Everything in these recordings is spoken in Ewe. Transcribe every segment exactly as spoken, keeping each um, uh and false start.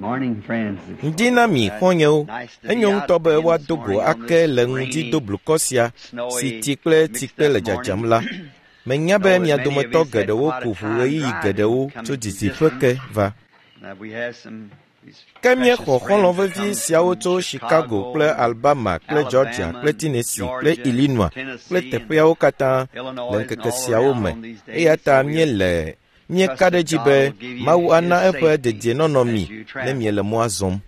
Ŋdi na mi xɔ̃nyewo. Enyo ŋutɔ be woado go ake le ŋdi doblukɔ sia si tsi kple tsikpe le dzadzam la. Menya be mia dometɔ geɖewo ku ʋu ɣeyiɣi geɖewo tso didiƒe ke va. Ke míexɔ xɔlɔ̃ vevi siawo tso Chicago kple Alabama kple Georgia kple Tennessee kple Illinois kple teƒeawo katã le ŋkeke siawo me. Eya ta míele míeka ɖe edzi be Mawu ana eƒe dedienɔnɔ mi ne miele mɔa zɔm.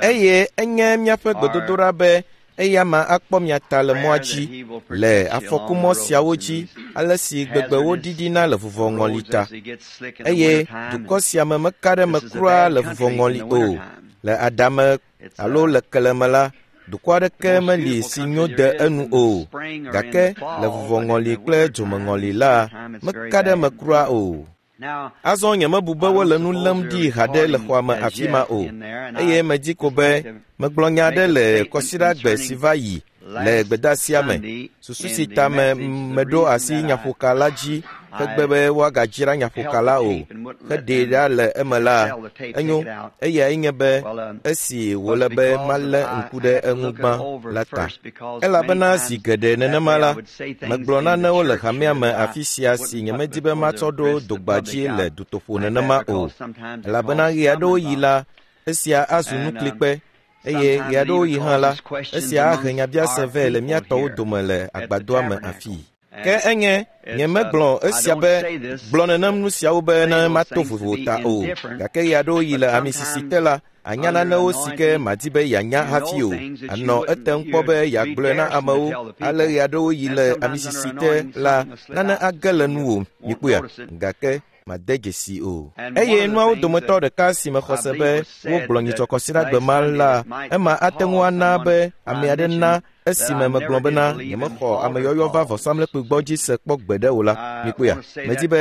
Eye enye míaƒe gbedodoɖa be eya ma akpɔ mia ta le mɔa dzi le afɔkumɔ siawo dzi ale si gbegbe woɖiɖina le vuvɔŋɔli ta. Eye dukɔ sia me meka ɖe eme kura le vuvɔŋɔli o. Le aɖame alo le keleme la, dukɔ aɖeke meli si nyo de enu o. Gake le vuvɔŋɔli kple dzomeŋɔli la, meka ɖe eme kura o. Azɔ nyemebu be wole nu lém ɖi haɖe le xɔa me afi ma o. Eye medzi ko be megblɔ nya aɖe le kɔsiɖagbe si va yi le gbedeasia me. Susu si ta me meɖo asi nyaƒoka la dzi hegbe be woagadzra nyaƒoka la o heɖee ɖa le eme la, enyo eyae nye be esi wòle be malé ŋku ɖe eŋu gbã la ta. Elabena zi geɖe nenema la, megblɔ nanewo le hamea me afi sia si nyemedi be matsɔ ɖo dogba dzi le dutoƒo nenema o. Elabena ɣe aɖewo yi la, esia azu nuklikpe eye ɣe aɖewo yi hã la, esia ahe nyabiase vɛ le mía tɔwo dome le agbadɔa me afii. Ke enye nyemegblɔ esia be gblɔ nenem nu siawo be ne mato vovo ta o. Gake ɣe aɖewo yi le amisisi te la, anya nanewo si ke madi be yeanya hafi o. Anɔ etem kpɔ be yeagblɔe na amewo ale ɣe aɖewo yi le amisisi te la, nane age le nuwò mikpɔea gake made dzesi o. Eye nuawo dometɔ ɖeka si mexɔ se be wogblɔ nyitsɔ kɔsiɖagbe ma la, ema ate ŋu ana be ame aɖe na esime megblɔ bena nyemexɔ ameyɔyɔ va vɔsamlekpui gbɔ dzi se kpɔ gbeɖe o la, mikpɔea, medi be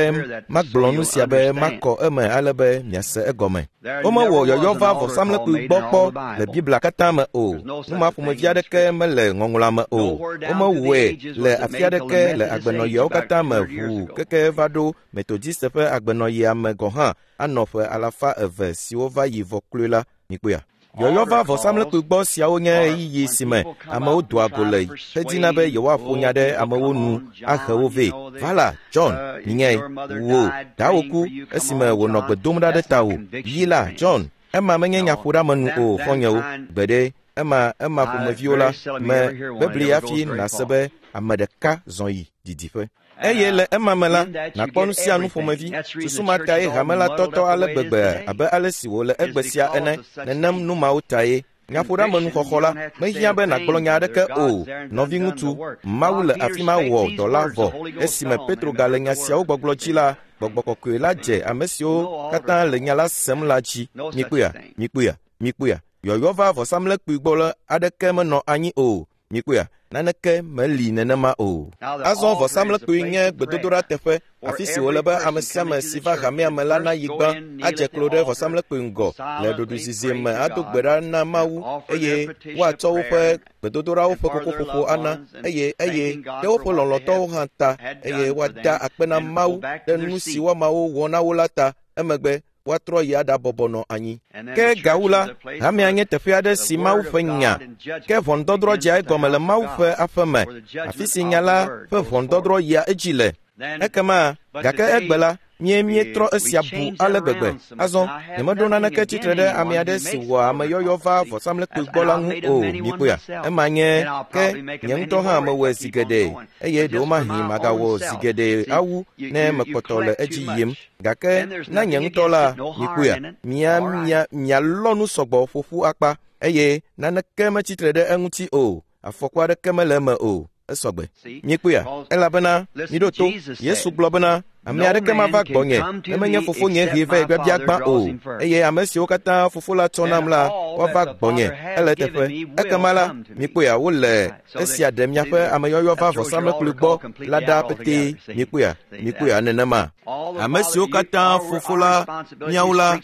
magblɔ nu sia be makɔ eme ale be miase egɔme. Womewɔ yɔyɔ va vɔsamlekpui gbɔ kpɔ le Biblia katã me o. Nu ma ƒomevi aɖeke mele ŋɔŋlɔa me o. Womewɔe le afi aɖeke le agbenɔɣiawo katã me ʋuu keke va ɖo Metodist ƒe agbenɔɣia me gɔ̃ hã anɔ ƒe alafa eve siwo va yi vɔ kloe la, mikpɔea. Yɔyɔ va vɔsamlekpui gbɔ siawo nye ɣeyiɣi si me amewo doa go le hedina be yewoaƒo nya ɖe amewo nu ahe wo vɛ. Va la, John, minyae, wò dawò ku esime wònɔ gbe dom ɖa ɖe tawò. Yi la, John, ema menye nyaƒoɖeamenu o, xɔ̃nyewo. Gbeɖe, ema ema ƒomeviwo la me bebli hafi nàse be ame ɖeka zɔ yi didiƒe. Eye le ema me la, nàkpɔ nu sia nu ƒomevi. Susu ma tae hame la tɔtɔ ale gbegbe abe ale si wòle egbe sia ene. Nenem nu mawo tae. Nyaƒoɖeamenuxɔxɔ la, mehiã be nàgblɔ nya aɖeke o. Nɔviŋutsu, Mawu le afi ma wɔ dɔ la vɔ. Esime Petro gale nya siawo gbɔgblɔ dzi la, Gbɔgbɔ Kɔkɔe la dze ame siwo katã le nya la sem la dzi. Mikpɔea, mikpɔea, mikpɔea. Yɔyɔ va vɔsamlekpui gbɔ la aɖeke menɔ anyi o. Mikpɔea, naneke meli nenema o. Azɔ vɔsamlekpui nye gbedodoɖa teƒe, afi si wòle be ame sia ame si va hamea me la nayi gbã adze klo ɖe vɔsamlekpui ŋgɔ le ɖoɖoezizi me ado gbe ɖa na Mawu eye woatsɔ woƒe gbedodoɖawo ƒe kokoƒoƒo ana eye eye ɖe woƒe lɔlɔ̃tɔwo hã ta eye woada akpe na Mawu ɖe nu si woamawo wɔ na wo la ta. Emegbe woatrɔ yi aɖabɔbɔ nɔ anyi. Ke gawu la, hamea nye teƒe aɖe si Mawu ƒe nya ke ʋɔnudɔdrɔ̃ dzea egɔme le Mawu ƒe aƒe me, afi si nya la ƒe ʋɔnudɔdrɔ̃ yia edzi le. Ekema, gake egbe la, mie míetrɔ esia bu ale gbegbe. Azɔ, nyemeɖo naneke tsitre ɖe ame aɖe si wɔa ameyɔyɔ va vɔsamlekpui gbɔ la ŋu o, mikpɔea. Ema nye ke nye ŋutɔ hã mewɔe zi geɖe eye ɖewomahi magawɔ zi geɖe awu ne mekpɔtɔ le edzi yim. Gake na nye ŋutɔ la, mikpɔea, mia mia mialɔ nu sɔgbɔ ƒoƒu akpa eye naneke metsitre ɖe eŋuti o. Afɔku aɖeke mele eme o. Esɔgbe. Mikpɔea, elabena miɖo to. Yesu gblɔ bena ame aɖeke mava gbɔnye ne menye fofonye hee vɛ biabia gbã o. Eye ame siwo katã fofo la tsɔ nam la, woava gbɔnye. Ele eteƒe. Ekema la, mikpɔea, wole esia ɖe miaƒe ameyɔyɔ va vɔsamlekpui gbɔ la ɖa petee. Mikpɔea, mikpɔea nenema. Ame siwo katã fofo la míawo la,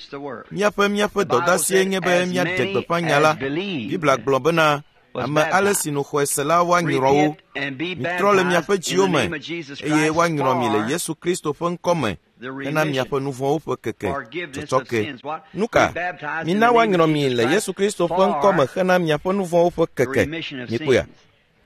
míaƒe míaƒe dɔdeasie nye be míaɖe gbeƒã nya la. Biblia gblɔ bena Ame ale si nu xɔe se la woanyrɔ wo. Mitrɔ le miaƒe dziwo me eye woanyrɔ mi le Yesu Kristo ƒe ŋkɔ me hena miaƒe nu vɔ̃wo ƒe keke tsɔtsɔke. Nu ka? Mina woanyrɔ mi le Yesu Kristo ƒe ŋkɔ me hena miaƒe nu vɔ̃wo ƒe keke. Mikpɔea?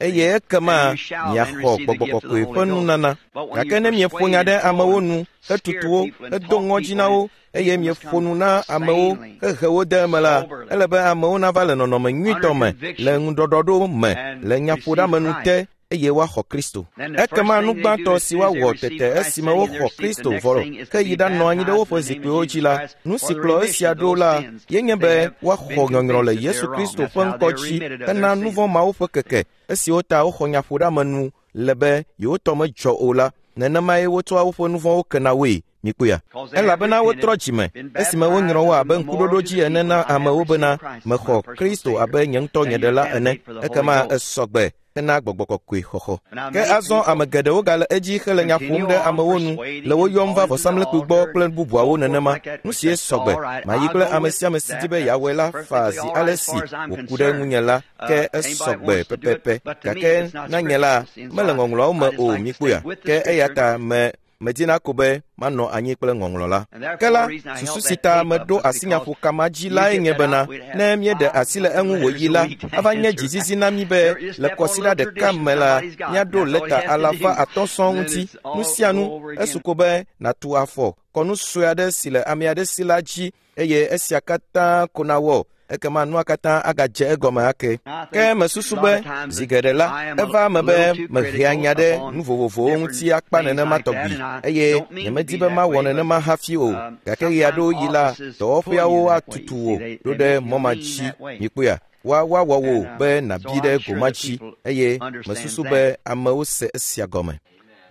Eye ekema miaxɔ Gbɔgbɔ Kɔkɔe ƒe nunana. Gake ne mieƒo nya ɖe amewo nu, hetutu wo, hedo ŋɔdzi na wo, eye mieƒo nu na amewo hehe wo de eme la, ele be amewo nava le nɔnɔme nyuitɔ me, le ŋuɖɔɖɔɖo me, le nyaƒoɖeamenu te, eye woaxɔ Kristo. Ekema nu gbãtɔ si woawɔ tete esime woxɔ Kristo vɔ ke yi ɖanɔ anyi ɖe woƒe zikpuiwo dzi la, nu si kplɔ esia ɖo la ye nye be woaxɔ nyɔnyrɔ le Yesu Kristo ƒe ŋkɔ dzi hena nu vɔ̃ mawo ƒe keke esiwo ta woxɔ nyaƒoɖeamenu le be yewotɔ medzɔ o la. Nenemae wotsɔa woƒe nu vɔ̃wo kena woe. Mikpɔea? Elabena wotrɔ dzime esime wonyrɔ wo abe ŋkuɖoɖo dzi ene na amewo bena mexɔ Kristo abe nye ŋutɔ nye ɖela ene. Ekema esɔgbe hena Gbɔgbɔ Kɔkɔe xɔxɔ. Ke azɔ ame geɖewo gale edzi hele nya ƒom ɖe amewo nu le wo yɔm va vɔsamlekpui gbɔ kple bubuawo nenema. Nu sie sɔgbe. Mayi kple ame sia ame si di be yeawɔe la faa zi ale si wòku ɖe ŋunye la, ke esɔgbe pɛpɛpɛ. Gake na nye la, mele ŋɔŋlɔawo me o. Mikpɔea? Ke eya ta me medina ko be manɔ anyi kple ŋɔŋlɔ la. Ke la, susu si ta meɖo asi nyaƒokama dzi lae nye bena, ne míeɖe asi le eŋu wòyi la, ava nye dzizizi na mí be le kɔsiɖa ɖeka me la, míaɖo lɛta alafa atɔ̃ sɔŋ ŋuti. Nu sia nu, esu ko be nàtu afɔ kɔnu sue aɖe si le ame aɖe si la dzi eye esia katã ko nawɔ. Ekema nua katã agadze egɔme ake. Ke mesusu be zi geɖe la, eva eme be mehea nya ɖe nu vovovowo ŋuti akpa nenema tɔgbi eye nyemedi be mawɔ nenema hafi o. Gake ɣe aɖewo yi la, dɔwɔƒeawo atutu wò ɖo ɖe mɔ ma dzi. Mikpɔea? Woa woawɔ wò be nàbi ɖe goma dzi eye mesusu be amewo se esia gɔme.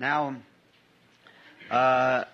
Now, uh,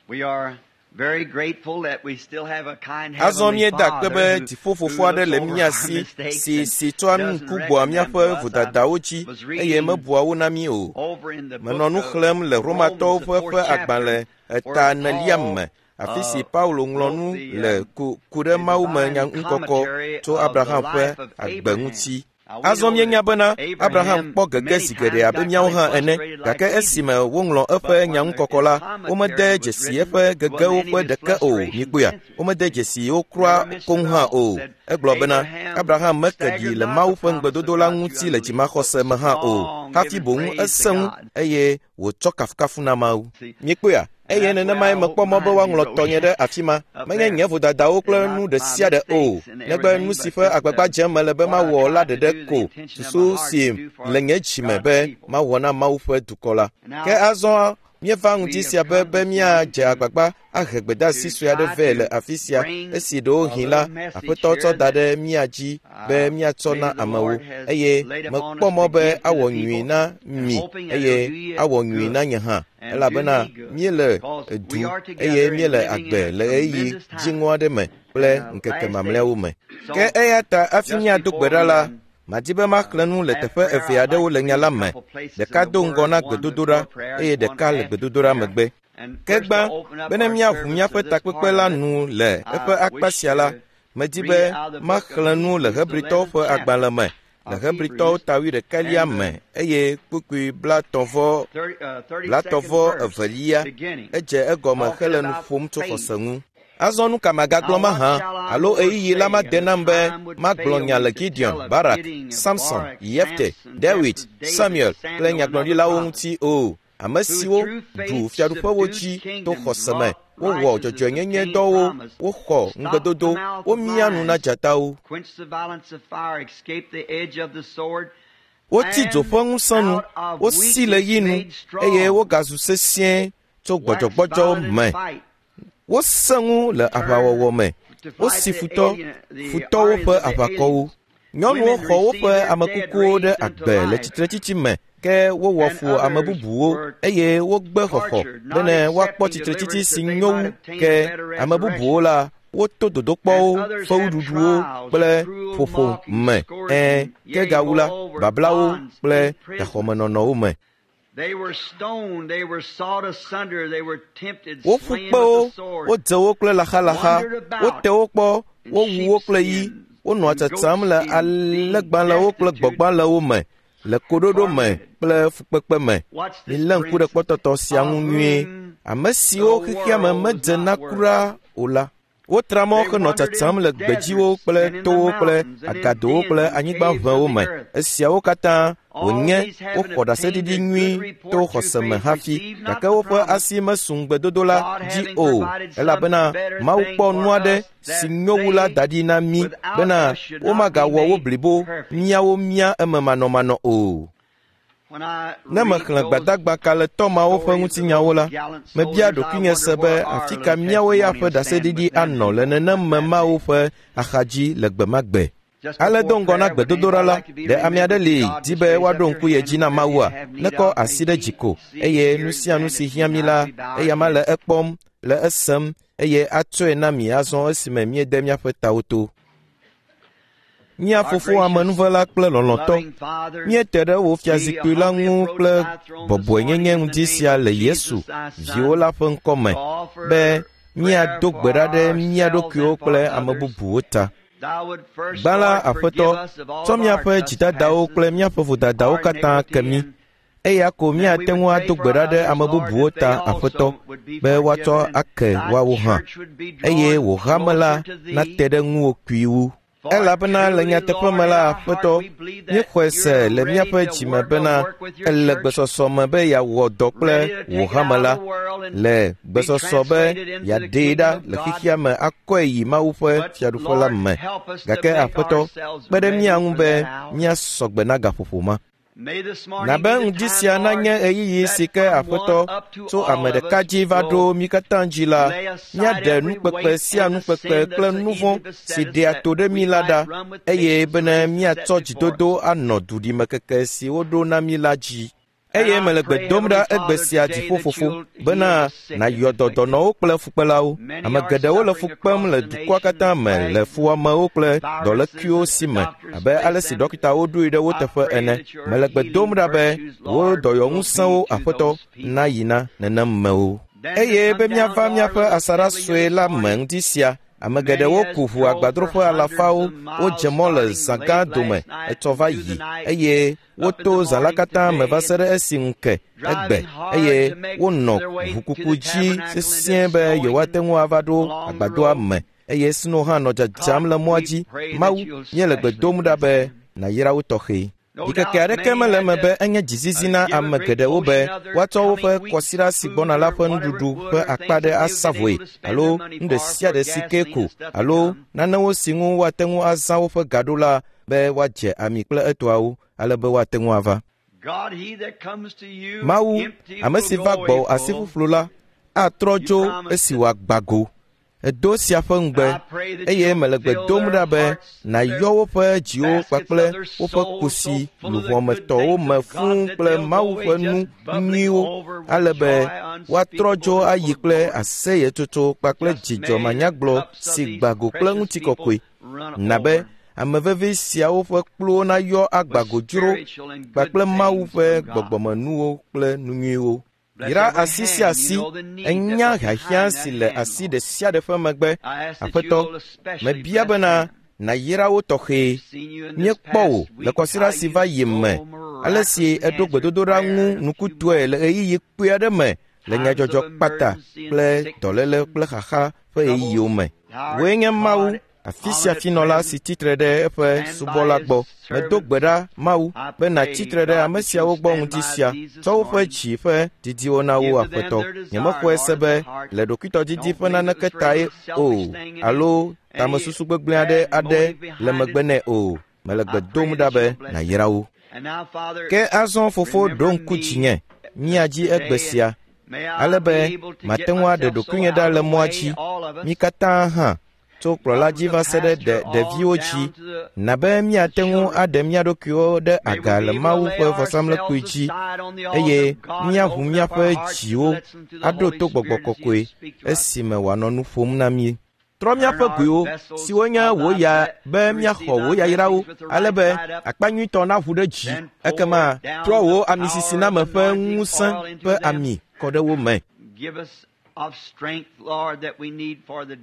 we are very grateful that we still have a kind Azɔ heavenly míeda akpe Father be who, dziƒofofo who aɖe looks le over mía our si mistakes si and si tsɔa doesn't ŋku gbɔa reckon them to míaƒe us. I vodadawo dzi was eye reading mebua wo na mí o. over in the Menɔ book nu of xlẽm le Romatɔwo Romans, the ƒe fourth ƒe chapter, agbalẽ where eta enelia Paul me, afi si uh, Paulo ŋlɔ wrote nu the, le um, ku ku ɖe the Mawu me divine nya ŋkɔkɔ commentary tso of the Abraham ƒe life of agbe Abraham. ŋuti. Now we Azɔ know míenya that bena Abraham Abraham kpɔ gege many zi geɖe times abe got míawo kind hã of ene, frustrated like gake we do. esime woŋlɔ eƒe But when nya the, ŋukɔkɔ his la, womede commentary was dzesi written, eƒe there gegewo wasn't any ƒe of his ɖeke o. frustrations Mikpɔea? censored. Womede dzesi wo Never kura mentioned koŋ at hã all. o. Said Egblɔ bena Abraham Abraham meke ɖi staggered le not Mawu the ƒe promise of ŋugbedodo la God through ŋuti le unbelief, but dzimaxɔse me hã o. strong, Hafi giving boŋ praise to esẽ ŋu God. eye wòtsɔ kafukafu na Mawu. See, Mikpɔea? and Eye that's the way nenemae I hope mekpɔ mɔ be mine be woaŋlɔ wrote tɔnye ɖe afi ma. up Menye there. nye vodadawo kple They're nu not ɖe my sia ɖe o, mistakes and negbe everything, nu si but ƒe just agbagba uh, dzem mele be what I mawɔ la tried to ɖeɖe do, the ko, intention of my susu heart si to do for le nye dzime God's be people. mawɔ na Mawu ƒe dukɔ la. Now, Ke azɔ míeva we ŋuti have sia be come be this morning míadze to agbagba ahe gbedeasi to sue aɖe try vɛ le to afi sia bring esi a ɖewohĩ little la message Aƒetɔ tsɔ here da that ɖe mía dzi be uh, míatsɔ maybe na the amewo Lord has eye laid upon mekpɔ us mɔ to be give to the awɔ nyui people, na and mi hoping that eye it'll do you awɔ nyui good na nye hã and do elabena me good, míele because du we are eye together and míele living agbe in a le ɣeyiɣi tremendous time dziŋɔ aɖe me kple and the ŋkeke last mamlɛawo days. me. So Ke eya ta hafi just míado gbe before ɖa we la, um, madi be maxlẽ nu le have teƒe prayer, eve I'd like aɖewo to le nya read la a me. couple places in Ɖeka the do ŋgɔ Word, na one before gbedodoɖa prayer eye and one ɖeka le after gbedodoɖa prayer. megbe. And Ke first to gbã, open up bene our míaʋu service míaƒe to this takpekpe part la of it, nu le eƒe I akpa wish sia la, to medi read be out of the book of maxlẽ nu le Hebrews, the Hebritɔwo eleventh ƒe chapter agbalẽ me, le of Hebritɔwo Hebrews, ta wuiɖekɛlia and the me eye kpukpui blatɔ̃vɔ thirty, uh, thirty-second blatɔ̃vɔ verse evelia beginning, edze egɔme talking hele nu about ƒom tso faith. xɔse ŋu. Azɔ nu ka magagblɔ Now what mahã shall I alo more ɣeyiɣi la say? made And the nam be time would magblɔ fail nya me le to Gideon, tell of Barak, Gideon, of Samson, Barak, Yefte, Samson, David, Jephthah, David, Samuel kple Samuel, and other nyagblɔɖilawo prophets, ŋuti o. Ame who siwo through ɖu faith fiaɖuƒewo subdued dzi to kingdoms, xɔse me, wrought wowɔ righteousness, dzɔdzɔenyenye obtained dɔwo, promise, woxɔ stopped the ŋugbedodo, mouth of womia nu na lions, dzatawo. quenched the violence of fire, escaped the edge of the sword, Wotsi dzo and ƒe ŋusẽ nu, out of wosi le weakness yi nu made eye strong, wogazu sesĩe tso waxed gbɔdzɔgbɔdzɔ violent in me. fight, Wosẽ ŋu le turned aʋawɔwɔ me. to fight Wosi the futɔ, alien, the futɔwo armies ƒe of the aʋakɔwo. aliens. Nyɔnuwo Women xɔ received woƒe their dead amekukuwo ɖe raised unto agbe le life, tsitretsitsi me, ke wowɔ and fu ame others bubuwo were eye wogbe xɔxɔ tortured, not bene woakpɔ accepting tsitretsitsi deliverance si that they nyo might wu. obtain a Ke better ame bubuwo resurrection. la, woto And dodokpɔwo, others had fewuɖuɖuwo trials, kple cruel ƒoƒo mocking, me. Ɛ̃, scourging, ke yea, gawu la, moreover, bablawo bonds, kple imprisonment. gaxɔmenɔnɔwo me. They were stoned, they were sawed asunder, they were tempted, Woƒu slain kpe wo, with the sword, wodze wo kple laxalaxa, wandered about wote wo kpɔ, in wowu wo kple yi, sheepskins, Wonɔa tsatsam le alẽgbalẽwo kple gbɔgbalẽwo me, le koɖoɖo me kple fukpekpe me. Milé ŋku ɖe kpɔtɔtɔ sia ŋu nyuie. Ame siwo xexea me medze na kura o la, wotra mɔ henɔ tsatsam le gbedziwo kple towo kple agadowo kple anyigbaʋewo me. Esiawo katã wònye woxɔ ɖaseɖiɖi nyui to xɔse me hafi, gake woƒe asi mesu ŋugbedodo la dzi o, elabena Mawu kpɔ nu aɖe si nyo wu la da ɖi na mí bena womagawɔ wo blibo míawo mía eme manɔmanɔ o. Ne mexlẽ gbadagba kalẽtɔ mawo ƒe ŋutinyawo la, mebia ɖokuinye se be afi ka míawo ya ƒe ɖaseɖiɖi anɔ le nenem me mawo ƒe axadzi le gbe ma gbe. Ale do ŋgɔ na gbedodoɖa la, ɖe ame aɖe li di be woaɖo ŋku ye dzi na Mawua? Nekɔ asi ɖe dzi ko, eye nu sia nu si hiã mi la, eyama le ekpɔm, le esem, eye atsɔe na mi azɔ esime míede míaƒe tawo to. Mía fofo amenuvela kple lɔlɔ̃tɔ, míete ɖe wò fiazikpui la ŋu kple bɔbɔenyenye ŋdi sia le Yesu, viwò la ƒe ŋkɔ me, be míado gbe ɖa ɖe mía ɖokuiwo kple ame bubuwo ta. Gbã la, Aƒetɔ, tsɔ míaƒe dzidadawo kple míaƒe vodadawo katã ke mí, eya ko míate ŋu ado gbe ɖa ɖe ame bubuwo ta, Aƒetɔ, be woatsɔ ake woawo hã, eye wò hame la nate ɖe ŋuwò kpui wu. Elabena le nyateƒe me la, Aƒetɔ, míexɔe se le míaƒe dzime bena ele gbesɔsɔ me be yeawɔ dɔ kple wò hame la, le gbesɔsɔ be yeaɖee ɖa le xexea me akɔe yi Mawu ƒe fiaɖuƒe la me. Gake Aƒetɔ, kpe ɖe mía ŋu be míasɔ gbe na gaƒoƒo ma. Na be ŋdi sia nanye ɣeyiɣi si ke Aƒetɔ tso ame ɖeka dzi va ɖo mí katã dzi la, míaɖe nukpekpe sia nukpekpe kple nu vɔ̃ si ɖea to ɖe mí la ɖa, eye bene míatsɔ dzidodo anɔ duɖimekeke si woɖo na mí la dzi. Eye mele gbe dom ɖa egbe sia dziƒofofo bena nàyɔ dɔ dɔnɔwo kple fukpelawo. Ame geɖewo le fu kpem le dukɔa katã me le fuwɔamewo kple dɔlékuiwo si me abe ale si ɖɔkitawo ɖoe ɖe wo teƒe ene. Mele gbe dom ɖa be wò dɔyɔŋusẽwo, Aƒetɔ, nayi na nenem mewo. Eye be míava míaƒe asaɖa sue la me ŋdi sia, ame geɖewo ku ʋu agbadroƒe alafawo, wodze mɔ le zã gã dome etsɔ va yi, eye woto zã la katã me va se ɖe esi ŋu ke egbe, eye wonɔ ʋukuku dzi sesĩe be yewoate ŋu ava ɖo agbadɔa me, eye sno hã nɔ dzadzam le mɔa dzi. Mawu, míele gbe dom ɖa be nàyra wo tɔxɛ. Ɖikeke aɖeke mele eme be enye dzizizi na ame geɖewo be woatsɔ woƒe kɔsiɖa si gbɔna la ƒe nuɖuɖu ƒe akpa ɖe asa vɔe, alo nu ɖe sia ɖe si ke ko, alo nanewo si ŋu woate ŋu azã woƒe ga ɖo la be woadze ami kple etɔawo, ale be woate ŋu ava. Mawu, ame si va gbɔwò asi ƒuƒlu la, atrɔ dzo esi wòagba go. Edo sia ƒe ŋugbe, eye mele gbe dom ɖa be nàyɔ woƒe dziwo kpakple woƒe kusi luʋɔmetɔwo me fũu kple Mawu ƒe nu nyuiwo, ale be woatrɔ dzo ayi kple aseyetsotso kpakple dzidzɔ manyagblɔ si gba go kple ŋutikɔkɔe. Na be ame vevi siawo ƒe kpluwo nayɔ agba go dzro kpakple Mawu ƒe gbɔgbɔmenuwo kple nu nyuiwo. Yra asi sia asi, enya hiahiã si le asi ɖe sia ɖe ƒe megbe. Aƒetɔ, mebia bena nàyra wo tɔxɛ. Míekpɔ wò le kɔsiɖa si va yi me, ale si èɖo gbedodoɖa ŋu nukutɔe le ɣeyiɣi kpui aɖe me le nyadzɔdzɔ kpata kple dɔléle kple xaxa ƒe ɣeyiɣiwo me. Wòe nye Mawu, afi sia fi nɔla si tsitre ɖe eƒe subɔla gbɔ. Medo gbe ɖa, Mawu, be nàtsitre ɖe ame siawo gbɔ ŋdi sia, tsɔ woƒe dzi ƒe didiwo na wo, Aƒetɔ. Nyemexɔe se be le ɖokuitɔdidi ƒe naneke tae o, alo tamesusu gbegblẽ aɖe aɖe le megbe nɛ o. Mele gbe dom ɖa be nàyra wo. Ke azɔ fofo ɖo ŋku dzinye, mía dzi egbe sia, ale be mate ŋu aɖe ɖokuinye ɖa le mɔa dzi, mí katã hã, tso kplɔla dzi va se ɖe ɖeviwo dzi, na be míate ŋu aɖe mía ɖokuiwo ɖe aga le Mawu ƒe vɔsamlekpui dzi, eye míaʋu míaƒe dziwo aɖo to Gbɔgbɔ Kɔkɔe esime wòanɔ nu ƒom na mí. Trɔ míaƒe goewo, siwo nye wò ya be míaxɔ wò yayrawo, ale be akpa nyuitɔ naʋu ɖe dzi. Ekema trɔ wò amisisiname ƒe ŋusẽ ƒe ami kɔ ɖe wo me.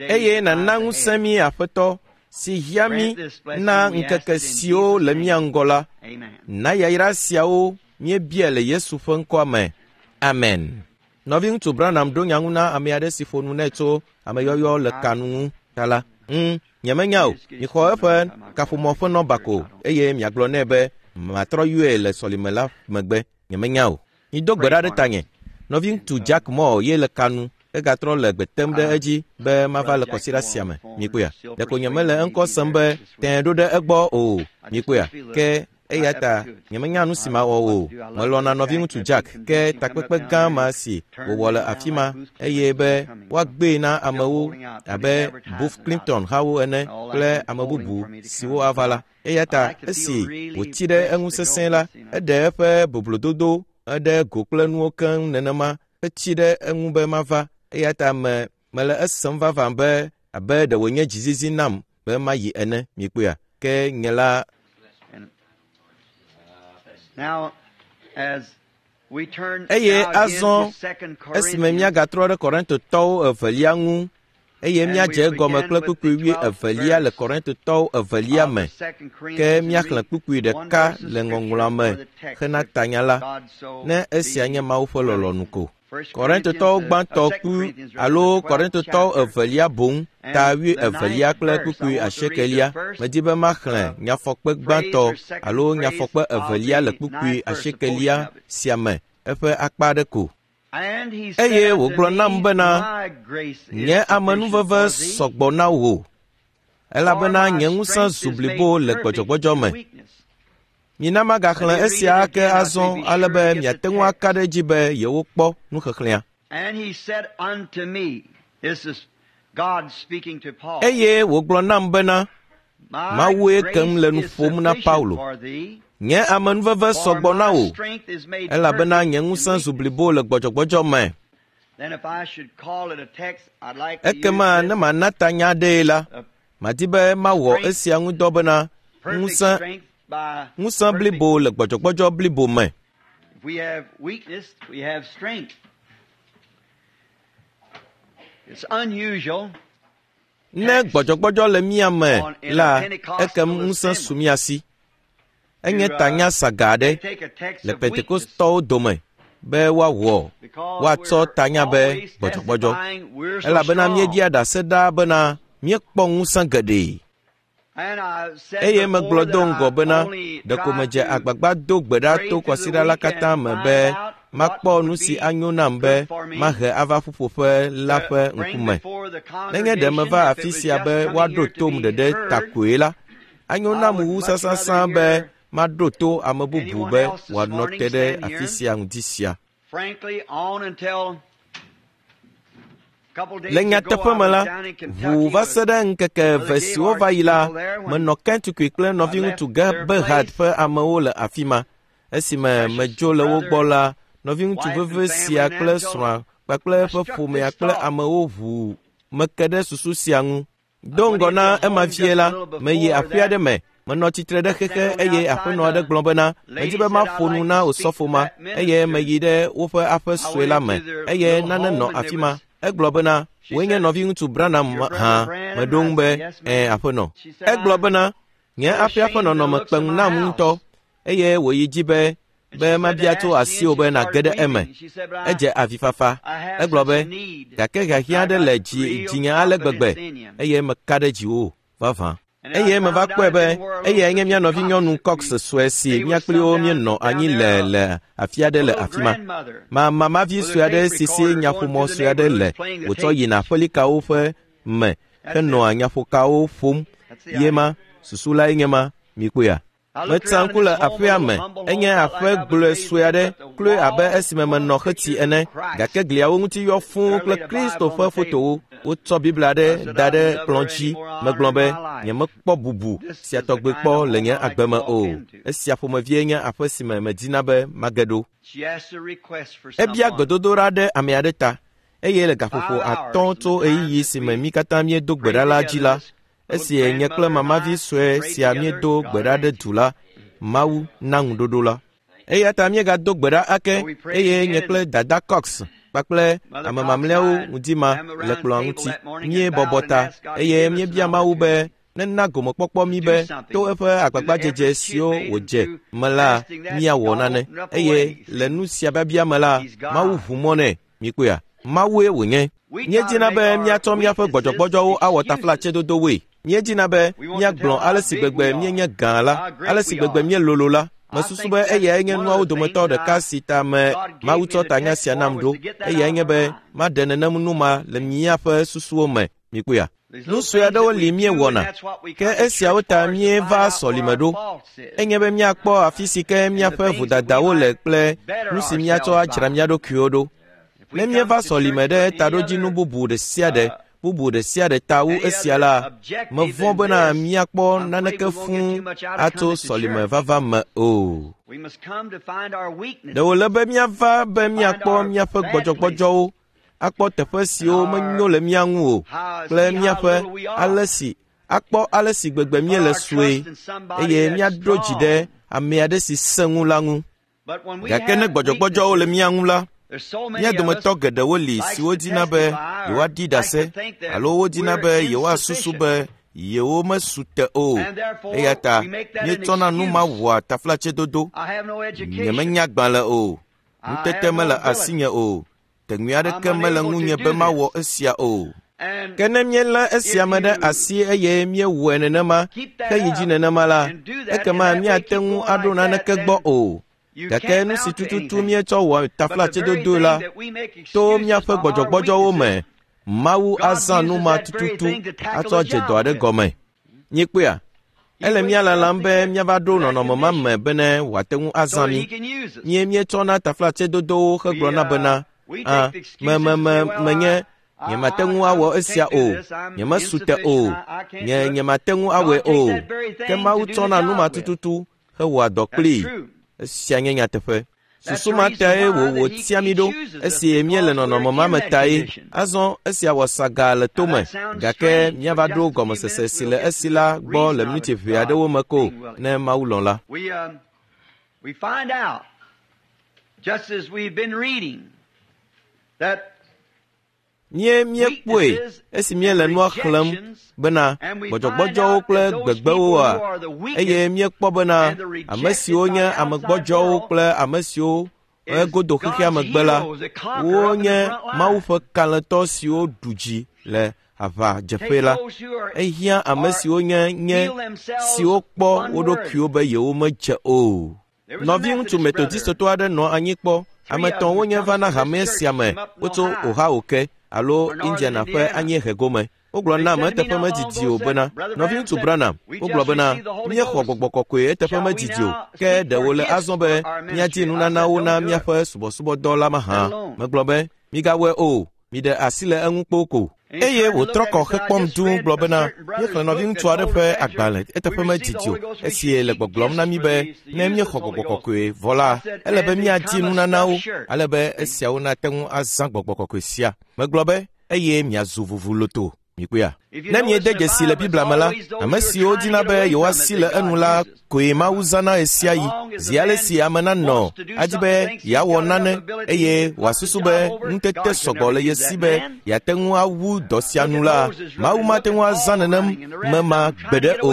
Eye nàna ŋusẽ mí, Aƒetɔ, si hiã mí Grant this blessing na we ask ŋkeke it in siwo Jesus' le name. mía ŋgɔ la. Amen. Na yayra siawo míebia le Yesu ƒe ŋkɔa me. Amen. Nɔviŋutsu Branham ɖo nya ŋu na ame aɖe si ƒo nu nɛ tso ameyɔyɔ le ka nu ŋu ta la. Ŋ, nyemenya o. Mixɔ eƒe kaƒomɔ ƒe nɔba ko eye miagblɔ nɛ be matrɔ yɔe le sɔlime la megbe. Nyemenya o. Mido gbe ɖa ɖe tanye. Nɔviŋutsu Jack Moore ye le ka nu. Egatrɔ le gbe tem ɖe edzi be mava le kɔsiɖa sia me. Mikpɔea? Ɖeko nyemele eŋkɔ sem be tẽe ɖo ɖe egbɔ o. Mikpɔea? Ke eya ta nyemenya nu si mawɔ o. Melɔ̃na nɔviŋutsu Jack ke takpekpe gã ma si wòwɔ le afi ma eye be woagbee na amewo abe Booth Clinton hawo ene kple ame bubu siwo ava la. Eya ta esi wòtsi ɖe eŋu sesẽ la, eɖe eƒe boblododo eɖe go kple nuwo keŋ nenema hetsi ɖe eŋu be mava. Eya ta me mele esem vavã be abe ɖe wònye dzizizi nam be mayi ene. Mikpɔea? Ke nye la And now, as we turn Eye now again azɔ to Second esime Corinthians, míagatrɔ ɖe Korintotɔwo evelia ŋu eye And míadze we egɔme begin kple with kpukpui the wui twelfth evelia le verse Korintotɔwo evelia of me. Second Ke Corinthians and míaxlẽ read kpukpui one ɖeka verse of le scripture ŋɔŋlɔa me for the text hena if tanya la, God so ne esia be nye Mawu ƒe willing. lɔlɔ̃nu ko. First Korintotɔwo Corinthians, uh, gbãtɔ Second kpu Corinthians, rather, alo the twelfth Korintotɔwo chapter, evelia boŋ ta and wui the evelia ninth kple verse. I kpukpui want to read the asiekelia. first Medi be maxlẽ uh, nyafɔkpe phrase gbãtɔ or second alo phrase nyafɔkpe of evelia le the kpukpui ninth verse, a portion asiekelia of it. sia me eƒe akpa aɖe ko. And he said Eye unto wògblɔ nam me, bena, My grace is Nye sufficient amenuveve for thee, sɔgbɔ na wò, for elabena my nye ŋusẽ strength zu is made blibo le perfect gbɔdzɔgbɔdzɔ in me. weakness. Mina Let magaxlẽ me read it esia ake again, I say, azɔ be ale sure be to get the miate ŋu aka text. ɖe edzi be yewokpɔ nuxexlẽa. And he said unto me, this is God speaking to Paul, Eye wògblɔ nam bena, My Mawue kem grace le nu is ƒom na sufficient Paulo. for thee, Nye amenuveve for sɔgbɔ na my wò, strength is made elabena perfect nye in ŋusẽ zu weakness. blibo le gbɔdzɔgbɔdzɔ me. Then if I should call it a text, I'd like to use Ekema ne this mana tanya aɖee la, uh, madi be mawɔ strength, esia ŋu dɔ bena perfect ŋusẽ strength by ŋusẽ perfect. blibo le gbɔdzɔgbɔdzɔ blibo me. If we have weakness, we have strength. It's unusual Ne text gbɔdzɔgbɔdzɔ le mía me on in a la, ekem Pentecostal ŋusẽ su assembly mía si. Enye to uh, tanya saga they aɖe take a text le of weakness Pentekostɔwo dome be woawɔ because woatsɔ we're tanya be always gbɔdzɔgbɔdzɔ testifying we're so elabena strong. míeɖia ɖase ɖaa bena míekpɔ ŋusẽ geɖe. And I said Eye before megblɔ that do ŋgɔ I bena only ɖeko tried medze to agbagba do gbe ɖa pray to through the kɔsiɖa la week and katã me find be out what makpɔ would nu si be anyo nam be good for me mahe ava ƒuƒoƒe la to ƒe bring ŋkume. before the Nenye ɖe congregation meva if it afi was sia just be coming woaɖo here to tom be ɖeɖe ta heard. koe la, anyo I nam would wu much rather sasasã be hear maɖo to ame bubu anyone be else this wòanɔ morning te ɖe stand afi here. sia ŋdi sia. Frankly, on until a couple Le days ago, nyateƒe I me was la, down in ʋu Kentucky va with se ɖe ŋkeke Brother eve siwo va Gaylord's yi la, people there when menɔ Kentucky kple I nɔviŋutsu left their Gebhard place. ƒe amewo le afi ma. Esime Precious medzo le wo brother gbɔ and la, nɔviŋutsu wife and veve family sia and kple them, so srɔ̃a kpakple I eƒe struck ƒomea this kple thought. amewo ʋu meke ɖe susu sia ŋu. I Do went ŋgɔ into na a ema home vie just la, a little meyi before aƒe aɖe that. me. Menɔ tsitre ɖe I xexe sat on eye outside. aƒenɔ aɖe The gblɔ bena, medi lady be said, I'd maƒo nu like na to speak osɔfo to ma that eye minister. meyi ɖe woƒe aƒe I sue went la me into their eye little nane home nɔ and afi there ma. was, Egblɔ bena, she wòe nye said, nɔviŋutsu Branham Your brother hã. Branham? Meɖo I ŋu be, said, Yes, ɛ̃, ma'am. aƒenɔ. She said, Egblɔ I'm bena, nye quite aƒea ƒe ashamed of the nɔnɔme looks kpe of ŋu my nam ŋutɔ house. eye wòyi dzi be And be she said to mabia tso ask you, asiwò and be she nàge started ɖe eme. weeping. She said, But I, Edze avifafa. I have Egblɔ such a be, need, gake and hiahiã I aɖe le got dzi real dzinye ale gbegbe confidence in you. eye meka ɖe dziwò vavã. And then I Eye meva found out kpɔe it be didn't were a little eyae nye mía Sister nɔvinyɔnu Cox Cox that we, sue si they mía was kpli some wo down míenɔ down anyi there, le a, le afi aɖe a le little afi ma. grandmother Ma mamavi with sue a aɖe tape si si recorder going nyaƒomɔ through the sue aɖe le neighborhoods playing the wòtsɔ tapes. yina aƒelikawo ƒe me That's henɔa it. nyaƒokawo ƒom. That's the Ye idea. ma, susu lae nye ma, mikpɔea? I looked Metsa around in ŋku this le home, a aƒea little me. humble Enye home, not aƒe like I was gblɔe raised sue in, aɖe, but the kloe abe walls esime full of menɔ xeti pictures ene of Christ. gake gliawo ŋuti yɔ fũu There kple laid a Kristo Bible on ƒe the table. fotowo. Wotsɔ Biblia I aɖe said, da I've ɖe never kplɔ̃ any dzi. more Megblɔ honor in be, my life. nyemekpɔ bubu This sia is the tɔgbe kind kpɔ of le home nye I like agbe to me walk o. into. Esia ƒomevie nye aƒe si me medina be mage ɖo. She asked a request for Ebia someone. gbedodoɖa ɖe ame aɖe ta eye le gaƒoƒo Five hours atɔ̃ from tso the time ɣeyiɣi that si me we mí katã míedo gbe prayed ɖa la dzi together, la, this little esi nye kple grandmother and mamavi I sue prayed sia together, míedo God gbe ɖa ɖe answered. du la, Mawu na ŋuɖoɖo la. Eya ta míegado gbe ɖa ake So we prayed eye again, nye and kple Dada Cox kpakple Mother ame Cox and mamlɛawo I ŋdi ma sat le around the kplɔ̃a table ŋuti. that morning and Míebɔbɔ bowed and ta asked God to eye give us an míebia Mawu be opportunity Nena gomekpɔkpɔ mí be to eƒe agbagbadzedze siwo wòdze me la míawɔ nane. Eye le nu sia biabia me la, Mawu ʋu mɔ nɛ. Mikpɔea? Mawue wònye. Míedina be míatsɔ míaƒe gbɔdzɔgbɔdzɔwo awɔ taflatsedodowoe. Míedina be míagblɔ ale si gbegbe míenye gã la, ale si gbegbe míelolo la. Mesusu be eyae nye nuawo dometɔ ɖeka si ta me Mawu tsɔ tanya sia nam ɖo. Eyae nye be maɖe nenem nu ma le míaƒe susuwo me. Mikpɔea? Nu sue aɖewo li míewɔna, ke esiawo ta míeva sɔlime ɖo. Enye be míakpɔ afi si ke míaƒe vodadawo le kple nu si míatsɔ adzra mía ɖokuiwo ɖo. Ne míeva sɔlime ɖe taɖodzinu bubu ɖe sia ɖe, bubu ɖe sia ɖe ta wu esia la, mevɔ̃ bena míakpɔ naneke fũu atso sɔlime vava me o. Ɖe wòle be míava be míakpɔ míaƒe gbɔdzɔgbɔdzɔwo, akpɔ teƒe siwo menyo le mía ŋu o, kple míaƒe ale si akpɔ ale si gbegbe míele sue, eye míaɖo dzi ɖe ame aɖe si sẽ ŋu la ŋu. Gake ne gbɔdzɔgbɔdzɔwo le mía ŋu la, mía dometɔ geɖewo li siwo dina be yewoaɖi ɖase alo wodina be yewoasusu be yewo mesu te o. Eya ta míetsɔna nu ma wɔa taflatsedodo. Nyemenya agbalẽ o, nutete mele asinye o, teŋui aɖeke mele ŋunye be mawɔ esia o. Ke ne míelé esia me ɖe asi eye míewɔe nenema, heyi dzi nenema la, ekema míate ŋu aɖo naneke gbɔ o. Gake nu si tututu míetsɔ wɔ taflatsedodoe la, to míaƒe gbɔdzɔgbɔdzɔwo me, Mawu azã nu ma tututu atsɔ dze dɔ aɖe gɔme. Míekpɔea? Ele mía lalam be míava ɖo nɔnɔme ma me bene wòate ŋu azã mí. Mie míetsɔna taflatsedodowo hegblɔna bena, a me me me menye nyemate ŋu awɔ esia o, nyemesu te o, nye nyemate ŋu awɔe o. Ke Mawu tsɔna nu ma tututu hewɔa dɔ kplii. Esia nye nyateƒe. Susu ma tae wòwò tia mí ɖo esi míele nɔnɔme ma me tae. Azɔ esia wɔ saga le tome, gake míava ɖo gɔmesese si le esi la gbɔ le miniti ʋɛ aɖewo me ko ne Mawu lɔ̃ la. We, um, we find out, just as we've been reading, that Mie míekpɔe esi míele nua xlẽm bena gbɔdzɔgbɔdzɔwo kple gbegbewoa, eye míekpɔ bena ame siwo nye ame gbɔdzɔwo kple ame siwo egodo xexea megbe la, wonye Mawu ƒe kalẽtɔ siwo ɖu dzi le aʋadzeƒe la. Ehiã ame siwo nye nye siwo kpɔ wo ɖokuiwo be yewomedze o. Nɔviŋutsu Methodistotɔ aɖe nɔ anyi kpɔ. Ame etɔ̃ wonye va na hame sia me wotso Ohio ke alo Indiana ƒe anyiehe gome. Wogblɔ nam eteƒe medidi o bena, nɔviŋutsu Branham, wogblɔ bena, míexɔ gbɔgbɔ kɔkɔe eteƒe medidi o, ke ɖe wòle azɔ be míadi nunanawo na míaƒe subɔsubɔdɔ la mahã. Megblɔ be, migawɔe o, miɖe asi le eŋu kpoo ko. Eye wòtrɔ kɔ hekpɔm dũu gblɔ bena, míexlẽ nɔviŋutsu aɖe ƒe agbalẽ eteƒe medidi o, esi le gbɔgblɔm na mí be ne míexɔ gbɔgbɔ kɔkɔe vɔ la, ele be míadi nunanawo, ale be esiawo nate ŋu azã gbɔgbɔ kɔkɔe sia. Megblɔ be, eye miazu vuvuloto. Mikpɔea? Ne miede dzesi le Biblia me la, ame siwo dina be yewoasi le enu la koe Mawu zãna ɣe sia ɣi. Zi ale si ame nanɔ adi be yeawɔ nane eye wòasusu be nutete sɔgbɔ le ye si be yeate ŋu awu dɔ sia nu la, Mawu mate ŋu azã nenem me ma gbeɖe o.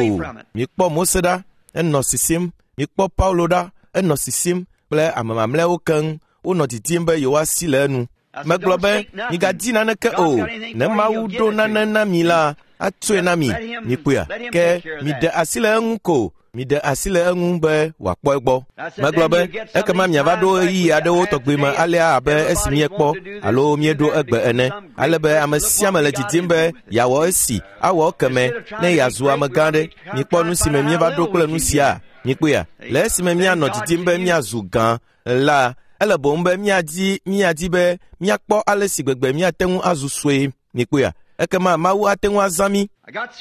Mikpɔ Mose ɖa, enɔ sisim. Mikpɔ Paulo ɖa, enɔ sisim kple ame mamlɛawo keŋ wonɔ didim be yewoasi le enu. Megblɔ be, migadi naneke o. Ne Mawu ɖo nane na mi la, atsoe na mi. Mikpɔea? Ke miɖe asi le eŋu ko. Miɖe asi le eŋu be wòakpɔ egbɔ. Megblɔ be, ekema miava ɖo ɣeyiɣi aɖewo tɔgbi me alea abe esi míekpɔ alo míeɖo egbe ene, ale be ame sia ame le didim be yeawɔ esi, awɔ ekeme ne yeazu amegã ɖe. Mikpɔ nu si me míeva ɖo kple nu sia. Mikpɔea? Le esime míanɔ didim be míazu gã la, ele boŋ be míadi míadi be míakpɔ ale si gbegbe míate ŋu azu sue. Mikpɔea? Ekema Mawu ate ŋu azã mí.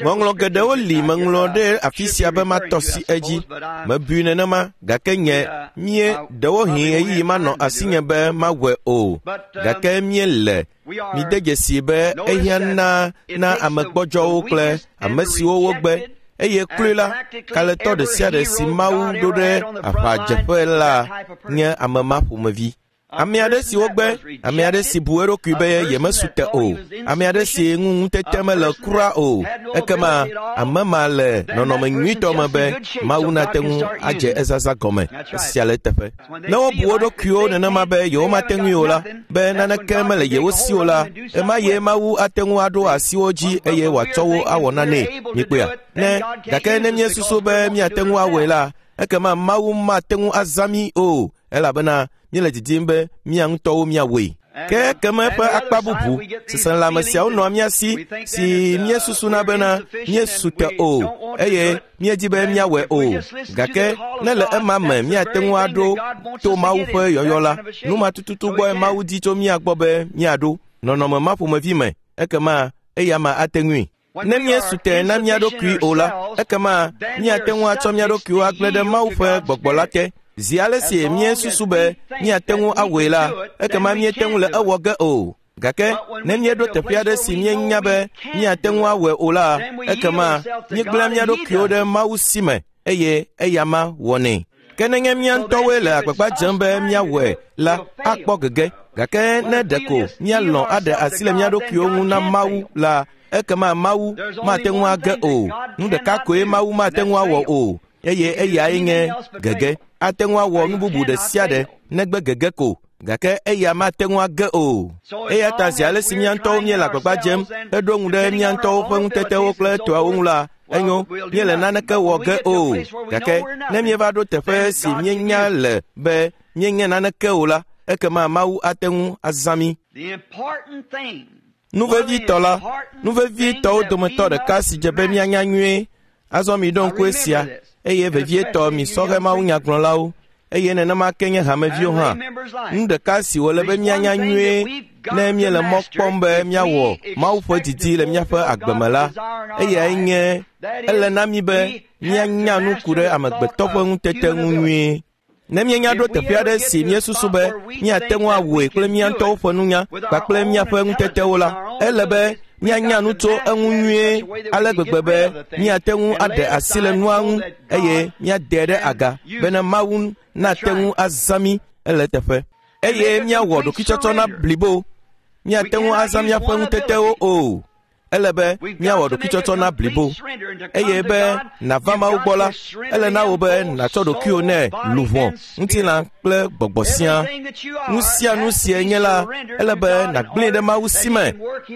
Ŋɔŋlɔ geɖewo li meŋlɔ ɖe afi sia be matɔ si edzi. Mebui nenema, gake nye mie ɖewohĩ ɣeyiɣi manɔ asinye be mawɔe o. Gake míele mide dzesi be ehiã na na ame gbɔdzɔwo kple ame siwo wogbe. Eye kloe la, kalẽtɔ ɖe sia ɖe si Mawu ɖo ɖe aʋadzeƒe la nye ame ma ƒomevi. Ame aɖe si wogbe, ame aɖe si bu eɖokui be yemesu te o, ame aɖe si ŋu ŋutete mele kura o, ekema ame ma le nɔnɔme nyuitɔ me be Mawu nate ŋu adze ezaza gɔme. Esia le eteƒe. Ne wobu wo ɖokuiwo nenema be yewomate ŋui o la, be naneke mele yewo si o la, ema ye Mawu ate ŋu aɖo asi wo dzi eye wòatsɔ wo awɔ nanee. Mikpɔea? Ne gake ne míesusu be míate ŋu awɔe la, ekema Mawu mate ŋu azã mí o, elabena míele didim be mía ŋutɔwo míawɔe. Ke ekeme ƒe akpa bubu, seselãme siawo nɔa mía si si míesusuna bena míesu te o eye míedi be míawɔe o. Gake ne le ema me míate ŋu aɖo to Mawu ƒe yɔyɔ la, nu ma tututu gbɔe Mawu di tso mía gbɔ be míaɖo nɔnɔme ma ƒomevi me, ekema eya ma ate ŋui. Ne míesu te na mía ɖokui o la, ekema míate ŋu atsɔ mía ɖokuiwo agblẽ ɖe Mawu ƒe gbɔgbɔ la te. Zi ale si míesusu be míate ŋu awɔe la, ekema míete ŋu le ewɔ ge o. Gake ne míeɖo teƒe aɖe si míenya be míate ŋu awɔe o la, ekema míegblẽa mía ɖokuiwo ɖe Mawu si me eye eya ma wɔnɛ. Ke nenye mía ŋutɔwoe le agbagba dzem be míawɔe la, akpɔ gege. Gake ne ɖeko míalɔ̃ aɖe asi le mía ɖokuiwo ŋu na Mawu la, ekema Mawu mate ŋu age o. Nu ɖeka koe Mawu mate ŋu awɔ o, eye eyae nye gege. Ate ŋu awɔ nu bubu ɖe sia ɖe negbe gege ko, gake eya mate ŋu age o. Eya ta zi ale si mía ŋutɔwo míele agbagba dzem heɖo ŋu ɖe mía ŋutɔwo ƒe ŋutetewo kple toawo ŋu la, enyo, míele naneke wɔ ge o. Gake ne míeva ɖo teƒe si míenya le be míenye naneke o la, ekema Mawu ate ŋu azã mí. Nu vevitɔ la, nu vevitɔwo dometɔ ɖeka si dze be míanya nyuie, azɔ miɖo ŋku esia, eye vevietɔ mi sɔhɛ mawunyagblɔlawo, eye nenema ke nye hameviwo hã. Nu ɖeka si wòle be míanya nyuie ne míele mɔ kpɔm be míawɔ Mawu ƒe didi le míaƒe agbe me la, eyae nye ele na mí be míanya nu ku ɖe amegbetɔ ƒe ŋutete ŋu nyuie. Ne míenya ɖo teƒe aɖe si míesusu be míate ŋu awɔe kple mía ŋutɔwo ƒe nunya kpakple míaƒe ŋutetewo la, ele be míanya nu tso eŋu nyuie ale gbegbe be míate ŋu aɖe asi le nua ŋu eye míade ɖe aga bene Mawu nate ŋu azã mí ele teƒe. Eye míawɔ ɖokuitsɔtsɔ na blibo. Míate ŋu azã míaƒe ŋutetewo o. Ele be míawɔ ɖokuitsɔtsɔ na blibo. Eye be nàva Mawu gbɔ la, ele na wò be nàtsɔ ɖokuiwò nɛ luʋɔ, ŋutilã kple gbɔgbɔ siaa. Nu sia nu si enye la, ele be nàgblẽe ɖe Mawu si me,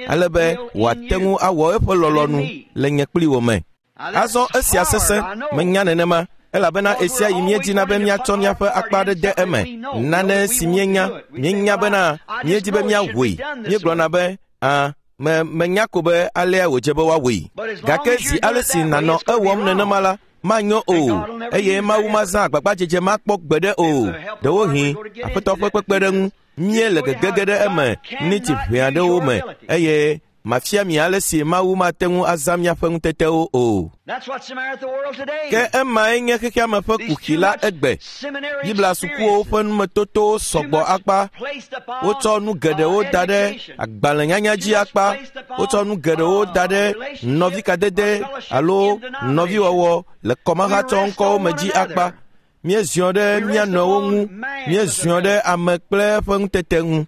ale be wòate ŋu awɔ eƒe lɔlɔ̃nu le nye kpli wò me. Azɔ esia sesẽ, menya nenema, elabena esia yi míedina be míatsɔ míaƒe akpa aɖe de eme. Nane si míenya, míenya bena míedi be míawɔe. Míegblɔna be, ã, me menya ko be alea wòdze be woawɔe. Gake zi ale si nànɔ ewɔm nenema la, manyo o, eye Mawu mazã agbagbadzedze makpɔ gbeɖe o. Ɖewohĩ Aƒetɔ ƒe kpekpeɖeŋu míele gegege ɖe eme miniti ʋɛ aɖewo me, eye mafia mi ale si Mawu mate ŋu azã míaƒe ŋutetewo o. Ke emae nye xexea me ƒe kuxi la egbe. Biblia sukuwo ƒe numetotowo sɔgbɔ akpa. Wotsɔ nu geɖewo da ɖe agbalẽnyanya dzi akpa. Wotsɔ nu geɖewo da ɖe nɔvikadede alo nɔviwɔwɔ le kɔmahatsɔŋkɔwo me dzi akpa. Míeziɔ ɖe mía nɔewo ŋu, míeziɔ ɖe ame kple eƒe ŋutete ŋu.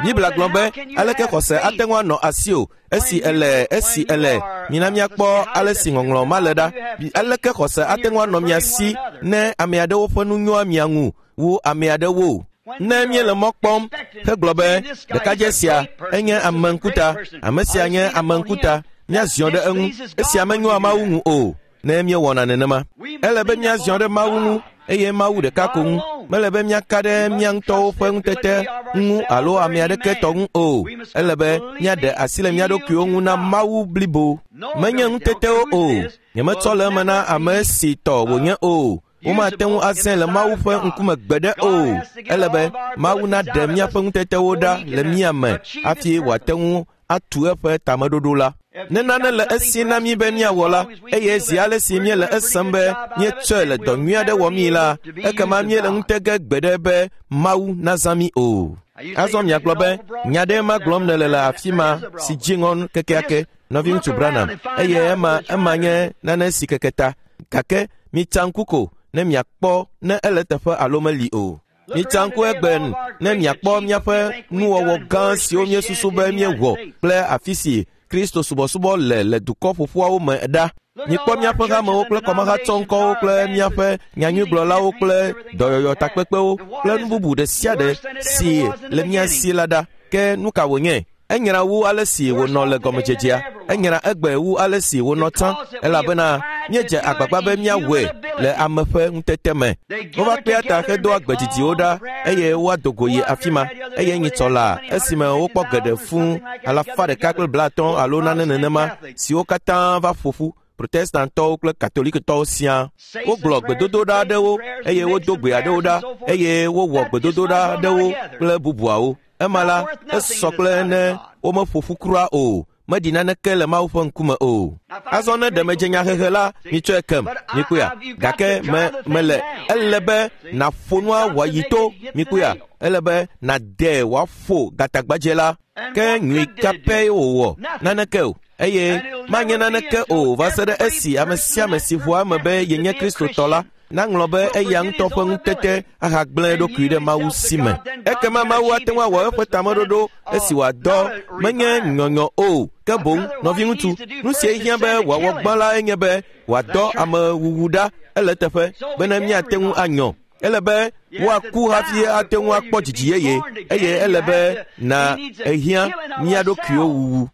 Biblia gblɔ be aleke xɔse ate ŋu anɔ asiwò esi ele esi ele mina míakpɔ ale si ŋɔŋlɔ ma le ɖa. Aleke xɔse ate ŋu anɔ mia si ne ame aɖewo ƒe nu nyoa mia ŋu wu ame aɖewo? Ne míele mɔ kpɔm hegblɔ be ɖekadze sia enye ame ŋkuta, ame sia nye ame ŋkuta, míaziɔ ɖe eŋu. Esia menyoa Mawu ŋu o. Ne míewɔna nenema, ele be míaziɔ ɖe Mawu ŋu eye Mawu ɖeka ko ŋu. Mele be míaka ɖe mía ŋutɔwo ƒe ŋutete ŋu alo ame aɖeke tɔ ŋu o. Ele be míaɖe asi le mía ɖokuiwo ŋu na Mawu blibo. Menye ŋutetewo o. Nyemetsɔ le eme na ame si tɔ wònye o. Womate ŋu azãe le Mawu ƒe ŋkume gbeɖe o. Ele be Mawu naɖe míaƒe ŋutetewo ɖa le mía me hafi wòate ŋu atu eƒe tameɖoɖo la. Ne nane le esi na mí be míawɔ la, eye zi ale si míele esem be míetsɔe le dɔ nyui aɖe wɔmii la, ekema míele ŋutege gbeɖe be Mawu nazã mí o. Azɔ miagblɔ be nya ɖe ma gblɔm nèle le afi ma si dzi ŋɔ kekeake, nɔviŋutsu Branham, eye ema ema nye nane si keke ta. Gake mitsa ŋku ko ne miakpɔ ne ele teƒe alo meli o. Mitsa ŋku egbe ne miakpɔ míaƒe nuwɔwɔ gã siwo míesusu be míewɔ kple afi si Kristo subɔsubɔ le le dukɔ ƒoƒuawo me ɖa. Mikpɔ míaƒe hamewo kple kɔmahatsɔŋkɔwo kple míaƒe nyanyuigblɔlawo kple dɔyɔyɔ takpekpewo kple nu bubu ɖe sia ɖe si le mía si la ɖa. Ke nu ka wònye? Enyra wu ale si wònɔ le gɔmedzedzea. Enyra egbe wu ale si wònɔ tsã, elabena míedze agbagba be míawɔe le ame ƒe ŋutete me. Wova kpea ta hedoa gbedzidziwo ɖa eye woado go yi afi ma. Eye nyitsɔ la esime wokpɔ geɖe fũu alafa ɖeka kple blaatɔ̃ alo nane nenema siwo katã va ƒo ƒu. Protestantɔwo kple Katolikitɔwo siaa. Wogblɔ gbedodoɖa aɖewo eye wodo gbe aɖewo ɖa eye wowɔ gbedodoɖa aɖewo kple bubuawo. Ema la, esɔ kple ne womeƒo ƒu kura o. Meɖi naneke le Mawu ƒe ŋkume o. Azɔ ne ɖe medze nyahehe la, mitsɔe kem, mikpɔea. Gake me mele ele be nàƒo nua wòayi to, mikpɔea. Ele be nàdee wòaƒo gatagbadze la. Ke nyui ka pɛ wòwɔ? Naneke o. Eye manye naneke o va se ɖe esi ame sia ame si ʋua eme be yenye Kristotɔ la naŋlɔ be eya ŋutɔ ƒe ŋutete ahagblẽ eɖokui ɖe Mawu si me. Ekema Mawu ate ŋu awɔ eƒe tameɖoɖo esi wòadɔ menye nyɔnyɔ o, ke boŋ nɔviŋutsu. Nu si hiã be wòawɔ gbã la enye be wòadɔ amewuwu ɖa ele teƒe bene míate ŋu anyɔ. Ele be woaku hafi ate ŋu akpɔ dzidzi yeye eye ele be na ehiã mía ɖokuiwo wuwu.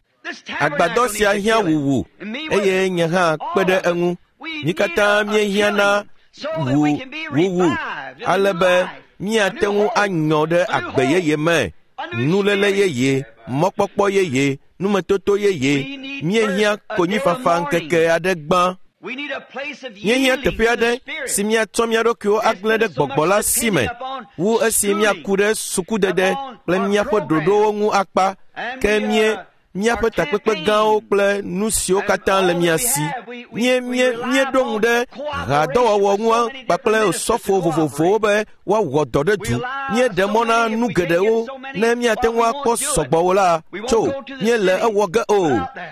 Agbadɔ sia hiã wuwu eye nye hã kpe ɖe eŋu. Mí katã míehiã na wu wuwu ale be míate ŋu anyɔ ɖe agbe yeye me, nuléle yeye, mɔkpɔkpɔ yeye, numetoto yeye. Míehiã konyifafa ŋkeke aɖe gbã. Míehiã teƒe aɖe si míatsɔ mía ɖokuiwo agblẽ ɖe gbɔgbɔ la si me wu esi míaku ɖe sukudede kple míaƒe ɖoɖowo ŋu akpa ke mie míaƒe takpekpe gãwo kple nu siwo katã le mía si. Mie mie míeɖo ŋu ɖe hadɔwɔwɔ ŋu kpakple osɔfo vovovowo be woawɔ dɔ ɖe du. Míeɖe mɔ na nu geɖewo ne míate ŋu akpɔ sɔgbɔwo la tso míele ewɔ ge o.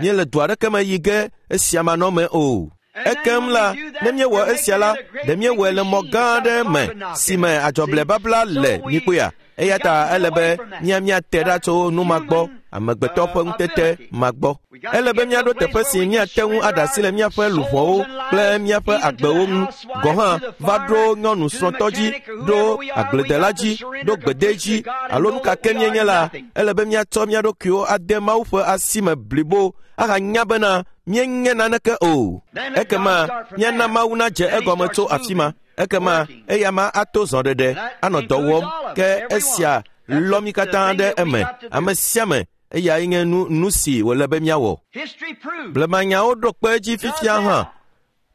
Míele du aɖeke me yi ge esia manɔme o. Ekem la, ne míewɔ esia la, ɖe míewɔe le mɔ gã aɖe me si me adzɔblɛbabla le mikpɔea. Eya ta ele be mía míate ɖa tso nu ma gbɔ, amegbetɔ ƒe ŋutete ma gbɔ. Ele be míaɖo teƒe si míate ŋu aɖe asi le míaƒe luʋɔwo kple míaƒe agbewo ŋu gɔ̃ hã va ɖo nyɔnu srɔ̃tɔ dzi, ɖo agbledela dzi, ɖo gbede dzi alo nu ka ke míenye la, ele be míatsɔ mía ɖokuiwo ade Mawu ƒe asi me blibo ahanya bena míenye naneke o. Ekema míana Mawu nadze egɔme tso afi ma. Ekema eya ma ato zɔɖeɖe anɔ dɔ wɔm ke esia lɔ mí katã ɖe eme. Ame sia ame eyae nye nu nu si wòle be míawɔ. Blemanyawo ɖo kpe edzi fifia hã.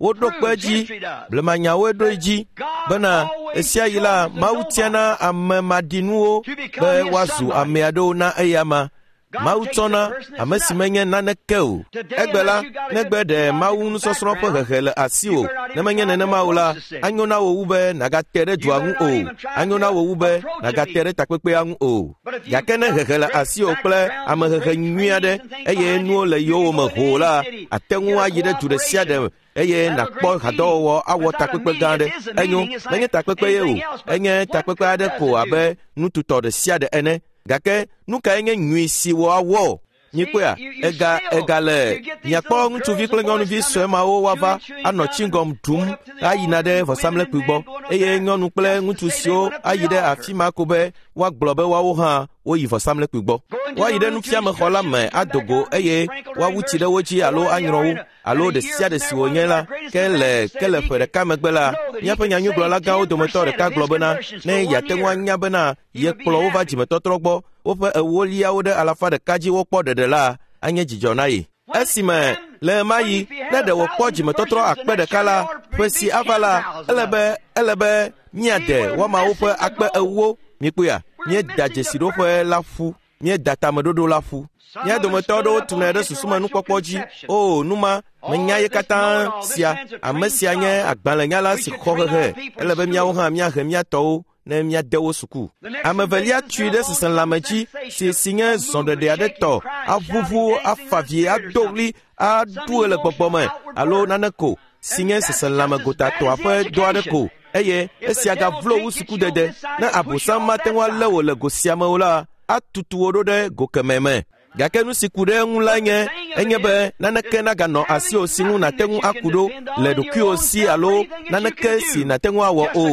Woɖo kpe edzi, blemanyawoe ɖo edzi bena ɣesiaɣi la Mawu tiana ame maɖinuwo be woazu ame aɖewo na eyama. Mawu tsɔna ame si menye naneke o. Egbe la, negbe ɖe Mawu nusɔsrɔ̃ ƒe hehe le asiwò. Ne menye nenema o la, anyo na wò wu be nàgate ɖe dua ŋu o. Anyo na wò wu be nàgate ɖe takpekpea ŋu o. Gake ne hehe le asiwò kple amehehe nyui aɖe eye nuwo le yowòme hoo la, ate ŋu ayi ɖe du ɖe sia ɖe eye nàkpɔ hadɔwɔwɔ awɔ takpekpe gã aɖe. Enyo, menye takpekpe ye o, enye takpekpe aɖe ko abe nututɔ ɖe sia ɖe ene. Gake nu kae nye nyui si woawɔ? Mikpɔea, ega ega le miakpɔ ŋutsuvi kple nyɔnuvi sue mawo woava anɔ tsingɔm ɖum ayina ɖe vɔsamlekpui gbɔ eye nyɔnu kple ŋutsu siwo ayi ɖe afi ma ko be woagblɔ be woawo hã woyi vɔsamlekpui gbɔ. Woayi ɖe nufiamexɔ la me ado go eye woawu tsi ɖe wo dzi alo anyrɔ wo alo ɖe sia ɖe si wònye la. Ke le ke le ƒe ɖeka megbe la, míaƒe nyanyuigblɔla gãwo dometɔ ɖeka gblɔ bena ne yeate ŋu anya bena yekplɔ wo va dzimetɔtrɔ gbɔ, woƒe ewoliawo ɖe alafa ɖeka dzi wokpɔ ɖeɖe la, anye dzidzɔ na ye. Esime le ɣemaɣi ne ɖe wòkpɔ dzimetɔtrɔ akpe ɖeka la, ƒe si ava la, ele be ele be míade woamawo ƒe akpe ewo. Mikpɔea, míeda dzesiɖoƒe la ƒu, míeda tameɖoɖo la ƒu. Mía dometɔ aɖewo tunɛ ɖe susumenukpɔkpɔ dzi. O, numa, menya ye katã sia. Ame sia nye agbalẽnyala si xɔ hehe. Ele be míawo hã míahe mía tɔwo ne míade wo suku. Ame evelia tui ɖe seselãme dzi si si nye zɔɖeɖe aɖe tɔ, aʋuʋu, afa vi, ado ɣli, aɖu le gbɔgbɔ me alo nane ko si nye seselãme gotatɔa ƒe dɔ aɖe ko. Eye esia gavlo wu sukudede. Ne abosam mate ŋu alé wò le go sia me o la, atutu wò ɖo ɖe go kemɛ me. Gake nu si ku ɖe eŋu la nye enye be naneke naganɔ asiwò si ŋu nàte ŋu aku ɖo le ɖokuiwò si alo naneke si nàte ŋu awɔ o.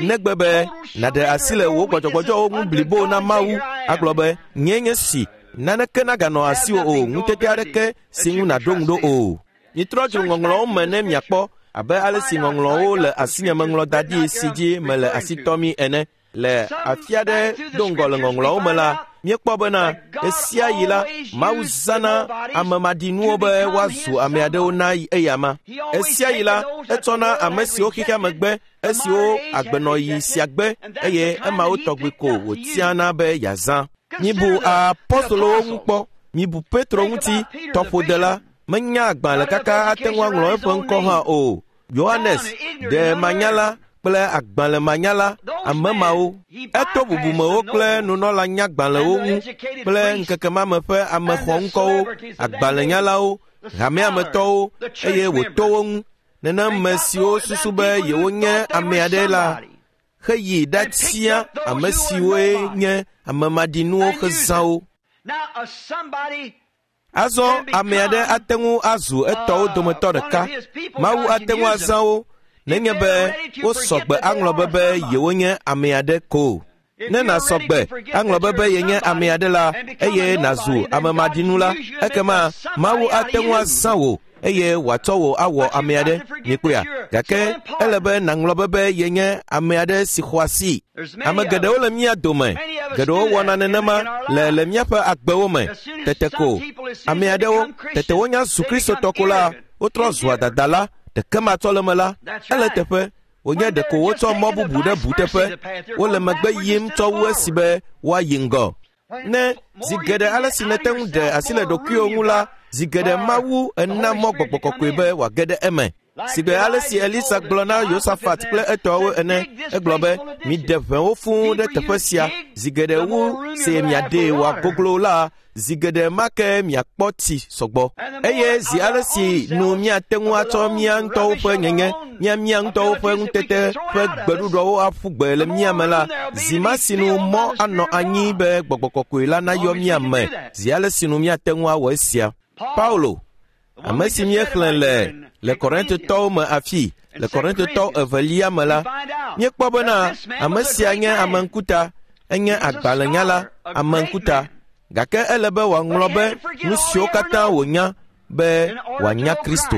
Negbe be nàɖe asi le wò gbɔdzɔgbɔdzɔwo ŋu blibo na Mawu agblɔ be nye nye si naneke naganɔ asiwò o, ŋutete aɖeke si ŋu nàɖo ŋu ɖo o. Mitrɔ dzro ŋɔŋlɔwo me ne miakpɔ abe ale si ŋɔŋlɔwo le asinye meŋlɔ da ɖi si dzi mele asi tɔmi ene. Le afi aɖe do ŋgɔ le ŋɔŋlɔawo me la, míekpɔ bena ɣesia ɣi la, Mawu zãna ame maɖinuwo be woazu ame aɖewo na eyama. Ɣesia ɣi la, etsɔna ame siwo xexea me gbe, esiwo agbenɔɣi sia gbe, eye emawo tɔgbi ko wòtiana be yeazã. Mibu apostolowo ŋu kpɔ, mibu Petro ŋuti, tɔƒodela, menya agbalẽ kaka ate ŋu aŋlɔ eƒe ŋkɔ hã o. Yohanes, ɖe manyala kple agbalẽmanyala, ame mawo. Eto bubumewo kple nunɔlanyagbalẽwo ŋu kple ŋkeke ma me ƒe ame xɔŋkɔwo, agbalẽnyalawo, hameametɔwo, eye wòto wo ŋu. Nenema siwo susu be yewonye ame aɖe la, heyi ɖatia ame siwoe nye ame maɖinuwo hezã wo. Azɔ ame aɖe ate ŋu azu etɔwo dometɔ ɖeka. Mawu ate ŋu azã wo nenye be wosɔ gbe aŋlɔ be be yewonye ame aɖe ko. Ne nàsɔ gbe aŋlɔ be be yenye ame aɖe la, eye nàzu ame maɖinu la, ekema Mawu ate ŋu azã wò eye wòatsɔ wò awɔ ame aɖe. Mikpɔea? Gake ele be nàŋlɔ be be yenye ame aɖe si xɔ asi. Ame geɖewo le mía dome. Geɖewo wɔna nenema le le míaƒe agbewo me. Tete ko ame aɖewo tete wonya zu Kristotɔ ko la, wotrɔ zua dadala, ɖeke matsɔ le me la, ele teƒe wònye ɖeko wotsɔ mɔ bubu ɖe bu teƒe. Wole megbe yim tsɔ wu esi be woayi ŋgɔ. Ne zi geɖe ale si nète ŋu ɖe asi le ɖokuiwò ŋu la, zi geɖe Mawu ena mɔ gbɔgbɔ kɔkɔe be wòage ɖe eme. Sigbe ale si Elisa gblɔ na Yosafat kple etɔwo ene, egblɔ be, miɖe ʋewo fũu ɖe teƒe sia, zi geɖe wu si miaɖee wòagoglo la, zi geɖe ma ke miakpɔ tsi sɔgbɔ. Eye zi ale si nu míate ŋu atsɔ mía ŋutɔwo ƒe nyenye, mía mía ŋutɔwo ƒe ŋutete ƒe gbeɖuɖɔwo aƒu gbe le mía me la, zi ma si nu mɔ anɔ anyi be gbɔgbɔ kɔkɔe la nayɔ mía me, zi ale si nu míate ŋu awɔ esia. Paulo, ame si míexlẽ le le Korintotɔwo me afi, le Korintotɔwo evelia me la, míekpɔ bena ame sia nye ame ŋkuta, enye agbalẽnyala, ame ŋkuta. Gake ele be wòaŋlɔ be nu siwo katã wònya be wòanya Kristo.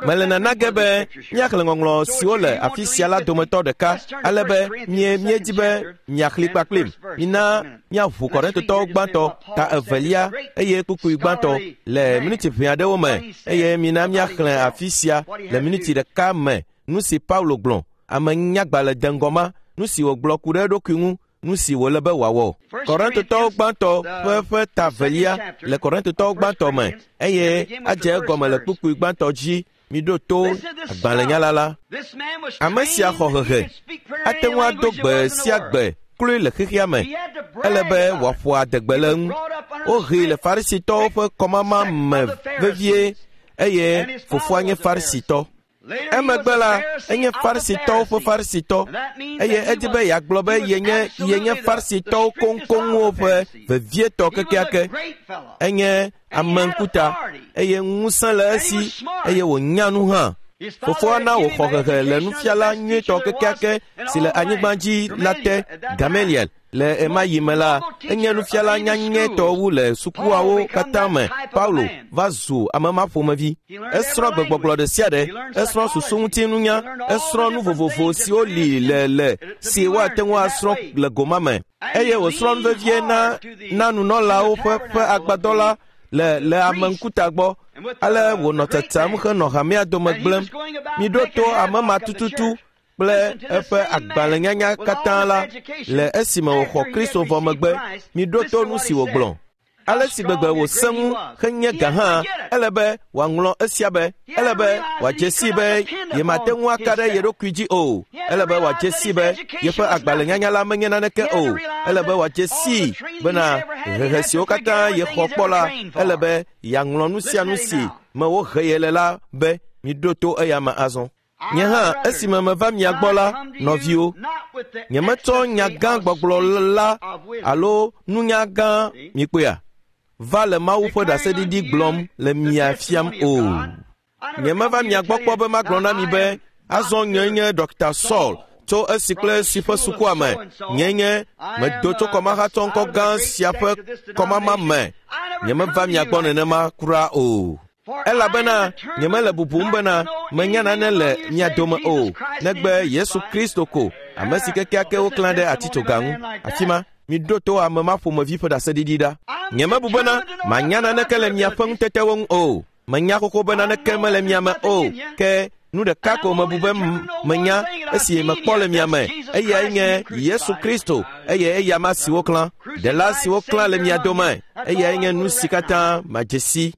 Mele nana ge be míaxlẽ ŋɔŋlɔ siwo le afi sia la dometɔ ɖeka, ale be mie míedi be miaxlẽ kpakplim. Mina míaʋu Korintotɔwo gbãtɔ, ta evelia eye kpukpui gbãtɔ le miniti ʋɛ aɖewo me, eye mina míaxlẽ afi sia le miniti ɖeka me nu si Paulo gblɔ, ame nyagbalẽ deŋgɔ ma, nu si wògblɔ ku ɖe eɖokui ŋu, nu si wòle be wòawɔ. Korintotɔwo gbãtɔ ƒe ƒe ta velia le Korintotɔwo gbãtɔ me, eye adze egɔme le kpukpui gbãtɔ dzi. Miɖo to agbalẽnyala la. Ame sia xɔ hehe, ate ŋu ado gbe sia gbe kloe le xexea me. Ele be wòaƒo adegbe le eŋu. Wohee le Farisitɔwo ƒe kɔmama me vevie, eye fofoa nye Farisitɔ. Emegbe la, enye Farisitɔwo ƒe Farisitɔ, eye edi be yeagblɔ be yenye yenye Farisitɔwo koŋkoŋwo ƒe vevietɔ kekeake. Enye ame ŋkuta, eye ŋusẽ le esi, eye wònya nu hã. Fofoa na wòxɔ hehe le nufiala nyuietɔ kekeake si le anyigba dzi la te, Gamaliel. Le ema yi me la, enye nufiala nyanyɛtɔ wu le sukuawo katã me. Paulo va zu ame ma ƒomevi. Esrɔ̃ gbegbɔgblɔ ɖe sia ɖe, esrɔ̃ susuŋutinunya, esrɔ̃ nu vovovo siwo li le le si woate ŋu asrɔ̃ le goma me. Eye wòsrɔ̃ nu vevie na na nunɔlawo ƒe ƒe agbadɔ la le le ame ŋkuta gbɔ. Ale wònɔ tsatsam henɔ hamea dome gblẽm. Miɖo to ame ma tututu kple eƒe agbalẽnyanya katã la le esime wòxɔ Kristo vɔ megbe. Miɖo to nu si wògblɔ. Ale si gbegbe wòsẽ ŋu henye gã hã, ele be wòaŋlɔ esia be, ele be wòadze sii be yemate ŋu aka ɖe ye ɖokui dzi o. Ele be wòadze sii be yeƒe agbalẽnyanya la menye naneke o. Ele be wòadze sii bena hehe siwo katã yexɔ kpɔ la, ele be yeaŋlɔ nu sia nu si me wohe ye le la be miɖo to eya me azɔ. Nye hã esime meva mia gbɔ la, nɔviwo, nyemetsɔ nya gã gbɔgblɔ la alo nunya gã mikpɔea va le Mawu ƒe ɖaseɖiɖi gblɔm le mia fiam o. Nyemeva mia gbɔ kpɔ be magblɔ na mi be azɔ nye nye Dɔkta Saul tso esi kple esi ƒe sukua me. Nye nye medo tso kɔmahatsɔ ŋkɔ gã sia ƒe kɔmama me. Nyemeva mia gbɔ nenema kura o. Elabena nyemele bubum bena menya nane le mia dome o, negbe Yesu Kristo ko, ame si kekeake woklã ɖe atitsoga ŋu. Afi ma, miɖo to ame ma ƒomevi ƒe ɖaseɖiɖi ɖa. Nyemebu bena manya naneke le miaƒe ŋutetewo ŋu o. Menya xoxo be naneke mele mia me o, ke nu ɖeka ko mebu be menya esi mekpɔ le mia me, eyae nye Yesu Kristo, eye eya ma si woklã, ɖela si woklã le mia dome, eyae nye nu si katã madze si.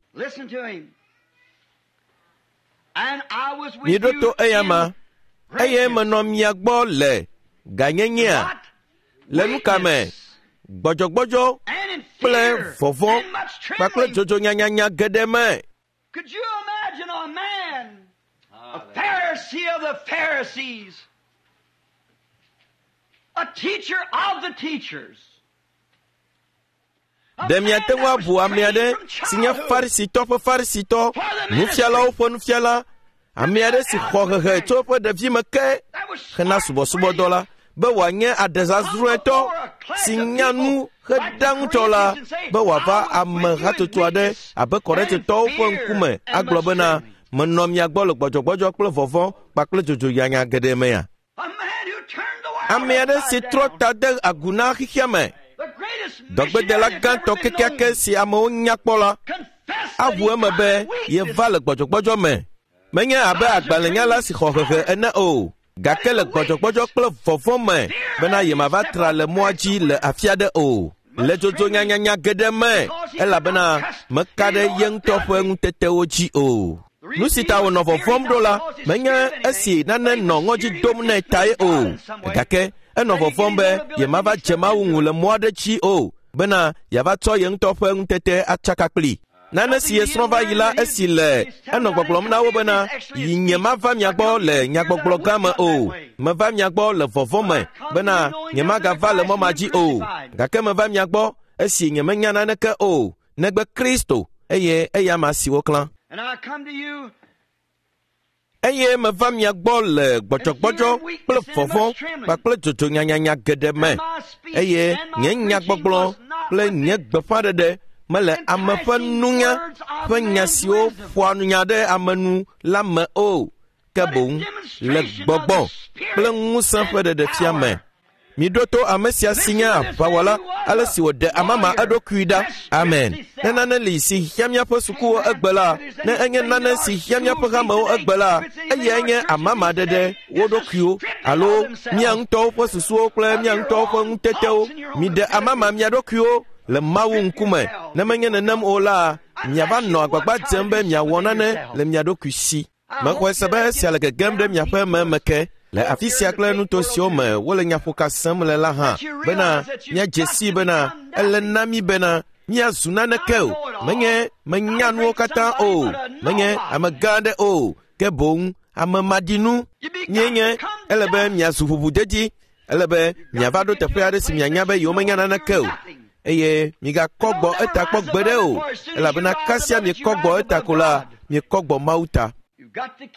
Miɖo to eya ma, eye menɔ mia gbɔ le ganyenyea, le nu ka me, gbɔdzɔgbɔdzɔ kple vɔvɔ̃ kpakple dzodzonyanyanya geɖe me. Could you imagine a man, a Pharisee of the Pharisees, a teacher of the teachers? Ɖe miate ŋu abu ame aɖe si nye Farisitɔ ƒe Farisitɔ, nufialawo ƒe nufiala, ame aɖe si xɔ hehe tso eƒe ɖevime ke hena subɔsubɔdɔ la, be wòanye aɖezazrɔ̃etɔ si nya nu heɖa ŋutɔ la, be wòava ame hatsotso aɖe abe Korintetɔwo ƒe ŋkume agblɔ bena menɔ mia gbɔ le gbɔdzɔgbɔdzɔ kple vɔvɔ̃ kpakple dzodzonyanya geɖe mea. Ame aɖe si trɔ ta de agu na xexea me, dɔgbedela gãtɔ kekeake si amewo nya kpɔ la, aʋu eme be yeva le gbɔdzɔgbɔdzɔ me. Menye abe agbalẽnyala si xɔ hehe ene o, gake le gbɔdzɔgbɔdzɔ kple vɔvɔ̃ me bena yemava tra le mɔa dzi le afi aɖe o, le dzodzonyanyanya geɖe me, elabena meka ɖe ye ŋutɔ ƒe ŋutetewo dzi o. Nu si ta wònɔ vɔvɔ̃m ɖo la, menye esi nane nɔ ŋɔdzi dom nɛ tae o, gake enɔ vɔvɔ̃m be yemava dze Mawu ŋu le mɔ aɖe dzi o, bena yeava tsɔ ye ŋutɔ ƒe ŋutete atsaka kpli. Nane si yesrɔ̃ va yi la esi le enɔ gbɔgblɔm na wo bena yi nyemava mia gbɔ le nyagbɔgblɔ gã me o, meva mia gbɔ le vɔvɔ̃ me bena nyemagava le mɔ ma dzi o, gake meva mia gbɔ esi nyemenya naneke o, negbe Kristo, eye eya ma si woklã. Eye meva mia gbɔ le gbɔdzɔgbɔdzɔ kple vɔvɔ̃ kpakple dzodzonyanyanya geɖe me, eye nye nyagbɔgblɔ kple nye gbeƒãɖeɖe mele ame ƒe nunya ƒe nya siwo ƒoa nunya ɖe ame nu la me o, ke boŋ le gbɔgbɔ kple ŋusẽ ƒe ɖeɖefia me. Miɖo to ame sia si nye aʋawɔla, ale si wòɖe amama eɖokui ɖa. Amen. Ne nane li si hiã míaƒe sukuwo egbe la, ne enye nane si hiã míaƒe hamewo egbe la, eyae nye amama ɖeɖe wo ɖokuiwo alo mía ŋutɔwo ƒe susuwo kple mía ŋutɔwo ƒe ŋutetewo. Miɖe amama mia ɖokuiwo le Mawu ŋkume. Ne menye nenem o la, miava nɔ agbagba dzem be miawɔ nane le mia ɖokui si. Mexɔe se be esia le gegem ɖe miaƒe meme ke le afi sia kple nuto siwo me wole nyaƒoka sem le la hã, bena míadze sii bena ele na mí bena míazu naneke o. Menye menya nuwo katã o, menye ame gã aɖe o, ke boŋ ame maɖinu míenye. Ele be miazu ʋuʋudedi, ele be miava ɖo teƒe aɖe si mianya be yewomenya naneke o, eye migakɔ gbɔ eta kpɔ gbeɖe o, elabena kasia miekɔ gbɔ eta ko la, miekɔ gbɔ Mawu ta.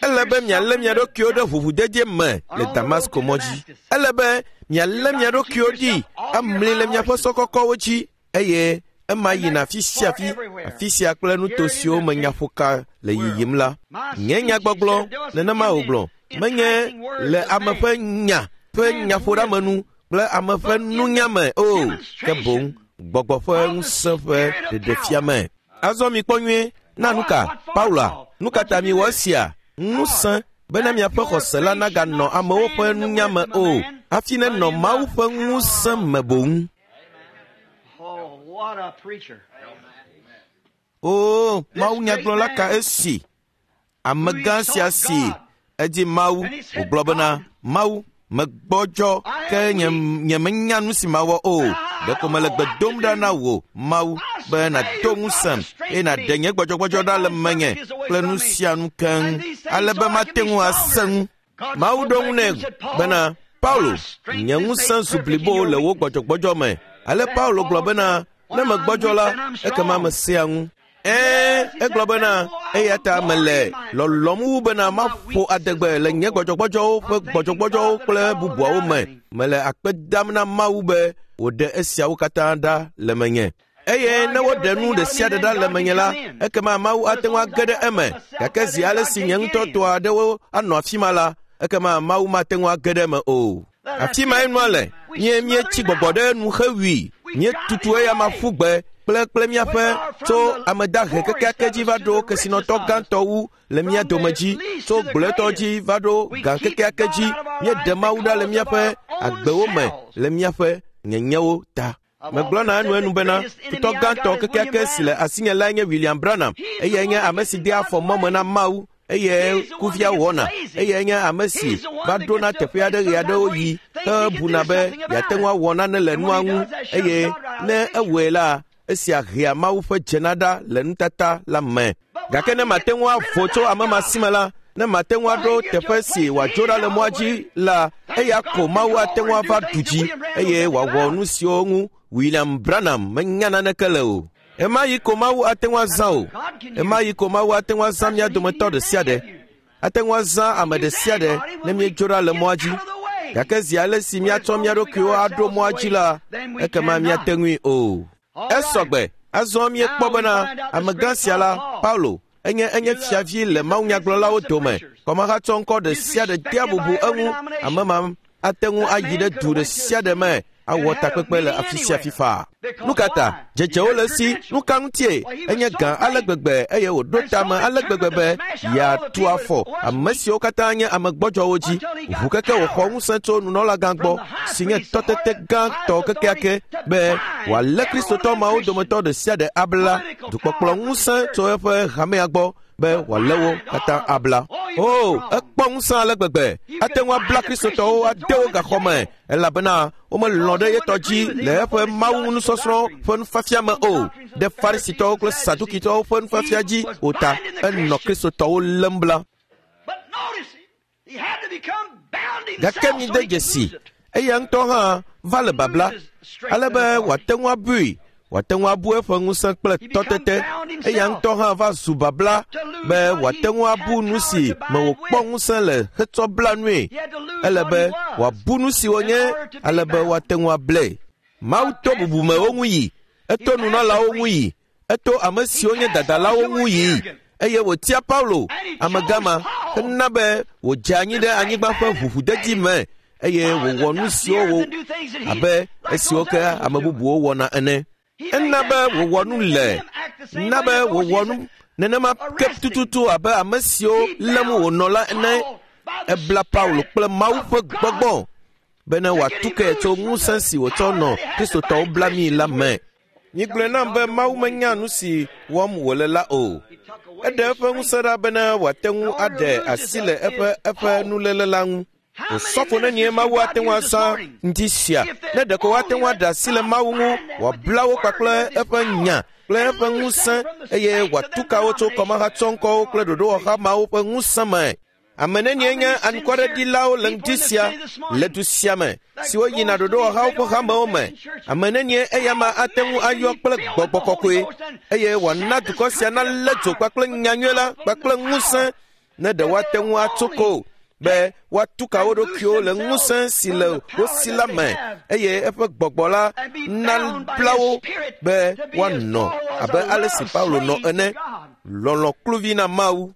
Ele be mialé mia ɖokuiwo ɖe ʋuʋudedie me le Damasko mɔ dzi. Ele be mialé mia ɖokuiwo ɖi amli le miaƒe sɔ kɔkɔwo dzi, eye ema yina afi sia afi, afi sia kple nuto siwo me nyaƒoka le yiyim la. Nye nyagbɔgblɔ nenema wògblɔ, menye le ame ƒe nya ƒe nyaƒoɖeamenu kple ame ƒe nunya me o, ke boŋ gbɔgbɔ ƒe ŋusẽ ƒe ɖeɖefia me. Azɔ mikpɔ nyuie na nuka Paula, nu ka ta miwɔ esia? Ŋusẽ bena miaƒe xɔse la naganɔ amewo ƒe nunya me o, hafi nenɔ Mawu ƒe ŋusẽ me boŋ. O, Mawu nyagblɔla ka esi? Amegã sia si edi Mawu, wògblɔ bena, Mawu, megbɔdzɔ ke nye nyemenya nu si mawɔ o. Ɖeko mele gbe dom ɖa na wò, Mawu, be nàdo ŋusẽm eye nàɖe nye gbɔdzɔgbɔdzɔ ɖa le menye kple nu sia nu keŋ, ale be mate ŋu asẽ ŋu. Mawu ɖo ŋu nɛ bena, Paulo, nye ŋusẽ zu blibo le wò gbɔdzɔgbɔdzɔ me. Ale Paulo gblɔ bena, ne megbɔdzɔ la, ekema mesea ŋu. Ɛ̃, egblɔ bena, eya ta mele lɔlɔ̃m wu bena maƒo adegbe le nye gbɔdzɔgbɔdzɔwo ƒe gbɔdzɔgbɔdzɔwo kple bubuawo me. Mele akpe dam na Mawu be wòɖe esiawo katã ɖa le menye. Eye ne woɖe nu ɖe sia ɖe ɖa le menye la, ekema Mawu ate ŋu age ɖe eme. Gake zi ale si nye ŋutɔ tɔ aɖewo anɔ afi ma la, ekema Mawu mate ŋu age ɖe eme o. Afi mae nua le. Mie míetsi gbɔgbɔ ɖe nu xewui. Míetutu eya ma ƒu gbe kple kple míaƒe tso ame dahe kekeake dzi va ɖo kesinɔtɔ gãtɔ wu le mía dome dzi, tso gblɔetɔ dzi va ɖo gã kekeake dzi. Míeɖe Mawu ɖa le míaƒe agbewo me le míaƒe nyenyewo ta. Megblɔna enuenu bena, futɔ gãtɔ kekeake si le asinye lae nye William Branham. Eyae nye ame si dea afɔ mɔ me na Mawu, eye kuvia wɔna. Eyae nye ame si va ɖona teƒe aɖe ɣe aɖewo yi hebuna be yeate ŋu awɔ nane le nua ŋu, eye ne ewɔe la, esia hea Mawu ƒe dzena ɖa le nutata la me. Gake ne mate ŋu avo tso ame ma si me la, ne mate ŋu aɖo teƒe si wòadzo ɖa le mɔa dzi la, eya ko Mawu ate ŋu ava ɖu dzi eye wòawɔ nu siwo ŋu William Branham menya naneke le o. Ema yi ko Mawu ate ŋu azã o. Ema yi ko Mawu ate ŋu azã mía dometɔ ɖe sia ɖe. Ate ŋu azã ame ɖe sia ɖe ne míedzo ɖa le mɔa dzi. Gake zi ale si míatsɔ mía ɖokuiwo aɖo mɔa dzi la, ekema míate ŋui o. Esɔgbe. Azɔ míekpɔ bena amegã sia la, Paulo, enye enye fiavi le mawunyagblɔlawo dome. Kɔmahatsɔ ŋkɔ ɖe sia ɖe dea bubu eŋu. Ame ma ate ŋu ayi ɖe du ɖe sia ɖe me awɔ takpekpe le afi sia afi faa. Nu ka ta dzedzewo le esi? Nu ka ŋutie? Enye gã ale gbegbe eye wòɖo tame ale gbegbe be yeatu afɔ ame siwo katã nye ame gbɔdzɔwo dzi. Ʋu keke wòxɔ ŋusẽ tso nunɔlagã gbɔ si nye tɔtete gãtɔ kekeake be wòalé Kristotɔ mawo dometɔ ɖe sia ɖe abla. Dukpɔkplɔ ŋusẽ tso eƒe hamea gbɔ be wòalé wo katã abla. O, ekpɔ ŋusẽ ale gbegbe. Ate ŋu abla Kristotɔwo ade wo gaxɔ me elabena womelɔ̃ ɖe yetɔ dzi le eƒe Mawu nusɔsrɔ̃ ƒe nufiafia me o. Ɖe Farisitɔwo kple Sadukitɔwo ƒe nufiafia dzi o ta, enɔ Kristotɔwo lém bla. Gake mide dzesi, eya ŋutɔ hã va le babla, ale be wòate ŋu abui, wòate ŋu abu eƒe ŋusẽ kple tɔtete. Eya ŋutɔ hã va zu babla be wòate ŋu abu nu si me wòkpɔ ŋusẽ le hetsɔ bla nue. Ele be wòabu nu si wònye ale be woate ŋu ablae. Mawu to bubumewo ŋu yi, eto nunɔlawo ŋu yi, eto ame siwo nye dadalawo ŋu yi, eye wòtia Paulo, amegã ma, hena be wòdze anyi ɖe anyigba ƒe ʋuʋudedi me eye wòwɔ nu siwo wò abe esiwo ke ame bubuwo wɔna ene. Ena be wòwɔ nu le, na be wòwɔ nu nenema ke tututu abe ame siwo lém wònɔ la ene. Ebla Paulo kple Mawu ƒe gbɔgbɔ bene wòatu ke tso ŋusẽ si wòtsɔ nɔ Kristotɔwo blamii la me. Migblɔe nam be Mawu menya nu si wɔm wòle la o. Eɖe eƒe ŋusẽ ɖa bene wòate ŋu aɖe asi le eƒe eƒe nuléle la ŋu. Osɔfo nenie Mawu ate ŋu azã ŋdi sia ne ɖeko woate ŋu aɖe asi le Mawu ŋu wòabla wo kpakple eƒe nya kple eƒe ŋusẽ eye wòatu ka wo tso kɔmahatsɔŋkɔwo kple ɖoɖowɔha mawo ƒe ŋusẽ me. Ame nenie nye anukwareɖilawo le ŋdi sia le du sia me siwo yina ɖoɖowɔhawo ƒe hamewo me. Ame nenie eya ma ate ŋu ayɔ kple gbɔgbɔ kɔkɔe eye wòana dukɔ sia nalé dzo kpakple nyanyui la kpakple ŋusẽ ne ɖe woate ŋu atso ko be woatu ka wo ɖokuiwo le ŋusẽ si le wo si la me eye eƒe gbɔgbɔ la nabla wo be woanɔ abe ale si Paulo nɔ ene, lɔlɔ̃ kluvi na Mawu.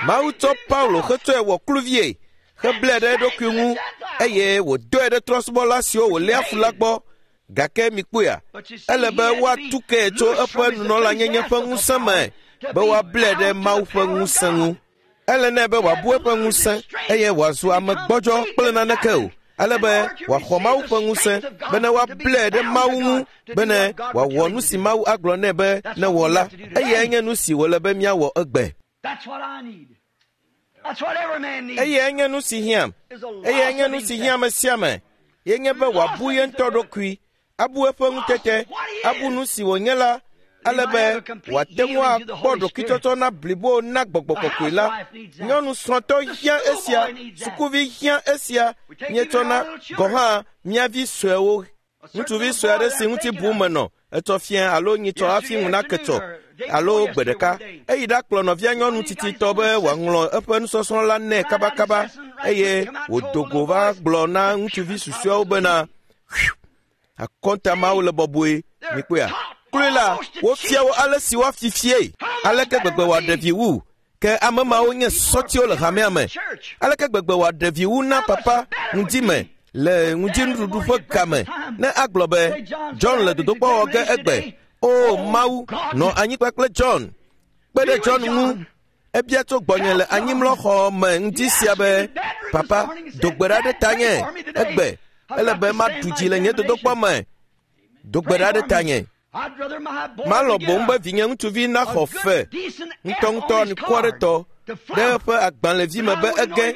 Mawu tsɔ Paulo hetsɔe wɔ kluvie, heblae ɖe eɖokui ŋu eye wòdɔe ɖe trɔ̃subɔla siwo wòléa fu la gbɔ. Gake mikpɔea, ele be woatu ke tso eƒe nunɔlanyenye ƒe ŋusẽ me be woablae ɖe Mawu ƒe ŋusẽ ŋu. Ele nɛ be wòabu eƒe ŋusẽ eye wòazu ame gbɔdzɔ kple naneke o, ale be wòaxɔ Mawu ƒe ŋusẽ bene woablae ɖe Mawu ŋu bene wòawɔ nu si Mawu agblɔ nɛ be newɔ la. Eyae nye nu si wòle be míawɔ egbe. Eyae nye nu si hiãm. Eyae nye nu si hiã ame sia ame. Ye nye be wòabu ye ŋutɔ ɖokui, abu eƒe ŋutete, abu nu si wònye la, Ale be wòate ŋu akpɔ ɖokuitsɔtsɔ na blibo na gbɔgbɔ kɔkɔe la. Nyɔnu srɔ̃tɔ hiã esia, sukuvi hiã esia, míetsɔna gɔ̃ hã mía vi suewo. Ŋutsuvi sue aɖe si ŋuti bum menɔ, etsɔ fia alo nyitsɔ hafi ŋu nake tsɔ alo gbe ɖeka. Eyi ɖakplɔ nɔvia nyɔnu tsitsitɔ be wòaŋlɔ eƒe nusɔsrɔ̃ la nɛ kabakaba eye wòdo go va gblɔ na ŋutsuvi susɔeawo bena, akɔnta mawo le bɔbɔe, mikpɔea? Kloe la, wofia wo ale si woafifie, aleke gbegbe wòaɖe vi wu. Ke ame mawo nye sɔtiwo le hamea me. Aleke gbegbe wòaɖe vi wu na papa ŋdime le ŋudzinuɖuɖu ƒe game ne agblɔ be John le dodokpɔ wɔ ge egbe. O Mawu, nɔ anyigba kple John. Kpe ɖe John ŋu. Ebia tso gbɔnye le anyimlɔxɔ me ŋdi sia be, papa, do gbe ɖa ɖe tanye egbe. Ele be maɖu dzi le nye dodokpɔ me. Do gbe ɖa ɖe tanye. Malɔ̃ boŋ be vinye ŋutsuvi naxɔ fe ŋutɔŋutɔ anukuaretɔ ɖe eƒe agbalẽvi me be ege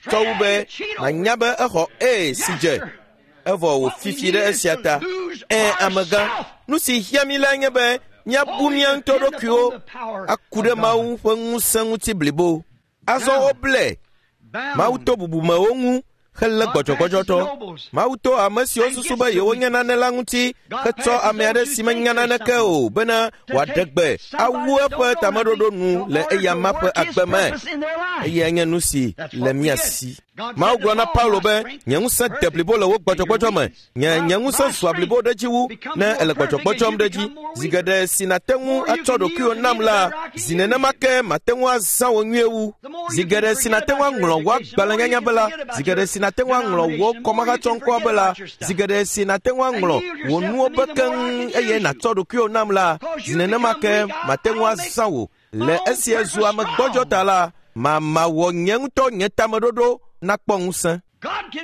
tsɔ wu be manya be exɔ A si dze evɔ wòfifi ɖe esia ta. Ẽ, amegã, nu si hiã mí lae nye be míabu mía ŋutɔ ɖokuiwo aku ɖe Mawu ƒe ŋusẽ ŋuti blibo. Azɔ woblɛ. Mawu to bubumewo ŋu helé gbɔdzɔgbɔdzɔtɔ. Mawu to ame siwo susu be yewonye nane la ŋuti hetsɔ ame aɖe si menya naneke o bena wòaɖe gbe awu eƒe tameɖoɖo nu le eyama ƒe agbe me. Eyae nye nu si le mía si. Mawu gblɔ na Paulo be, nye ŋusẽ de blibo le wo gbɔdzɔgbɔdzɔ me. Nye nye ŋusẽ zua blibo ɖe dzi wu ne ele gbɔdzɔgbɔdzɔm ɖe dzi. Zi geɖe si nàte ŋu atsɔ ɖokuiwò nam la, zi nenema ke mate ŋu azã wò nyuie wu. Zi geɖe si nàte ŋu aŋlɔ wò agbalẽnyanya be la, zi geɖe si nàte ŋu aŋlɔ wò kɔmahatsɔŋkɔa be la, zi geɖe si nàte ŋu aŋlɔ wò nuwo be keŋ eye nàtsɔ ɖokuiwò nam la, zi nenema ke mate ŋu azã wò. Le esia zu ame gbɔdzɔ ta la, mamawɔ nye ŋutɔ nye tameɖoɖo nakpɔ ŋusẽ.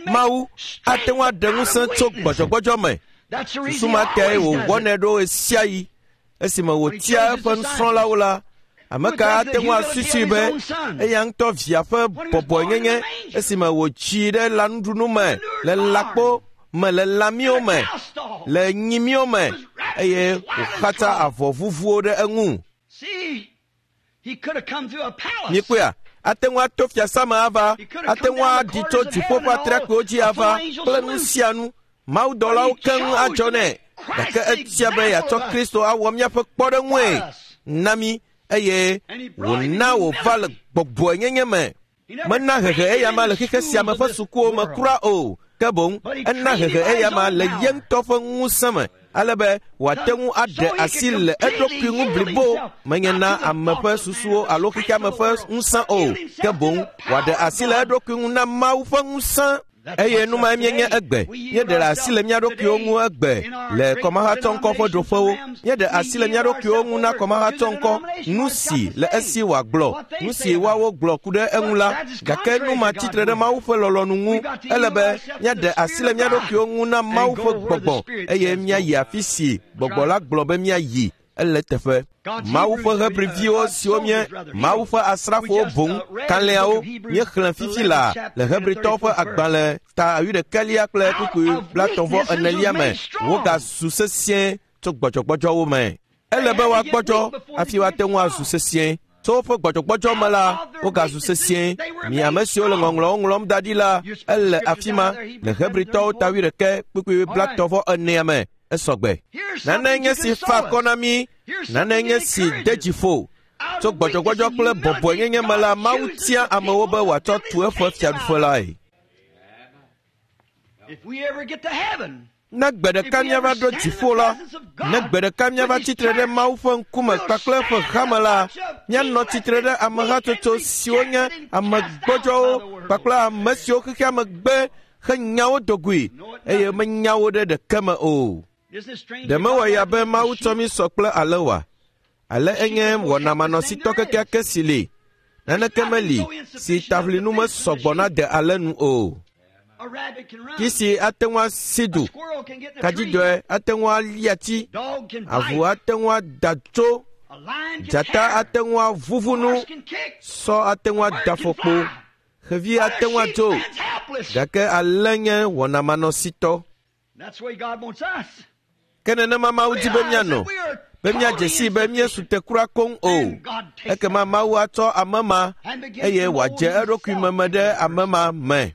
Mawu ate ŋu aɖe ŋusẽ tso gbɔdzɔgbɔdzɔ me. Susu ma tae wòwɔnɛ ɖo ɣesiaɣi. Esime wòtia eƒe nusrɔ̃lawo la, ame ka ate ŋu asusui be eya ŋutɔ via ƒe bɔbɔenyenye esime wòtsi ɖe lãnuɖunu me, le lãkpo me, le lãmiwo me, le nyimiwo me, eye wòxatsa avɔ vuvuwo ɖe eŋu. Mikpɔea? Ate ŋu ato fiasã me ava, ate ŋu aɖi tso dziƒo ƒe atrakpuiwo dzi ava kple nu sia nu. Mawudɔlawo keŋ adzɔ nɛ, gake etia be yeatsɔ Kristo awɔ míaƒe kpɔɖeŋue na mí eye wòna wòva le gbɔgbɔenyenye me. Mena hehe eyama le xexe sia me ƒe sukuwo me kura o, ke boŋ ena hehe eyama le ye ŋutɔ ƒe ŋusẽ me, ale be wòate ŋu aɖe asi le eɖokui ŋu blibo, menye na ame ƒe susuwo alo xexeame ƒe ŋusẽ o, ke boŋ wòaɖe asi le eɖokui ŋu na Mawu ƒe ŋusẽ. Eye nu mae míenye egbe. Míeɖe asi le mía ɖokuiwo ŋu egbe le kɔmahatsɔŋkɔ ƒe ɖoƒewo. Míeɖe asi le mía ɖokuiwo ŋu na kɔmahatsɔŋkɔ, nu si le esi wòagblɔ, nu si woawo gblɔ ku ɖe eŋu la. Gake nu ma tsitre ɖe Mawu ƒe lɔlɔ̃nu ŋu. Ele be míaɖe asi le mía ɖokuiwo ŋu na Mawu ƒe gbɔgbɔ eye míayi afi si gbɔgbɔ la gblɔ be míayi. Ele teƒe. Mawu ƒe Hebriviwo siwo nye Mawu ƒe asrafowo boŋ kalẽawo míexlẽ fifi la le Hebritɔwo ƒe agbalẽ ta wuiɖekɛlia kple kpukpui blaetɔ̃ enelia me. Wogazu sesĩe tso gbɔdzɔgbɔdzɔwo me. Ele be woagbɔdzɔ hafi woate ŋu azu sesĩe. Tso woƒe gbɔdzɔgbɔdzɔ me la, wogazu sesĩe. Mi ame siwo le ŋɔŋlɔwo ŋlɔm da ɖi la, ele afi ma le Hebritɔwo ta wuiɖekɛ kpukpui blaetɔ̃ enea me. Esɔgbe. Nane nye si fa akɔ na mí, nane nye si de dzi ƒo. Tso gbɔdzɔgbɔdzɔ kple bɔbɔenyenye me la, Mawu tia amewo be wòatsɔ tu eƒe fiaɖuƒe lae. Ne gbe ɖeka míava ɖo dziƒo la, ne gbe ɖeka míava tsitre ɖe Mawu ƒe ŋkume kpakple eƒe hame la, míanɔ tsitre ɖe amehatsotso siwo nye ame gbɔdzɔwo kpakple ame siwo xexeame gbe henyawo dogoe eye menya wo ɖe ɖeke me o. Ɖe mewɔ ya be Mawu tsɔ mí sɔ kple ale oa? Ale enye wɔnamanɔsitɔ kekeake si li. Naneke meli si taʋlinu mesɔgbɔ na de ale nu o. Kisi ate ŋu asi du, kadzidɔe ate ŋu ali ati, avu ate ŋu ada tso, dzata ate ŋu avuvu nu, sɔ ate ŋu ada afɔkpo, xevi ate ŋu adzo, gake ale nye wɔnamanɔsitɔ. Ke nenema Mawu di be míanɔ. Be míadze sii be míesu te kura koŋ o. Ekema Mawu atsɔ ame ma eye wòadze eɖokui meme ɖe ame ma me.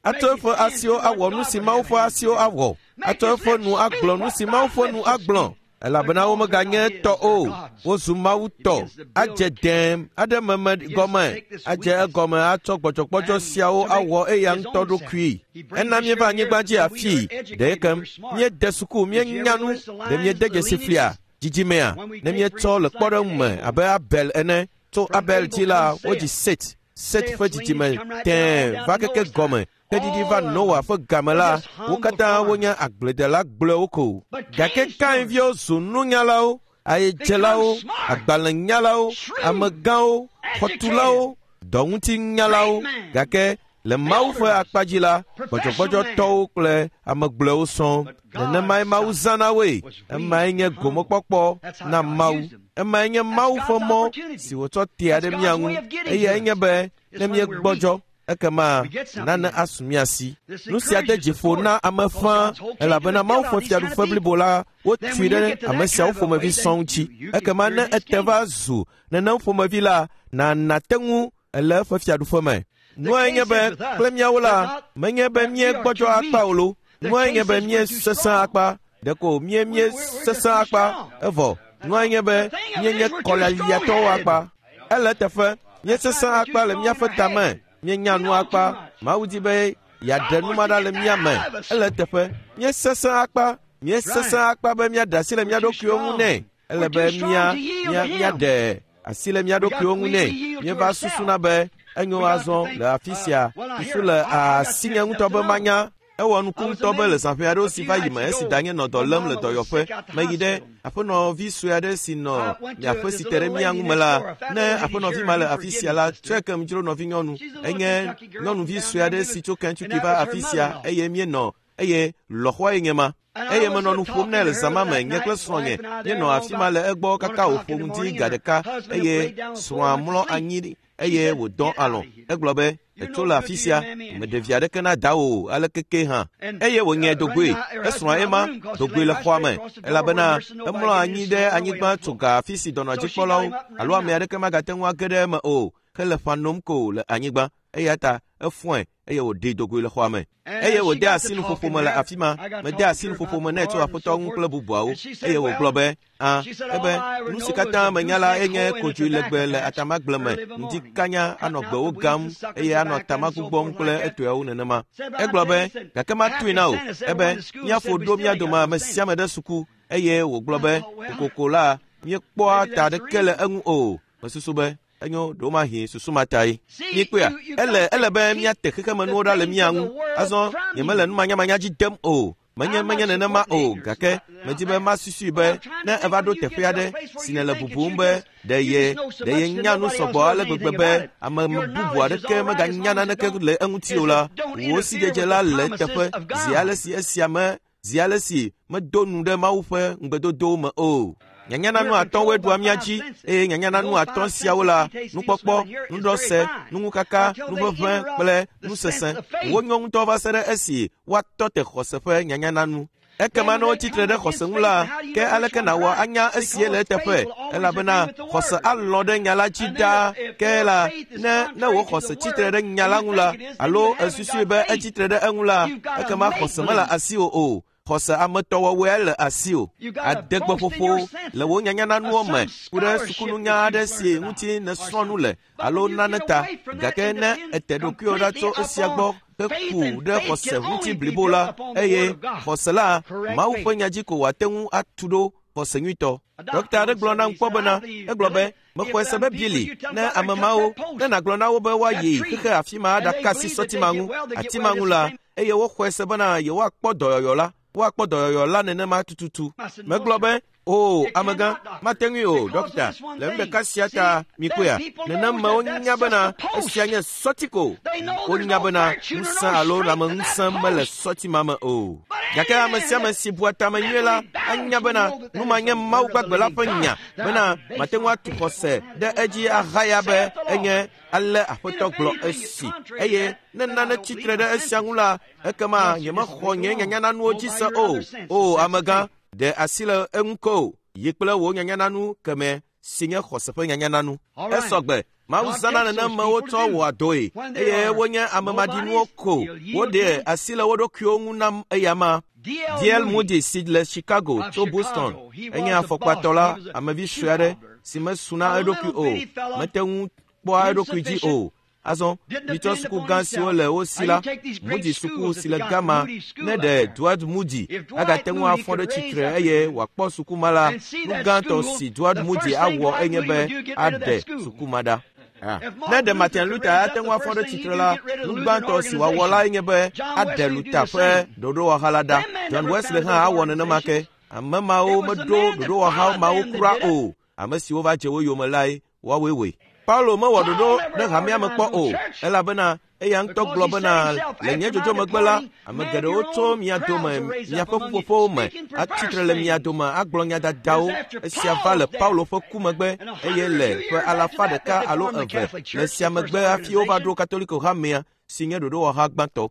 Atsɔ eƒe asiwo awɔ nu si Mawu ƒe asiwo awɔ. Atsɔ eƒe nu agblɔ nu si Mawu ƒe nu agblɔ. Elabena womeganye tɔ o, wozu Mawu tɔ. Adze dẽm aɖe meme gɔme, adze egɔme atsɔ gbɔdzɔgbɔdzɔ siawo awɔ eya ŋutɔ ɖokui. Ena míeva anyigba dzi afii, ɖe kem míede suku, míenya nu, ɖe míede dzesi flia dzidzimea, ne míetsɔ le kpɔɖeŋu me abe Abel ene. Tso Abel dzi la, wodzi Set. Set ƒe dzidzime tẽe va keke gɔme. Ke ɖiɖi va Noa ƒe game la, wo katã wonye agbledela gblɔewo ko. Gake Kain viwo zu nunyalawo, ayedzelawo, agbalẽnyalawo, amegãwo, xɔtulawo, dɔŋutinyalawo. Gake le Mawu ƒe akpa dzi la, gbɔdzɔgbɔdzɔtɔwo kple ame gblɔewo sɔŋ. Nenemae Mawu zãna woe. Emae nye gomekpɔkpɔ na Mawu. Emae nye Mawu ƒe mɔ si wòtsɔ tea ɖe mía ŋu. Eyae nye be ne míegbɔdzɔ, ekema nane asu mía si. Nu sia de dzi ƒo na ame fãa, elabena Mawu ƒe fiaɖuƒe blibo la wotui ɖe ame siawo ƒomevi sɔŋ ŋuti. Ekema ne ete va zu nenem ƒomevi la, nàna te ŋu ele eƒe fiaɖuƒe me. Nuae nye be kple míawo la, menye be míegbɔdzɔ akpa o lo. Nuae nye be míesesẽ akpa. Ɖeko mía míesesẽ akpa evɔ. Nuae nye be míenye kɔlialiatɔwo akpa. Ele eteƒe, míesesẽ akpa le míaƒe tame. Míenya nu akpa. Mawu di be yeaɖe nu ma ɖa le mía me. Ele eteƒe, míesesẽ akpa. Míesesẽ akpa be míaɖe asi le mía ɖokuiwo ŋu nɛ. Ele be mía mía míaɖe asi le mía ɖokuiwo ŋu nɛ. Míeva susuna be enyo azɔ le afi sia. Susu le asinye ŋutɔ be manya. Ewɔ nuku ŋutɔ be le zãƒe aɖewo si va yi me esi danye nɔ dɔ lém le dɔyɔƒe, meyi ɖe aƒenɔvi sue aɖe si nɔ miaƒe si te ɖe mía ŋu me la, ne aƒenɔvi ma le afi sia la, tsɔe kem dzro nɔvinyɔnu. Enye nyɔnuvi sue aɖe si tso Kentucky va afi sia eye míenɔ eye lɔ̃xoae nye ma. Eye menɔ nu ƒom nɛ le zã ma me, nye kple srɔ̃nye míenɔ afi ma le egbɔ kaka wòƒo ŋdi ga ɖeka eye srɔ̃a mlɔ anyi eye wòdɔ alɔ̃. Egblɔ be, etso le afi sia, meɖe vi aɖeke na dawò o, aleke ke hã. Eye wòŋe dogoe, esrɔ̃a ema dogoe le xɔa me, elabena emlɔ anyi ɖe anyigba tso ga afi si dɔnɔdzikpɔlawo alo ame aɖeke magate ŋu age ɖe eme o, hele ƒã nom ko le anyigba. Eya ta efɔe eye wòɖee dogoe le xɔa me. Eye wòde asi nuƒoƒo me le afi ma. Mede asi nuƒoƒo me nɛ tso Aƒetɔ ŋu kple bubuawo. Eye wògblɔ be, a, ebe, nu si katã menya la enye kodzoe legbe le atamagble me, ŋdi kanya anɔ gbewo gam eye anɔ atama gbugbɔm kple etɔewo nenema. Egblɔ be, gake matui na wò, ebe, míaƒo ɖo mía dome ame sia ame ɖe suku. Eye wògblɔ be, kokoko la, míekpɔa ta ɖeke le eŋu o. Mesusu be, enyo ɖewomahi susu ma tae. Míekpɔea, ele ele be míate xexemenuwo ɖa le mía ŋu. Azɔ nyemele numanyamanya dzi dem o. Menye menye nenema o, gake medi be masusui be ne eva ɖo teƒe aɖe si nèle bubum be ɖe ye ɖe ye nya nu sɔgbɔ ale gbegbe be ame bubu aɖeke meganya naneke le eŋuti o la, wò sidzedze la le eteƒe zi ale si esia me zi ale si medo nu ɖe Mawu ƒe ŋugbedodowo me o. Nyanyananu atɔ̃woe ɖua mía dzi eye nyanyananu atɔ̃ siawo la, nukpɔkpɔ, nuɖɔse, nuŋukaka, nuʋeʋẽ kple nusese. Wonyo ŋutɔ va se ɖe esi woatɔ te xɔse ƒe nyanyananu. Ekema ne wotsi tre ɖe xɔse ŋu la, ke aleke nàwɔ anya esie le eteƒe? Elabena xɔse alɔ̃ ɖe nya la dzi ɖaa. Ke la, ne ne wò xɔse tsi tre ɖe nya la ŋu la, alo èsusui be etsi tre ɖe eŋu la, ekema xɔse mele asiwò o. Xɔse ametɔwɔwɔe le asiwò. Adegbeƒoƒo le wò nyanyananuwo me ku ɖe sukununya aɖe si ŋuti nèsrɔ̃ nu le alo nane ta. Gake ne ète ɖokuiwò ɖa tso esia gbɔ heku ɖe xɔse ŋuti blibo la, eye xɔse la, Mawu ƒe nya dzi ko wòate ŋu atu ɖo xɔse nyuitɔ. Ɖɔkita aɖe gblɔ nam kpɔ bena, egblɔ be, mexɔe se be Billy, ne ame mawo, ne nàgblɔ na wo be woayi xexe afi ma aɖaka asi sɔti ma ŋu, ati ma ŋu la, eye woxɔe se bena yewoakpɔ dɔyɔyɔ la, woakpɔ dɔyɔyɔ la nenema tututu. Megblɔ be, o, amegã, mate ŋui o, ɖɔkita, le nu ɖeka sia ta mikpɔea, nenemewo nya bena esia nye sɔti ko. Wonya bena ŋusẽ alo lãmeŋusẽ mele sɔti ma me o. Gake ame sia ame si bua tame nyuie la anya bena nu ma nye Mawu gbagbe la ƒe nya bena mate ŋu atu xɔse ɖe edzi ahaya be enye ale Aƒetɔ gblɔ esi. Eye ne nane tsi tre ɖe esia ŋu la, ekema nyemexɔ nye nyanyananuwo dzi se o. O, amegã, ɖe asi le eŋu ko. Yi kple wò nyanyananu keme si nye xɔse ƒe nyanyananu. Esɔgbe. Mawu zãna nenemewo tsɔ wɔa dɔe eye wonye ame maɖinuwo ko. Woɖe asi le wo ɖokuiwo ŋu nam eyama. D L Moody si le Chicago tso Boston enye afɔkpatɔ la, amevi sue aɖe si mesuna eɖokui o, mete ŋu kpɔa eɖokui dzi o. Azɔ mitsɔ suku gã siwo le wo si la, Moody suku si le Gama, ne ɖe Dwight Moody agate ŋu afɔ ɖe tsitre eye wòakpɔ suku ma la, nu gãtɔ si Dwight Moody awɔ enye be aɖe suku ma ɖa. Ne ɖe Martin Luther ate ŋu afɔ ɖe tsitre la, nu gbãtɔ si wòawɔ la enye be aɖe Luther ƒe ɖoɖowɔha la ɖa. John Wesley hã awɔ nenema ke. Ame mawo meɖo ɖoɖowɔha mawo kura o. Ame siwo va dze wo yome lae woawoe wɔe. Paulo mewɔ ɖoɖo ɖe hamea me kpɔ o, elabena eya ŋutɔ gblɔ bena le nye dzodzo megbe la, ame geɖewo tso mia dome, miaƒe ƒuƒoƒowo me, atsitre le mia dome agblɔ nya dadawo. Esia va le Paulo ƒe ku megbe eye le ƒe alafa ɖeka alo eve le sia megbe hafi wova ɖo Katoliko hamea si nye ɖoɖowɔha gbãtɔ.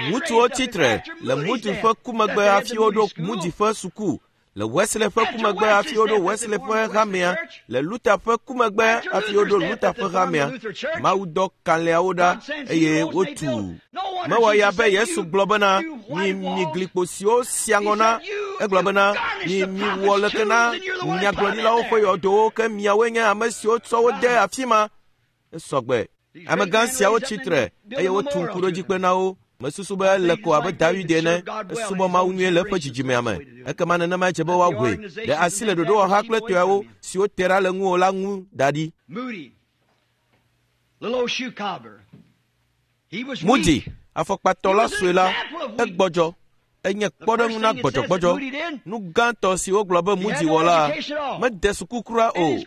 Ŋutsuwo tsitre le Moody ƒe ku megbe hafi woɖo Moody ƒe suku. Le Wesley ƒe ku megbe hafi woɖo Wesley ƒe hamea. Le Luther ƒe ku megbe hafi woɖo Luther ƒe hamea. Mawu dɔ kalẽawo ɖa eye wotu. Mewɔ ya be Yesu gblɔ bena mi mi glikpo siwo sia ŋɔ na. Egblɔ bena mi mi wɔ leke na nyagblɔɖilawo ƒe yɔdowo ke miawoe nye ame siwo tsɔ wo de afi ma. Esɔgbe. Amegã siawo tsitre eye wotu ŋkuɖodzikpe na wo. Mesusu be ele ko abe David ene, esubɔ Mawu nyuie le eƒe dzidzimea me. Ekema nenema dze be woaʋui. Ɖe asi le ɖoɖowɔha kple tɔeawo siwo te ɖa le ŋuwò la ŋu da ɖi. Moody, afɔkpatɔ la sue la, egbɔdzɔ. Enye kpɔɖeŋu na gbɔdzɔgbɔdzɔ. Nu gãtɔ si wogblɔ be Moody wɔ la, mede suku kura o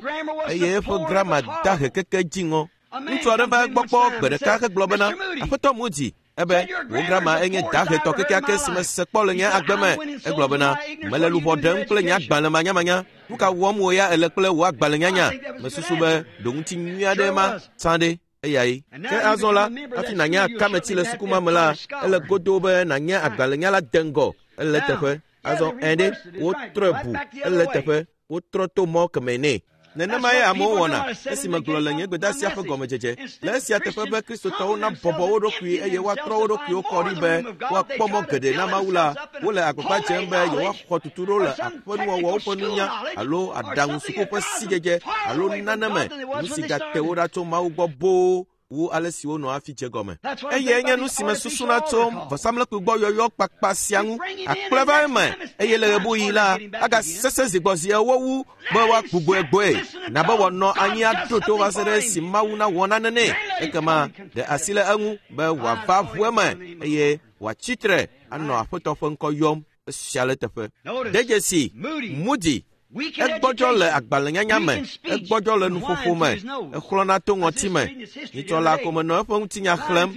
eye eƒe grama dahe keke dziŋɔ. Ŋutsu aɖe va egbɔ kpɔ gbe ɖeka hegblɔ bena, Aƒetɔ Moody, ebe wò grama enye dahetɔ kekeake si mese kpɔ le nye agbe me. Egblɔ bena, mele luʋɔ ɖem kple nye agbalẽ manyamanya. Nu ka wɔm wò ya ele kple wò agbalẽnyanya? Mesusu be ɖoŋuti nyui aɖe ma tsã ɖe eyae. Ke azɔ la, hafi nànye akameti le suku ma me la, ele godoo be nànye agbalẽnyala de ŋgɔ. Ele teƒe. Azɔ ɛ ɖe, wotrɔe bu. Ele teƒe. Wotrɔ to mɔ keme nɛ. Nenema ye amewo wɔna esi megblɔ le nye gbedeasia ƒe gɔmedzedze. Le esia teƒe be Kristotɔwo nabɔbɔ wo ɖokui eye woatrɔ wo ɖokuiwo kɔ ɖi be woakpɔ mɔ geɖe na Mawu la, wole agbagba dzem be yewoaxɔ tutuɖo le aƒenuwɔwɔwo ƒe nunya alo aɖaŋu suku ƒe sidzedze alo nane me, nu si gate wo ɖa tso Mawu gbɔ boo wu ale si wonɔ hafi dze gɔme. Eye nye nu si mesusuna tso vɔsamlekpui gbɔ yɔyɔ kpakpa sia ŋu. Akplɔe va eme eye le ɣebuɣi la, agasesẽ zi gbɔ zi ewo wu be woagbugbɔe gbɔe. Na be wòanɔ anyi aɖo to va se ɖe esi Mawu nawɔ nane nɛ. Ekema ɖe asi le eŋu be wòava ʋu eme eye wòatsi tre anɔ Aƒetɔ ƒe ŋkɔ yɔm. Esia le teƒe. De dzesi Moody. Egbɔdzɔ le agbalẽnyanya me, egbɔdzɔ le nuƒoƒo me, exlɔ̃na to ŋɔti me. Nyitsɔ la ko menɔ eƒe ŋutinya xlẽm,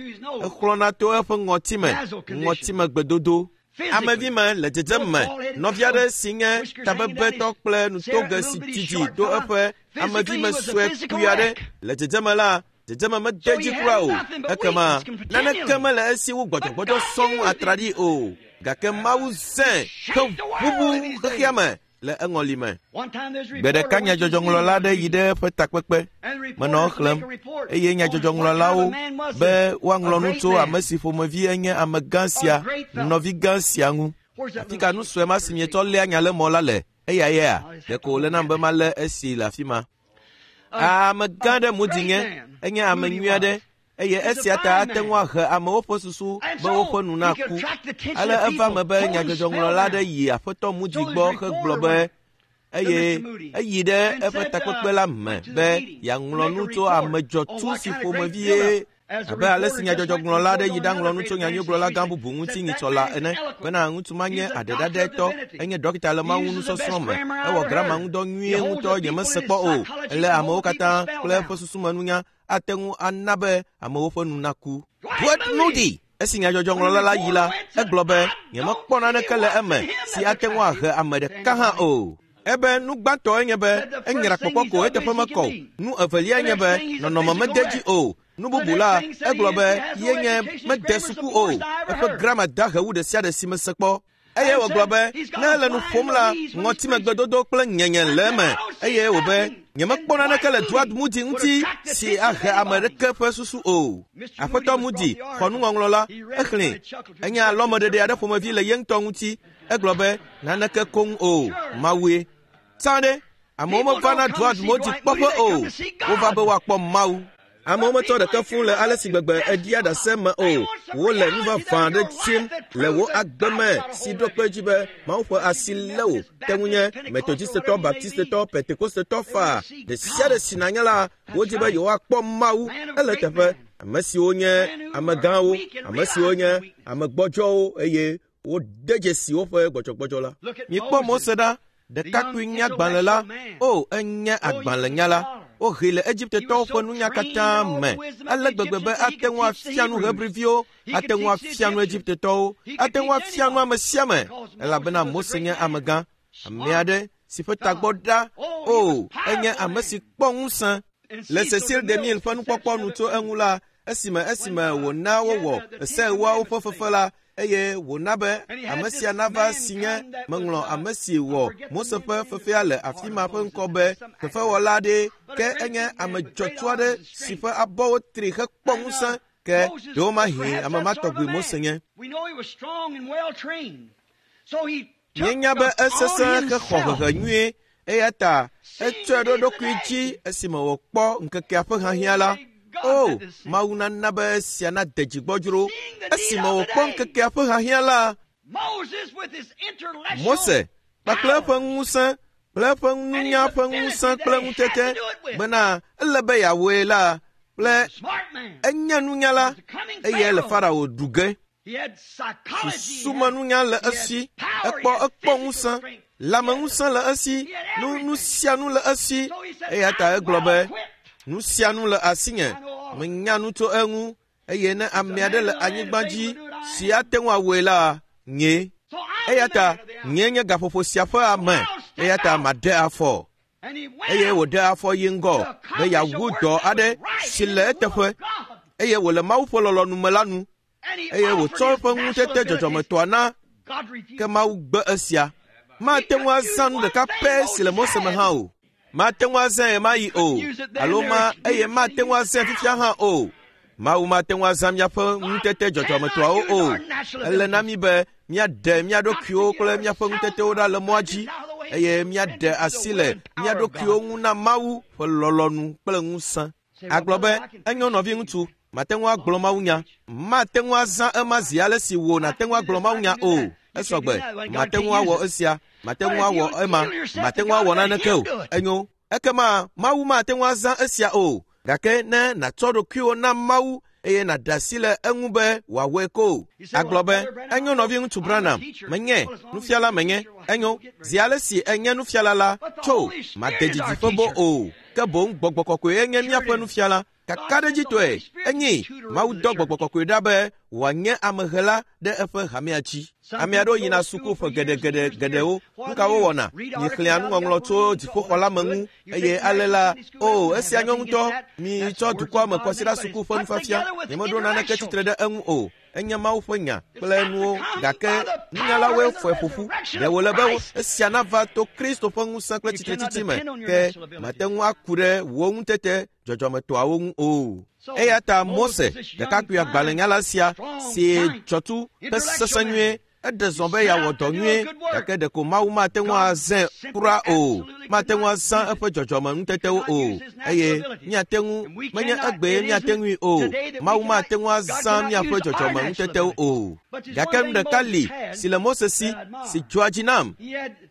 exlɔ̃na to eƒe ŋɔti me, ŋɔtime gbedodo. Amevi me le dzedzem me, nɔvi aɖe si nye tabebetɔ kple nutoge si didi do eƒe amevi me sue kpui aɖe le dzedzeme la, dzedzeme mede dzi kura o. Ekema naneke mele esi wu gbɔdzɔgbɔdzɔ sɔŋ atraɖii o. Gake Mawu zãe heʋuʋu xexea me le eŋɔli me. Gbe ɖeka nyadzɔdzɔŋlɔla aɖe yi ɖe eƒe takpekpe. Menɔ exlẽm eye nyadzɔdzɔŋlɔlawo be woaŋlɔ nu tso ame si ƒomevi enye amegã sia, nɔvi gã sia ŋu. Afi ka nu sue ma si mietsɔ léa nya le mɔ la le? Eya yea? Ɖeko wòle nam be malé esi le afi ma. Amegã ɖe Moody nye, enye ame nyui aɖe. Eye esia ta ate ŋu ahe amewo ƒe susu be woƒe nu naku. Ale eva me be nyadzɔdzɔŋlɔla aɖe yi Aƒetɔ Moody gbɔ hegblɔ be eye eyi ɖe eƒe takpekpe la me be yeaŋlɔ nu tso ame dzɔtsu si ƒomevi ye abe ale si nyadzɔdzɔŋlɔla aɖe yi ɖaŋlɔ nu tso nyanyuigblɔla gã bubu ŋuti nyitsɔ la ene bena ŋutsu ma nye aɖeɖaɖɛtɔ, enye dɔkita le Mawu nusɔsrɔ̃ me, ewɔ grama ŋudɔ nyuie ŋutɔ nyemese kpɔ o. Ele amewo katã kple eƒe susumenunya ate ŋu ana be amewo ƒe nu naku. Dwight Moody, esi nyadzɔdzɔŋlɔla la yi la, egblɔ be nyemekpɔ naneke le eme si ate ŋu ahe ame ɖeka hã o. Ebe nu gbãtɔe nye be enyra kpɔkpɔ ko eteƒe mekɔ o. Nu evelia nye be nɔnɔme mede dzi o. Nu bubu la, egblɔ be yenye mede suku o. Eƒe grama dahe wu ɖe sia ɖe si mese kpɔ. Eye wògblɔ be ne ele nu ƒom la, ŋɔtimegbedodo kple nyenye le eme. Eye wòbe nyemekpɔ naneke le Dwight Moody ŋuti si ahe ame ɖeke ƒe susu o. Aƒetɔ Moody xɔ nuŋɔŋlɔ la, exlẽe. Enye alɔmeɖeɖe aɖe ƒomevi le ye ŋutɔ ŋuti. Egblɔ be naneke koŋ o, Mawue. Tsã ɖe, amewo mevana Dwight Moody kpɔƒe o. Wova be woakpɔ Mawu. Amewo metsɔ ɖeke fũu le ale si gbegbe eɖia ɖase me o. Wole nu vavã aɖe dim le wò agbe me si ɖo kpe edzi be Mawu ƒe asi lé wò. Te ŋu nye Metodistetɔ, Baptistetɔ, Pentekostetɔ faa. Ɖe sia ɖe si nànye la, wodi be yewoakpɔ Mawu. Ele teƒe. Ame siwo nye amegãwo, ame siwo nye ame gbɔdzɔwo eye wode dzesi woƒe gbɔdzɔgbɔdzɔ la. Mikpɔ Mose ɖa. Ɖekakpui nye agbalẽ la. O, enye agbalẽnyala. Wohee le Egiptetɔwo ƒe nunya katã me. Ale gbegbe be ate ŋu afia nu Hebriviwo, ate ŋu afia nu Egiptetɔwo, ate ŋu afia nu ame sia ame. Elabena Mose nye amegã, ame aɖe si ƒe tagbɔ ɖa. O, enye ame si kpɔ ŋusẽ. Le Cecil DeMille ƒe nukpɔkpɔ nu tso eŋu la, esime esime wòna wowɔ se ewoawo ƒe fefe la, eye wòna be ame sia nava si nye meŋlɔ ame si wɔ Mose ƒe fefea le afi ma ƒe ŋkɔ be fefewɔla aɖee, ke enye ame dzɔtsu aɖe si ƒe abɔwo tri hekpɔ ŋusẽ, ke ɖewomahi ame ma tɔgbi Mose nye. Míenya be esesẽ hexɔ hehe nyuie, eya ta etsɔe ɖo eɖokui dzi esime wòkpɔ ŋkekea ƒe hiahiã la. O, Mawu nana be esia nade dzigbɔdzro. Esime wòkpɔ ŋkekea ƒe hiahiã la, Mose kpakple eƒe ŋusẽ kple eƒe nunya ƒe ŋusẽ kple ŋutete bena ele be yeawɔe la kple enye nunyala eye le Farao ɖu ge. Susumenunya le esi, ekpɔ ekpɔ ŋusẽ, lãmeŋusẽ le esi, nu nu sia nu le esi. Eya ta egblɔ be nu sia nu le asinye, menya nu tso eŋu eye ne ame aɖe le anyigba dzi si ate ŋu awɔe la, nye. Eya ta nye nye gaƒoƒo sia ƒe ame, eya ta maɖe afɔ. Eye wòɖe afɔ yi ŋgɔ be yeawu dɔ aɖe si le eteƒe eye wòle Mawu ƒe lɔlɔ̃nu me la nu. Eye wòtsɔ eƒe ŋutete dzɔdzɔmetɔa na, ke Mawu gbe esia. Mate ŋu azã nu ɖeka pɛ si le Mose me hã o. Mate ŋu azãe ɣemaɣi o, alo ma eye mate ŋu azãe fifia hã o. Mawu mate ŋu azã míaƒe ŋutete dzɔdzɔmetɔawo o. Ele na mí be míaɖe mía ɖokuiwo kple míaƒe ŋutetewo ɖa le mɔa dzi eye míaɖe asi le mía ɖokuiwo ŋu na Mawu ƒe lɔlɔ̃nu kple ŋusẽ. Agblɔ be enyo nɔviŋutsu, mate ŋu agblɔ mawunya. Mate ŋu azã ema zi ale si wò nàte ŋu agblɔ mawunya o. Esɔgbe, mate ŋu awɔ esia, mate ŋu awɔ ema, mate ŋu awɔ naneke o. Enyo, ekema Mawu mate ŋu azã esia o. Gake ne nàtsɔ ɖokuiwò na Mawu eye nàɖe asi le eŋu be wòawɔe ko. Agblɔ be enyo nɔviŋutsu Branham, menye nufiala menye. Enyo, zi ale si enye nufiala la, tso made didiƒe bo o. Ke boŋ gbɔgbɔ kɔkɔe enye míaƒe nufiala. Kakaɖedzitɔe enye Mawu dɔ gbɔgbɔ kɔkɔe ɖa be wòanye amehela ɖe eƒe hamea dzi. Ame aɖewo yina suku ƒe geɖegeɖe geɖewo. Nu ka wowɔna? Miexlẽa nuŋɔŋlɔ tso dziƒoxɔ la me ŋu eye ale la, o, esia nyɔ ŋutɔ. Mitsɔ dukɔa me kɔsiɖa suku ƒe nufiafia. Nyemeɖo naneke tsitre ɖe eŋu o. Enye Mawu ƒe nya kple nuwo, gake nunyalawoe fɔe ƒo ƒu. Ɖe wòle be esia nava to Kristo ƒe ŋusẽ kple tsitretsitsi me, ke mate ŋu aku ɖe wò ŋutete dzɔdzɔmetɔawo ŋu o. Eya ta Mose, ɖekakpui agbalẽnyala sia si dzɔtsu hesesẽ nyuie, eɖe zɔ be yeawɔ dɔ nyuie, gake ɖeko Mawu mate ŋu azãe kura o. Mate ŋu azã eƒe dzɔdzɔme ŋutetewo o. Eye míate ŋu, menye egbee míate ŋui o. Mawu mate ŋu azã míaƒe dzɔdzɔme ŋutetewo o. Gake nu ɖeka li si le Mose si, si dzɔa dzi nam.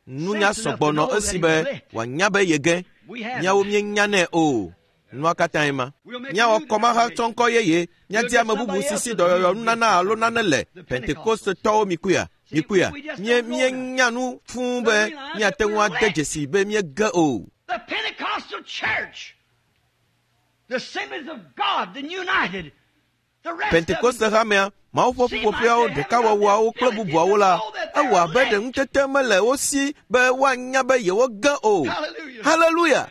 Nunya sɔgbɔ nɔ esi be wòanya be yege. Míawo míenyanɛ o. Nua katãe ma. Míawɔ kɔmahatsɔŋkɔ yeye, míadi ame bubu si si dɔyɔyɔ nunana alo nane le. Pentekostetɔwo mikuya, mikuya. Mie míenya nu fũu be míate ŋu ade dzesi be míege o. The Pentecostal Church, the Assemblies of God, the United, the rest of them, Pentekoste hamea, Mawu ƒe ƒuƒoƒeawo, ɖekawɔwɔawo kple bubuawo la, ewɔ abe ɖe ŋutete mele wo si be woanya be yewoge o. Hallelujah. Haleluya!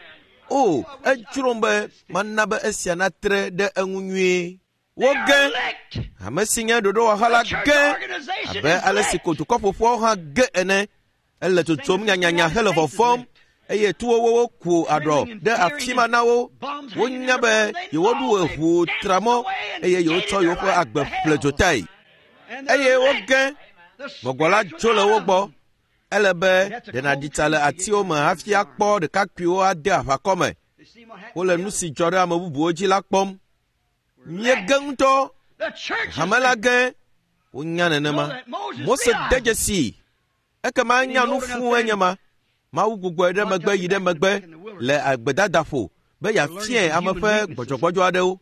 O, edzrom be mana be esia natre ɖe eŋu nyuie. Woge ame si nye ɖoɖowɔha la ge abe ale si ko dukɔ ƒoƒuawo hã ge ene. Ele tsotsom nyanyanya hele vɔvɔm eye tuwowo ku aɖɔ ɖe afi ma na wo. Wonya be yewoɖu eʋu tra mɔ eye yewotsɔ yewoƒe agbe ƒle dzotae. Eye woge gbɔgbɔ la dzo le wo gbɔ. Ele be ɖe nàɖi tsa le atiwo me hafi akpɔ ɖekakpuiwo ade aʋakɔ me. Wole nu si dzɔ ɖe ame bubuwo dzi la kpɔm. Míege ŋutɔ. Hame la ge. Wonya nenema. Mose de dzesi. Ekema enya nu fũu enye ma. Mawu gbugbɔe ɖe megbe yi ɖe megbe le agbedadaƒo be yeafiae ame ƒe gbɔdzɔgbɔdzɔ aɖewo.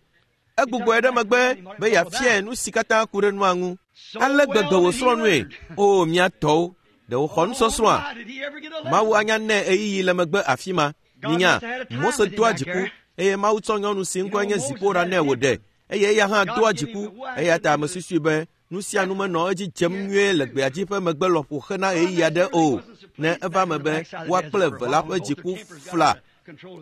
Egbugbɔe ɖe megbe be yeafiae nu si katã ku ɖe nua ŋu. Ale gbegbe wòsrɔ̃ nue. O mía tɔwo, ɖe wòxɔ nusɔsrɔ̃a? Mawu anya nɛ ɣeyiɣi le megbe afi ma. Minya, Mose doa dziku eye Mawu tsɔ nyɔnu si ŋkɔe nye Zipora nɛ wòɖe eye eya hã doa dziku. Eya ta ame susui be nu sia nu menɔ edzi dzem nyuie le gbeadzi ƒe megbe lɔƒo hena ɣeyiɣi aɖe o. Ne eva me be woa kple eve la ƒe dziku fla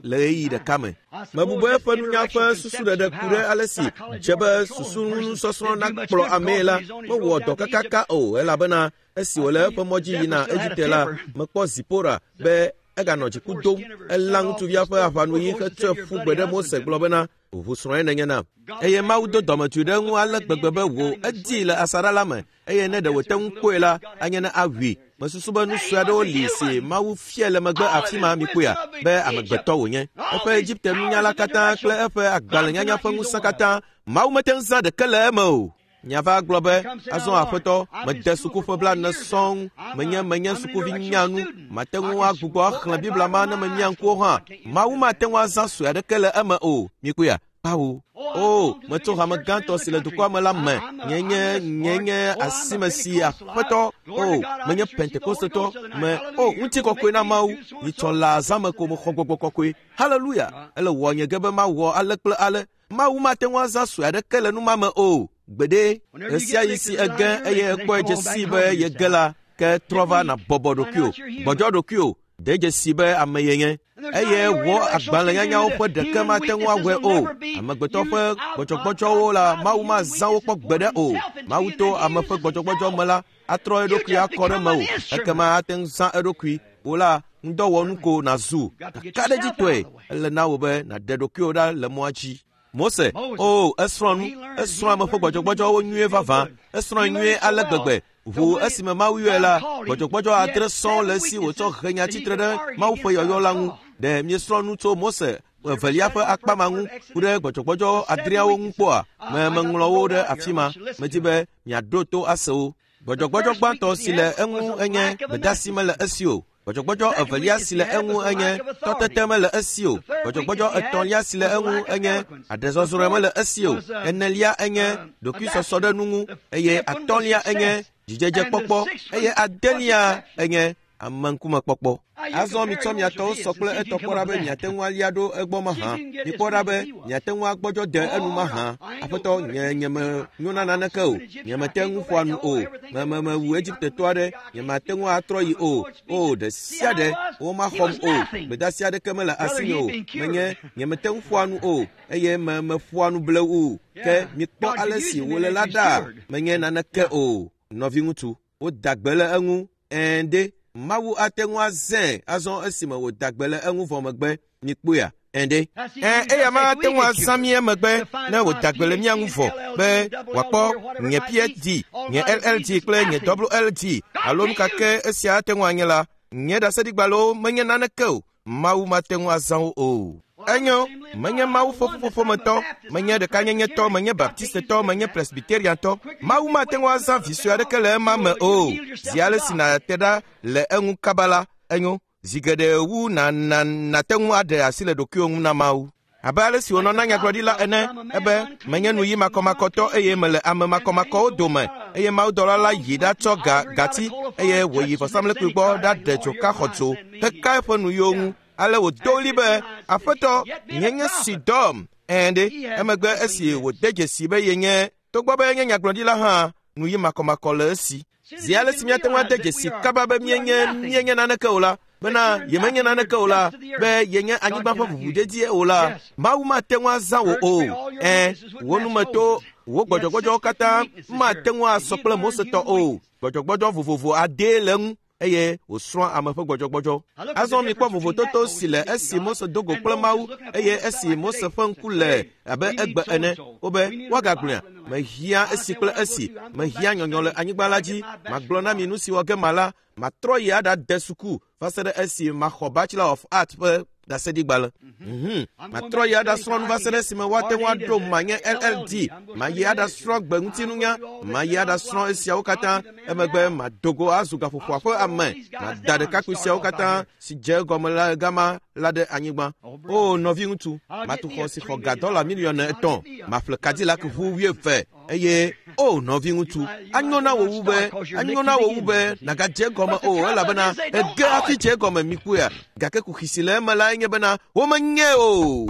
le ɣeyiɣi ɖeka me. Mebu be eƒe nunya ƒe susuɖeɖe ku ɖe ale si dze be susunusɔsrɔ̃ nakplɔ amee la mewɔ dɔ kakaka o, elabena esi wòle eƒe mɔ dzi yina Egipte la, mekpɔ Zipora be eganɔ dziku dom. Elã ŋutsuvia ƒe aʋanuyi hetsɔe ƒu gbe ɖe Mose gblɔ bena ʋu srɔ̃e nenye nam. Eye Mawu do dɔmedzoe ɖe eŋu ale gbegbe be wò edii le asaɖa la me eye ne ɖe wòte ŋu kpɔe la, anye ne awui. Mesusu be nu sue aɖewo li si Mawu fia le megbe afi ma mikpɔea be amegbetɔ wònye. Eƒe Egipte nunyala katã kple eƒe agbalẽnyanya ƒe ŋusẽ katã, Mawu mete ŋu zã ɖeke le eme o. Nyava gblɔ be azɔ aƒetɔ mede sukuƒe blaene sɔŋ, menye menye sukuvi nyanu, mate ŋu agbugbɔ axlẽ Biblia ma ne memia ŋkuwo hã. Mawu mate ŋu azã sue aɖeke le eme o. Mikpɔea? Kpawo. O, metso hame gãtɔ si le dukɔa me la me. Nye nye nye nye asime si aƒetɔ. O, menye Pentekostetɔ. Me o, ŋutikɔkɔe na Mawu. Nyitsɔ le azã me ko mexɔ gbɔgbɔ kɔkɔe. Haleluya! Ele wɔ nye ge be mawɔ ale kple ale. Mawu mate ŋu azã sue aɖeke le nu ma me o. Gbeɖe, ɣesiaɣi si ege eye ekpɔe dze sii be yege la, ke trɔ va nàbɔbɔ ɖokuiwò, gbɔdzɔ ɖokuiwò, de dzesi be ame yenye. Eye wɔ agbalẽnyanyawo ƒe ɖeke mate ŋu awɔe o. Amegbetɔ ƒe gbɔdzɔgbɔdzɔwo la, Mawu mazã wo kpɔ gbeɖe o. Mawu to ame ƒe gbɔdzɔgbɔdzɔ me la, atrɔ eɖokui akɔ ɖe mewò. Ekema ate ŋu zã eɖokui. Wò la, ŋudɔwɔnu ko nàzu. Kakaɖedzitɔe, ele na wò be nàɖe ɖokuiwò ɖa le mɔa dzi. Mose, o, esrɔ̃ nu, esrɔ̃ ame ƒe gbɔdzɔgbɔdzɔwo nyuie vavã, esrɔ̃e nyuie ale gbegbe. Ʋu esime Mawu yɔe la, gbɔdzɔgbɔdzɔ adre sɔŋ le esi wòtsɔ he nya tsitre ɖe Mawu ƒe yɔyɔ la ŋu. Ɖe míesrɔ̃ nu tso Mose evelia ƒe akpa ma ŋu ku ɖe gbɔdzɔgbɔdzɔ adreawo ŋu kpɔa? Me meŋlɔ wo ɖe afi ma. Medi be miaɖo to ase wo. Gbɔdzɔgbɔdzɔ gbãtɔ si le eŋu enye gbedeasi mele esi o. Gbɔdzɔgbɔdzɔ evelia si le eŋu enye tɔtete mele esi o. Gbɔdzɔgbɔdzɔ etɔ̃lia si le eŋu enye aɖezɔzrɔ̃e mele esi o. Enelia enye ɖokuisɔsɔ ɖe nu ŋu eye atɔ̃lia enye dzidzedzekpɔkpɔ eye adelia enye ameŋkumekpɔkpɔ. Azɔ mitsɔ miatɔwo sɔ kple etɔ kpɔ ɖa be miate ŋu alia ɖo egbɔ mahã. Mikpɔ ɖa be miate ŋu agbɔdzɔ de enu mahã. Aƒetɔ, nye nye menyo na naneke o. Nye mete ŋu ƒoa nu o. Me me mewu Egiptetɔ aɖe. Nye mate ŋu atrɔ yi o. O, ɖe sia ɖe womaxɔm o. Gbedeasi aɖeke mele asinye o. Menye nye mete ŋu ƒoa nu o eye me meƒoa nu blewu. Ke mikpɔ ale si wòle la ɖa. Menye naneke o. Nɔviŋutsu, woda gbe le eŋu. Ɛ̃ ɖe. Mawu ate ŋu azãe azɔ esime wòda gbe le eŋu vɔ megbe. Mikpɔea? Ɛ̃ ɖe. Ɛ̃, eya ma ate ŋu azã mí emegbe ne wòda gbe le mía ŋu vɔ be wòakpɔ nye P H D, nye L L D kple nye W L D alo nu ka ke esia ate ŋu anye la, nye ɖaseɖigbalẽwo menye naneke o. Mawu mate ŋu azã wo o. Enyo, menye Mawu ƒe ƒuƒoƒometɔ, menye ɖekanyenyetɔ, menye Baptistetɔ, menye Presbyteriantɔ. Mawu mate ŋu azã vi sue aɖeke le ema me o. Zi ale si nàte ɖa le eŋu kaba la, enyo, zi geɖe wu na na nàte ŋu aɖe asi le ɖokuiwò ŋu na Mawu. Abe ale si wònɔ na nyagblɔɖila ene, ebe menye nuyi makɔmakɔtɔ eye mele ame makɔmakɔwo dome. Eye mawudɔla la yi ɖatsɔ ga gati eye wòyi vɔsamlekpui gbɔ ɖaɖe dzoka xɔdzo heka eƒe nuyiwo ŋu. Ale wòdo ɣli be, Aƒetɔ, nye nye si dɔm. Ɛ̃ ɖe, emegbe esi wòde dzesi be yenye, togbɔ be enye nyagblɔɖila hã, nuyi makɔmakɔ le esi. Zi ale si míate ŋu ade dzesi kaba be míenye míenye naneke o la, bena yemenye naneke o la, be yenye anyigba ƒe ʋuʋudedie o la, Mawu mate ŋu azã wò o. Ɛ̃, wò numeto Wo gbɔdzɔgbɔdzɔwo katã mate ŋu asɔ kple Mose tɔ o. Gbɔdzɔgbɔdzɔ vovovo adee le eŋu eye wòsrɔ̃ ame ƒe gbɔdzɔgbɔdzɔ. Azɔ mikpɔ vovototo si le esi Mose do go kple Mawu eye esi Mose ƒe ŋku le abe egbe ene. Wobe woagagblɔea, mehiã esi kple esi, mehiã nyɔnyɔ le anyigba la dzi. Magblɔ na mi nu si wɔ ge mala, matrɔ yi aɖade suku va se ɖe esi maxɔ Bachelor of Arts ƒe ɖaseɖigbalẽ. Mhm. Matrɔ yi aɖasrɔ̃ nu va se ɖe esime woate ŋu aɖo manye L L D. Mayi aɖasrɔ̃ gbeŋutinunya, mayi aɖasrɔ̃ esiawo katã. Emegbe madogo azu gaƒoƒoa ƒe ame. Mada ɖekakpui siawo katã si dze egɔme le gama la ɖe anyigba. O nɔviŋutsu, matu xɔ si xɔ ga dɔla miliɔn etɔ̃. Maƒle Cadillac ʋu wuieve. Eye o nɔviŋutsu, anyo na wò wu be anyo na wò wu be nàgadze egɔme o, elabena ege hafi dze egɔme mikpɔea. Gake kuxi si le eme lae nye bena womenye o.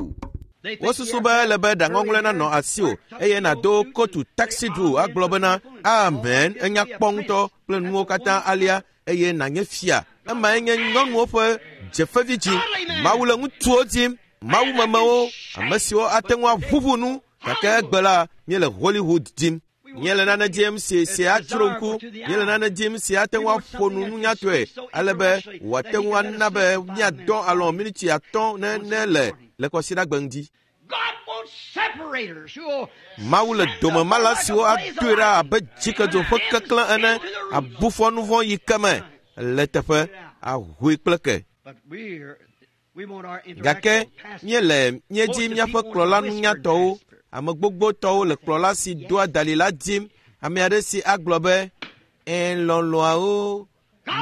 Wosusu be ele be ɖaŋɔŋlɔe nanɔ asiwò eye nàdo kotu taxi du agblɔ bena amen, enya kpɔ ŋutɔ kple nuwo katã alia eye nànye fia. Emae nye nyɔnuwo ƒe dzefevi dzi. Mawu le ŋutsuwo dim, mawumemewo, ame siwo ate ŋu aʋuʋu nu. Gake egbe la, míele Hollywood dim. Míele nane dim si si adzro ŋku. Míele nane dim si ate ŋu aƒo nu nunyatɔe ale be wòate ŋu ana be míadɔ alɔ miniti atɔ̃ ne ne le le kɔsiɖagbe ŋdi. Mawu le domemala siwo adoe ɖa abe dzikedzo ƒe keklẽ ene, abu fɔ nu vɔ̃ yi ke me le teƒe ahoe kple ke. Gake míele míedzi míaƒe kplɔla nunyatɔwo. Ame gbogbotɔwo le kplɔla si doa dalĩ la dim. Ame aɖe si agblɔ be, "Ẽ lɔlɔ̃awo,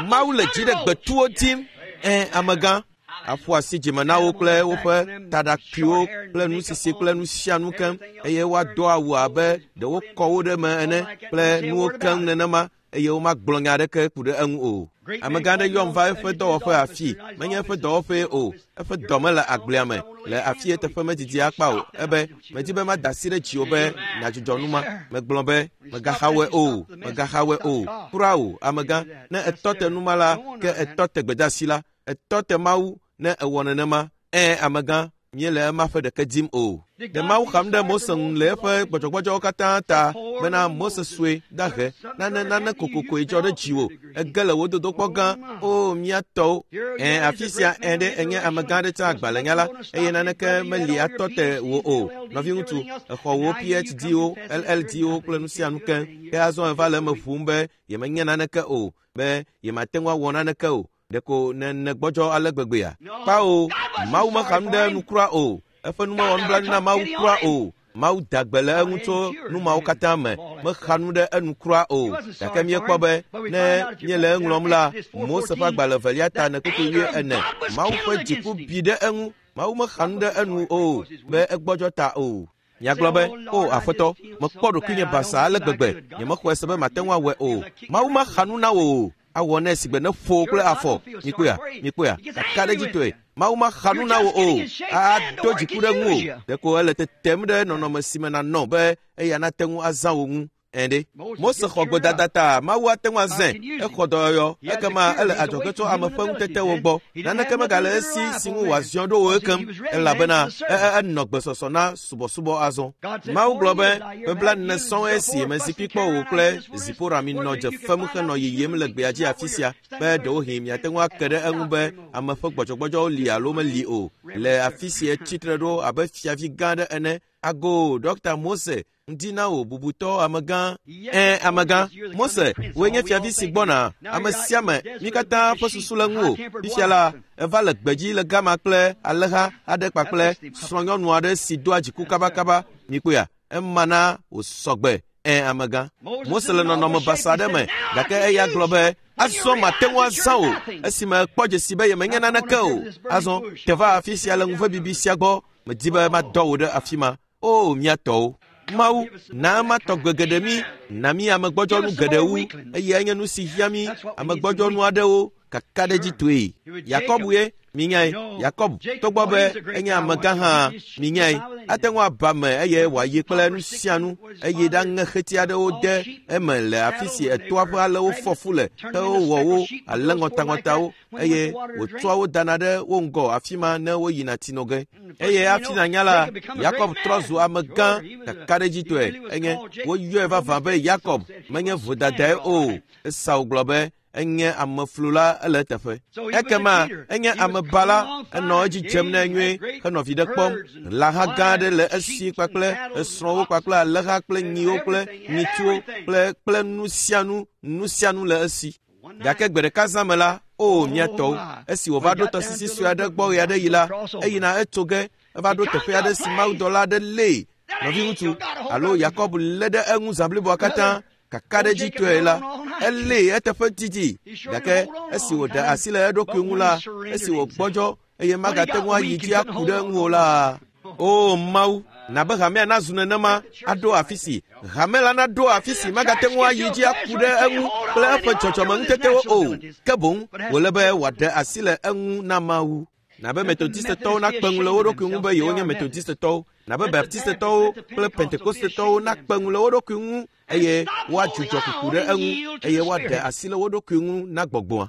Mawu le dzi ɖe gbetuwo dim." Ẽ amegã, aƒo asi dzime na wo kple woƒe taɖakuiwo kple nusisi kple nu sia nu keŋ eye woado awu abe ɖe wokɔ wo ɖe eme ene kple nuwo keŋ nenema eye womagblɔ nya aɖeke ku ɖe eŋu o. Amegã aɖe yɔm va eƒe dɔwɔƒe afi, menye eƒe dɔwɔƒee o, eƒe dɔme le agblea me le afi eteƒe medidi akpa o. Ebe, medi be mada asi ɖe dziwò be nàdzudzɔ nu ma. Megblɔ be, megaxawɔe o, megaxawɔe o. Kura o, amegã, ne etɔ te nu ma la, ke etɔ te gbedeasi la. Etɔ te Mawu ne ewɔ nenema. Ẽ, amegã, míele ema ƒe ɖeke dim o. Ɖe Mawu xam ɖe Mose ŋu le eƒe gbɔdzɔgbɔdzɔwo katã ta bena Mose sue dahe nane nane kokokoe dzɔ ɖe dziwò. Ege le wò dodokpɔ gã. O mía tɔwo. Ẽ, afi sia ẽ ɖe enye amegã aɖe tsã agbalẽnyala eye naneke meli atɔ te wò o. Nɔviŋutsu, exɔ wò P H D-wo, L L D-wo kple nu sia nu keŋ. Ke azɔ eva le eme ʋum be yemenye naneke o, be yemate ŋu awɔ naneke o. Ɖeko ne negbɔdzɔ ale gbegbea. Kpao, Mawu mexa nu ɖe nu kura o. Eƒe nu mewɔ nublanui na Mawu kura o. Mawu da gbe le eŋu tso nu mawo katã me. Mexa nu ɖe enu kura o. Gake míekpɔ be ne míele eŋlɔm la, Mose ƒe agbalẽ evelia ta ne kpukpui wuie ene. Mawu ƒe dziku bi ɖe eŋu. Mawu mexa nu ɖe enu o be egbɔdzɔ ta o. Miagblɔ be, o Aƒetɔ, mekpɔ ɖokuinye basaa ale gbegbe, nyemexɔe se be mate ŋu awɔe o. Mawu mexa nu na wò o. Awɔ nɛ sigbe ne ƒo kple afɔ. Mikpɔea, mikpɔea, kakaɖedzitɔe. Mawu mexa nu na wò o. Ado dziku ɖe ŋu o. Ɖeko ele tetem ɖe nɔnɔme si me nànɔ be eya nate ŋu azã wò ŋu. Ẽ ɖe. Mose xɔ gbedada ta Mawu ate ŋu azãe. Exɔ dɔyɔyɔ. Ekema ele adzɔge tso ame ƒe ŋutetewo gbɔ. Naneke megale esi si ŋu wòaziɔ ɖo wò ekem elabena enɔ gbesɔsɔ na subɔsubɔ azɔ. Mawu gblɔ be, ƒe blaene sɔŋ esi mezikpui kpɔ wò kple Zipora minɔ dze fem henɔ yiyim le gbea dzi afi sia be ɖewohĩ miate ŋu ake ɖe eŋu be ame ƒe gbɔdzɔgbɔdzɔwo li alo meli o. Le afi si etsi tre ɖo abe fiavi gã aɖe ene. Ago Dɔkta Mose ŋdi na wò bubutɔ amegã. Ẽ, amegã, Mose, wòe nye fiavi si gbɔna. Ame sia ame, mí katã ƒe susu le ŋuwò. Fifia la, eva le gbedzi le gama kple alẽha aɖe kpakple srɔ̃nyɔnu aɖe si doa dziku kabakaba. Mikpɔea, ema na wòsɔ gbe. Ẽ, amegã. Mose le nɔnɔme basa aɖe me, gake eya gblɔ be, azɔ mate ŋu azã wò esime ekpɔ dzesi be yemenye naneke o. Azɔ, te va afi sia le ŋuvebibi sia gbɔ. Medi be madɔ wò ɖe afi ma. O, mía tɔwo. Mawu, na ema tɔgbe geɖe mí, na mí amegbɔdzɔnu geɖe wu, eye enye nu si hiã mí amegbɔdzɔnu aɖewo kakaɖedzitɔe. Yakob ye Minyae, Yakob, togbɔ be enye amegã hã, minyae, ate ŋu aba me eye wòayi kple nu sia nu eye ɖaŋe xeti aɖewo de eme le afi si etoa ƒe alewo fɔ fu le hewowɔ wo ale ŋɔtaŋɔtawo eye wòtsɔa wo dana ɖe wo ŋgɔ afi ma ne woyina tsi no ge. Eye hafi nànya la, Yakob trɔ zu amegã kakaɖedzitɔe. Enye woyɔe vavã be Yakob menye vodadae o. Esau gblɔ be enye ameflula ele eteƒe. Ekema enye amebala, enɔ edzi dzem nɛ nyuie henɔ viɖe kpɔm. Lãha gã aɖe le esi kpakple esrɔ̃wo kpakple alẽha kple nyiwo kple nyitsuwo kple kple nu sia nu, nu sia nu le esi. Gake gbe ɖeka zã me la, o mía tɔwo, esi wòva ɖo tɔsisi sue aɖe gbɔ ɣe aɖe yi la, eyina etso ge, eva ɖo teƒe aɖe si mawudɔla aɖe lée. Nɔviŋutsu alo Yakob lé ɖe eŋu zã bliboa katã. Kakaɖedzitɔe la, elée eteƒe didi. Gake esi wòɖe asi le eɖokui ŋu la, esi wògbɔdzɔ eye magate ŋu ayi dzi aku ɖe eŋu o la, o Mawu, na be hamea nazu nenema aɖo afi si hame la naɖo afi si magate ŋu ayi dzi aku ɖe eŋu kple eƒe dzɔdzɔmeŋutetewo o. Ke boŋ wòle be wòaɖe asi le eŋu na Mawu. Na be Metodistetɔwo nakpe ŋu le wo ɖokui ŋu be yewonye Metodistetɔwo. Na be Baptistetɔwo kple Pentekostetɔwo nakpe ŋu le wo ɖokui ŋu eye woadzudzɔ kuku ɖe eŋu eye woaɖe asi le wo ɖokui ŋu na gbɔgbɔa.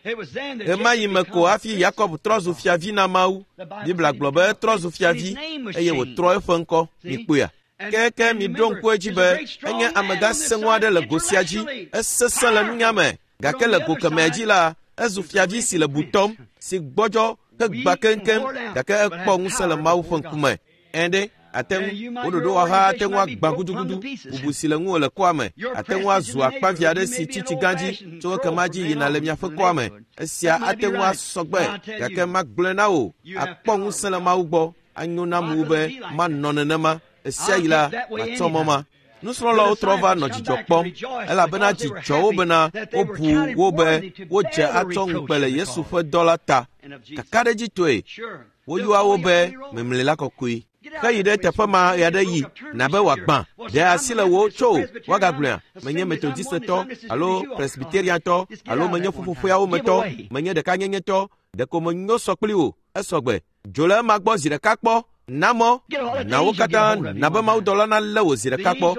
Ɣemaɣi me ko hafi Yakob trɔ zu fiavi na Mawu. Biblia gblɔ be etrɔ zu fiavi eye wòtrɔ eƒe ŋkɔ. Mikpɔea? Ke ke miɖo ŋku edzi be enye amegã sẽŋu aɖe le go sia dzi. Esesẽ le nunya me, gake le go kemɛa dzi la, ezu fiavi si le butɔm, si gbɔdzɔ hegbã keŋkeŋ, gake ekpɔ ŋusẽ le Mawu ƒe ŋkume. Ẽ ɖe, ate ŋu wo ɖoɖowɔha ate ŋu agbã gudugudu, bubu si le ŋuwò le kɔa me, ate ŋu azu akpavi aɖe si tsi tsigã dzi tso ekema dzi yina le miaƒe kɔa me. Esia ate ŋu asɔ gbe, gake magblɔe na wò, akpɔ ŋusẽ le Mawu gbɔ. Anyo nam wu be manɔ nenema. Esia yi la, matsɔ mɔ ma. Nusrɔ̃lawo trɔ va nɔ dzidzɔ kpɔm, elabena dzi dzɔ wo bena wobu wo be wodze atsɔ ŋukpe le Yesu ƒe dɔ la ta. Kakaɖedzitɔe, woyɔa wo be memlela kɔkɔe. Heyi ɖe teƒe ma ɣe aɖe yi, na be wòagbã. Ɖe asi le wo tso woagagblɔea, menye Metodistetɔ alo Presbyteriantɔ alo menye ƒuƒoƒeawo me tɔ, menye ɖekanyenyetɔ, ɖeko menyo sɔ kpli wò, esɔgbe. Dzo le ema gbɔ zi ɖeka kpɔ. Na mɔ, na wo katã, na be mawudɔla nalé wò zi ɖeka kpɔ.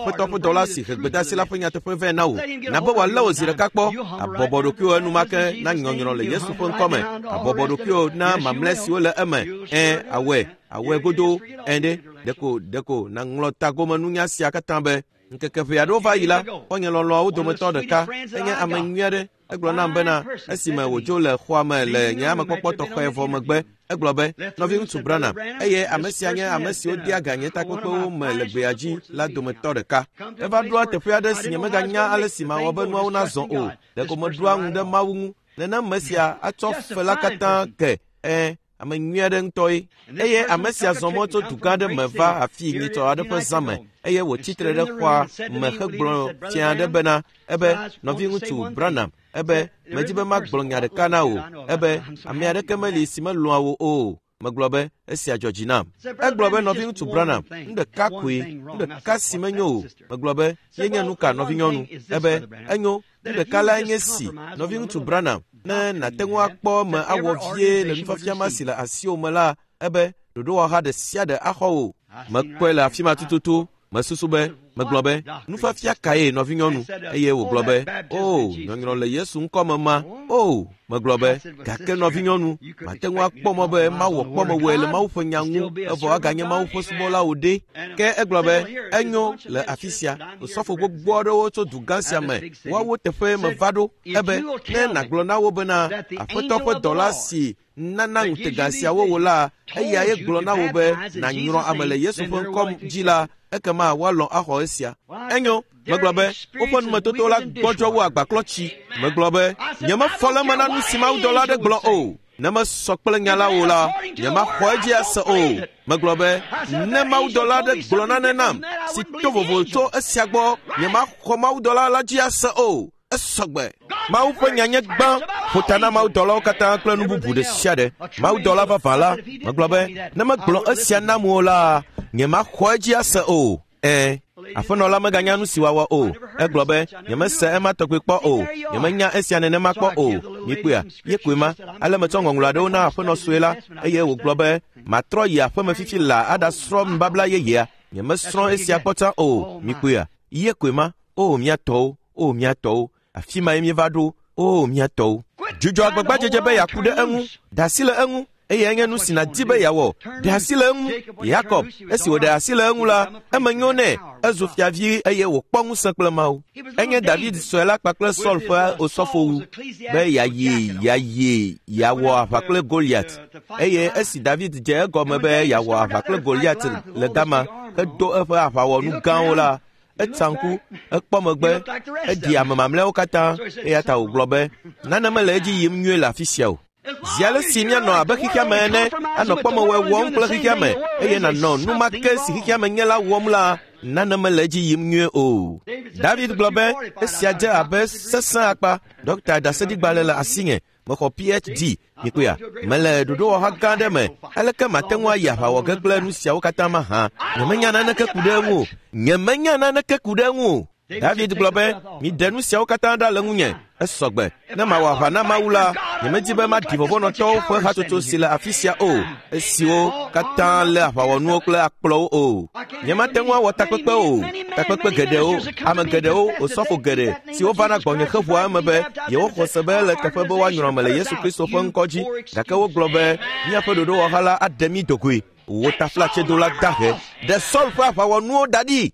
Aƒetɔ ƒe dɔla si he gbedeasi la ƒe nyateƒe vɛ na wò. Na be wòalé wò zi ɖeka kpɔ. Abɔbɔ ɖokuiwò enumake na nyɔnyrɔ le Yesu ƒe ŋkɔ me. Abɔbɔ ɖokuiwò na mamlɛ siwo le eme. Ẽ, awɔe, awɔe godoo. Ẽ ɖe, ɖeko, ɖeko nàŋlɔ tagomenunya sia katã be. Ŋkeke ʋɛ aɖewo va yi la, xɔ̃nye lɔlɔ̃awo dometɔ ɖeka enye ame nyui aɖe. Egblɔ nam bena esime wòdzo le xɔa me le nye amekpɔkpɔ tɔxɛ vɔ megbe, egblɔ be, nɔviŋutsu Branham, eye ame sia nye ame siwo dea ga nye takpekpewo me le gbea dzi la dometɔ ɖeka. Eva ɖoa teƒe aɖe si nyemeganya ale si mawɔ be nuawo nazɔ o. Ɖeko meɖoa ŋu ɖe Mawu ŋu. Nenem me sia atsɔ fe la katã ke. Ẽ, ame nyui aɖe ŋutɔe. Eye ame sia zɔ mɔ tso dugã aɖe me va afii nyitsɔ aɖe ƒe zã me eye wòtsi tre ɖe xɔa me hegblɔ fia aɖe bena, ebe, nɔviŋutsu Branham, ebe, medzi be magblɔ nya ɖeka na wò, ebe, ame aɖeke meli si melɔ̃a wò o. Megblɔ be, esia dzɔ dzi nam. Egblɔ be, nɔviŋutsu Branham, nu ɖeka koe, nu ɖeka si menyo o. Megblɔ be, yenye nu ka nɔvinyɔnu? Ebe, enyo, nu ɖeka lae nye si, nɔviŋutsu Branham, ne nàte ŋu akpɔ eme awɔ vie le nufiafia ma si le asiwò me la, ebe, ɖoɖowɔha ɖe sia ɖe axɔ wò. Mekpɔe le afi ma tututu. Mesusu be, megblɔ be, nufiafia kae nɔvinyɔnu? Eye wògblɔ be, o, nyɔnyrɔ le Yesu ŋkɔ me ma. O, megblɔ be, gake nɔvinyɔnu, mate ŋu akpɔ mɔ be mawɔ kpɔmewɔe le Mawu ƒe nya ŋu, evɔ aganye Mawu ƒe subɔla wò ɖe. Ke egblɔ be, enyo le afi sia, osɔfo gbogbo aɖewo tso dugã sia me, woawo teƒe meva ɖo. Ebe, ne nàgblɔ na wo bena, Aƒetɔ ƒe dɔla si nana ŋutega siawo wò la, eyae gblɔ na wò be nànyrɔ ame le Yesu ƒe ŋkɔ dzi la, ekema woalɔ̃ axɔ esia. Enyo, megblɔ be, woƒe numetoto la gbɔdzɔ wu agbaklɔtsi. Megblɔ be, nyemefɔ le eme na nu si mawudɔla aɖe gblɔ o. Ne mesɔ kple nya la o la, nyemaxɔ edzi ase o. Megblɔ be, ne mawudɔla aɖe gblɔ nane nam si to vovo tso esia gbɔ, nyemaxɔ mawudɔla la dzi ase o. Esɔgbe. Mawu ƒe nya nye gbã, ƒo ta na mawudɔlawo katã kple nu bubu ɖe sia ɖe. Mawudɔla vavã la, megblɔ be, ne megblɔ esia nam o la, nyemaxɔ edzi ase o. Ẽ, Aƒenɔ la meganya nu si wòawɔ o. Egblɔ be, nyemese ema tɔgbi kpɔ o. Nyemenya esia nenema kpɔ o. Mikpɔea, ye koe ma. Ale metsɔ ŋɔŋlɔ aɖewo na aƒenɔ sue la eye wògblɔ be, matrɔ yi aƒeme fifi la aɖasrɔ̃ nubabla yeyea. Nyemesrɔ̃ esia kpɔ tsã o. Mikpɔea, ye koe ma. O mía tɔwo, o mía tɔwo. Afi ma ye míeva ɖo. O mía tɔwo. Dzudzɔ agbagbadzedze be yeaku ɖe eŋu. Da asi le eŋu. Eye enye nu si nàdi be yeawɔ. Ɖe asi le eŋu. Yakob, esi wòɖe asi le eŋu la, eme nyo nɛ. Ezu fiavi eye wòkpɔ ŋusẽ kple Mawu. Enye David sue la kpakple Saul ƒe osɔfowu be yeayi yeayi yeawɔ aʋa kple Goliat. Eye esi David dze egɔme be yeawɔ aʋa kple Goliat le gama hedo eƒe aʋawɔnu gãwo la, etsa ŋku, ekpɔ megbe, eɖi ame mamlɛawo katã eya ta wògblɔ be nane mele edzi yim nyuie le afi sia o. Zi ale si míanɔ abe xexea me ene, anɔ kpɔmewɔe wɔm kple xexea me eye nànɔ nu ma ke si xexea me nye la wɔm la, nane mele edzi yim nyuie o. David gblɔ be esia dze abe sesẽ akpa. Ɖɔkta ɖaseɖigbalẽ le asinye. Mexɔ P H D. Mikpɔea, mele ɖoɖowɔha gã aɖe me. Aleke mate ŋu ayi aʋawɔ ge kple nu siawo katã mahã? Nyemenya naneke ku ɖe eŋu o. Nyemenya naneke ku ɖe eŋu o. David gblɔ be, miɖe nu siawo katã ɖa le ŋunye. Esɔgbe. Ne mawɔ aʋa na Mawu la, nyemedi be maɖi vɔvɔ̃nɔtɔwo ƒe hatsotso si le afi sia o, esiwo katã lé aʋawɔnuwo kple akplɔwo o. Nyemate ŋu awɔ takpekpe o. Takpekpe geɖewo, ame geɖewo, osɔfo geɖe siwo vana gbɔnye heʋua eme be yewoxɔ se be ele teƒe be woanyrɔ ame le Yesu Kristo ƒe ŋkɔ dzi. Gake wogblɔ be míaƒe ɖoɖowɔha la aɖe mí dogoe. Wò taflatsedola dahe. Ɖe Saul ƒe aʋawɔnuwo da ɖi.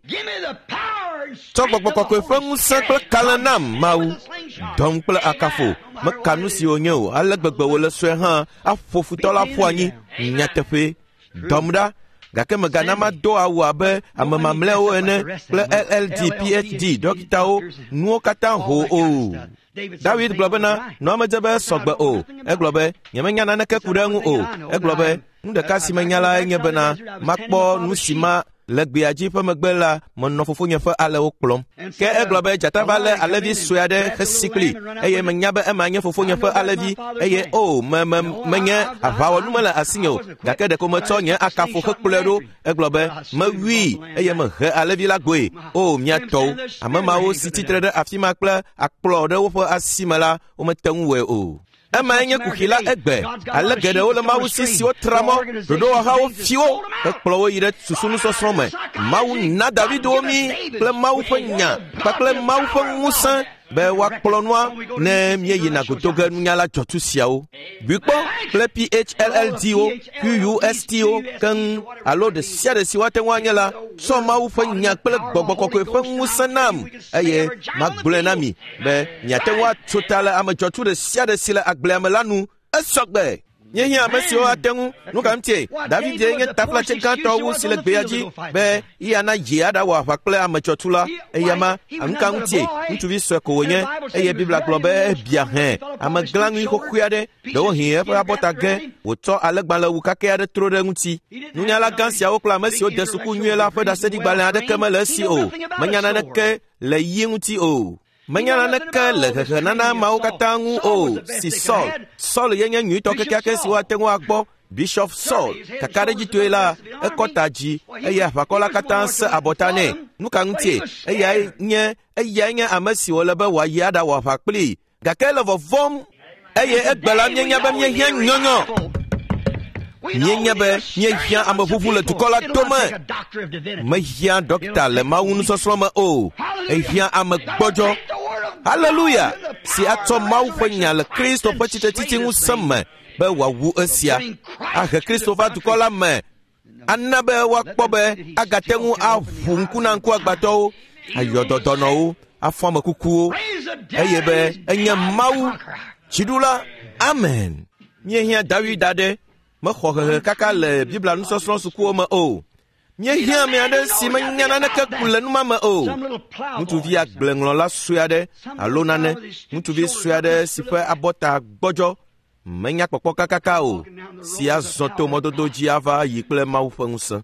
Tsɔ gbɔgbɔ kɔkɔe ƒe ŋusẽ kple kalẽ nam, Mawu. Dɔm kple akafo. Meka nu si wònye o, ale gbegbe wòle sue hã aƒo futɔ la ƒu anyi. Nyateƒe. Dɔm ɖa. Gake megana mado awu abe ame mamlɛawo ene kple L L D, P H D, dɔkitawo, nuwo katã ho o. David gblɔ bena, nɔa medze be esɔgbe o. Egblɔ be, nyemenya naneke ku ɖe eŋu o. Egblɔ be, nu ɖeka si menya lae nye bena makpɔ nu si ma le gbea dzi ƒe megbe la, menɔ fofonye ƒe alẽwo kplɔm. Ke egblɔ be dzata va lé alẽvi sue aɖe hesi kpli eye menya be ema nye fofonye ƒe alẽvi eye o me me menye aʋawɔnu mele asinye o. Gake ɖeko metsɔ nye akafo hekplɔe ɖo. Egblɔ be mewui eye mehe alẽvi la gbɔe. O mía tɔwo, ame mawo si tsitre ɖe afi ma kple akplɔ ɖe woƒe asi me la, womete ŋu wɔe o. Emae nye kuxi la egbe. Ale geɖewo le Mawu si siwo tra mɔ, ɖoɖowɔhawo fi wo, hekplɔ wo yi ɖe susunusɔsrɔ̃ me. Mawu na David wo mí kple Mawu ƒe nya kpakple Mawu ƒe ŋusẽ be woakplɔ nua ne míeyina godo ge nunyala dzɔtsu siawo. Bui kpɔ kple P H L L D wo, Q U S T wo keŋ alo ɖe sia ɖe si woate ŋu anye la, tsɔ Mawu ƒe nya kple gbɔgbɔ kɔkɔe ƒe ŋusẽ nam eye magblɔe na mi be miate ŋu atso ta le ame dzɔtsu ɖe sia ɖe si le agblea me la nu. Esɔgbe. Míehiã ame siwo ate ŋu. Nu ka ŋutie? David nye taflatse gãtɔ wu si le gbea dzi be yeana dzi aɖawɔ aʋa kple ame dzɔtsu la. Eya ma, nu ka ŋutie? Ŋutsuvi sue ko wònye eye Biblia gblɔ be ebia hẽ ame glãŋui xoxoe aɖe, ɖewohĩ eƒe abɔta ge wòtsɔ alẽgbalẽwu kakɛ aɖe tro ɖe eŋuti. Nunyala gã siawo kple ame siwo de suku nyuie la ƒe ɖaseɖigbalẽ aɖeke mele esi o. Menya naneke le yi ŋuti o. Menya naneke le hehenana mawo katã ŋu o si Saul. Saul ye nye nyuitɔ kekeake si woate ŋu akpɔ. Bishop Saul, kakaɖedzitɔe la, ekɔ ta dzi eye aʋakɔ la katã se abɔta nɛ. Nu ka ŋutie? Eyae nye eyae nye ame si wòle be wòayi aɖawɔ aʋa kplii. Gake ele vɔvɔ̃m eye egbe la míenya be míehiã nyɔnyɔ. Míenya be míehiã ameʋuʋu le dukɔ la dome. Mehiã ɖɔkita le Mawu nusɔsrɔ̃ me o. Ehiã ame gbɔdzɔ. Haleluya! Si atsɔ Mawu ƒe nya le Kristo ƒe tsitretsitsi ŋusẽ me be wòawu esia. Ahe Kristo va dukɔ la me. Ana be woakpɔ be agate ŋu aʋu ŋku na ŋkuagbãtɔwo, ayɔ dɔdɔnɔwo, afɔ ame kukuwo eye be enye Mawu dziɖula. Amen. Míehiã David aɖe. Mexɔ hehe kaka le Biblia nusɔsrɔ̃ sukuwo me o. Míehiã ame aɖe si menya naneke ku le numa me o. Ŋutsuvi agbleŋlɔla sue aɖe alo nane, ŋutsuvi sue aɖe si ƒe abɔta gbɔdzɔ, menya kpɔkpɔ kakaka o, si azɔ to mɔdodo dzi ava yi kple Mawu ƒe ŋusẽ.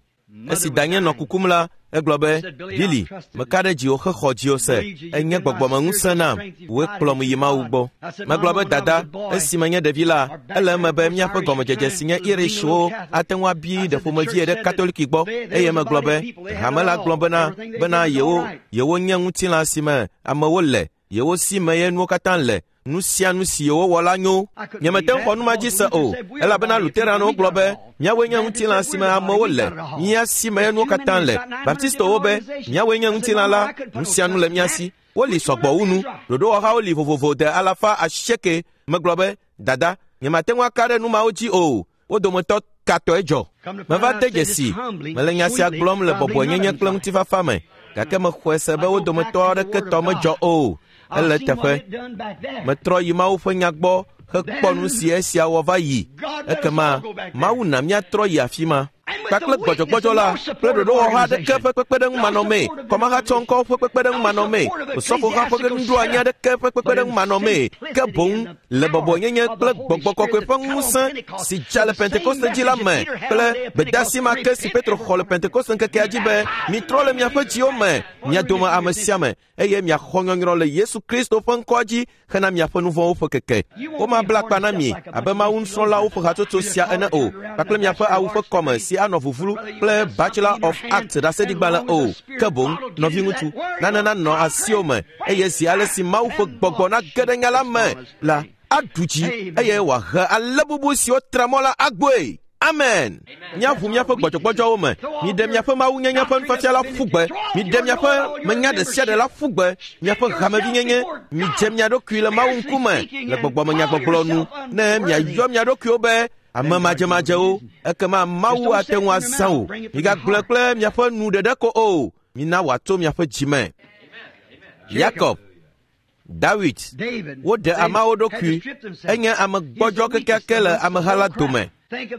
Esi danye nɔ kukum la, Egblɔ be, Billy, meka ɖe dziwò hexɔ dziwò se. Enye gbɔgbɔmeŋusẽ nam. Wòe kplɔm yi Mawu gbɔ. Megblɔ be, dada, esi menye ɖevi la, ele eme be míaƒe gɔmedzedze si nye Irishwo ate ŋu abi ɖe ƒomevie ɖe Katoliki gbɔ. Eye megblɔ be, hame la gblɔ bena bena yewo yewo nye ŋutilã si me amewo le, yewo si me ye nuwo katã le. Nu sia nu si yewowɔ la nyo. Nyemete ŋu xɔ nu ma dzi se o, elabena Lutheranwo gblɔ be míawoe nye ŋutilã si me amewo le, mía si me ye nuwo katã le. Baptistɔwo be míawoe nye ŋutilã la, nu sia nu le mía si. Woli sɔgbɔ wu nu. Ɖoɖowɔhawo li vovovo de alafa asieke. Megblɔ be, dada, nyemate ŋu aka ɖe nu mawo dzi o. Wo dometɔ katɔe dzɔ. Meva de dzesi. Mele nya sia gblɔm le bɔbɔenyenye kple ŋutifafa me, gake mexɔe se be wo dometɔ aɖeke tɔ medzɔ o. Ele teƒe. Metrɔ yi Mawu ƒe nya gbɔ hekpɔ nu si esia wɔ va yi. Ekema Mawu na míatrɔ yi afi ma. Kpakple gbɔdzɔgbɔdzɔ la kple ɖoɖowɔha aɖeke ƒe kpekpeɖeŋu manɔmee, kɔmahatsɔŋkɔwo ƒe kpekpeɖeŋu manɔmee, osɔfoha ƒe nuɖoanyi aɖeke ƒe kpekpeɖeŋu manɔmee, ke boŋ le bɔbɔenyenye kple gbɔgbɔ kɔkɔe ƒe ŋusẽ si dza le Pentekoste dzi la me kple gbedeasi ma ke si Petro xɔ le Pentekoste ŋkekea dzi be, mitrɔ le miaƒe dziwo me, mia dome ame sia ame, eye miaxɔ nyɔnyrɔ le Yesu Kristo ƒe ŋkɔa dzi hena miaƒe nu vɔ̃wo ƒe keke. Womabla akpa na mi abe Mawu nusrɔ̃lawo ƒe hatsotso sia ene o, kpakple miaƒe awu ƒe kɔme si anɔ vuvlu kple Bachelor of Arts ɖaseɖigbalẽ o. Ke boŋ, nɔviŋutsu, nane nanɔ asiwò me, eye zi ale si Mawu ƒe gbɔgbɔ nage ɖe nya la me la, aɖu dzi eye wòahe ale bubu siwo tra mɔ la agbɔe. Amen. Míaʋu míaƒe gbɔdzɔgbɔdzɔwo me. Miɖe miaƒe mawunyenye ƒe nufiafia la ƒu gbe. Miɖe miaƒe menya ɖe sia ɖe la ƒu gbe. Miaƒe hamevinyenye. Midze mia ɖokui le Mawu ŋkume le gbɔgbɔmenyagbɔgblɔ nu. Ne miayɔ mia ɖokuiwo be ame madzemadzewo, ekema Mawu ate ŋu azã wò. Migagblɔe kple miaƒe nu ɖeɖe ko o. Mina wòatso miaƒe dzime. Yakob, Dawid, woɖe ameawo ɖokui. Enye ame gbɔdzɔ kekeake le ameha la dome.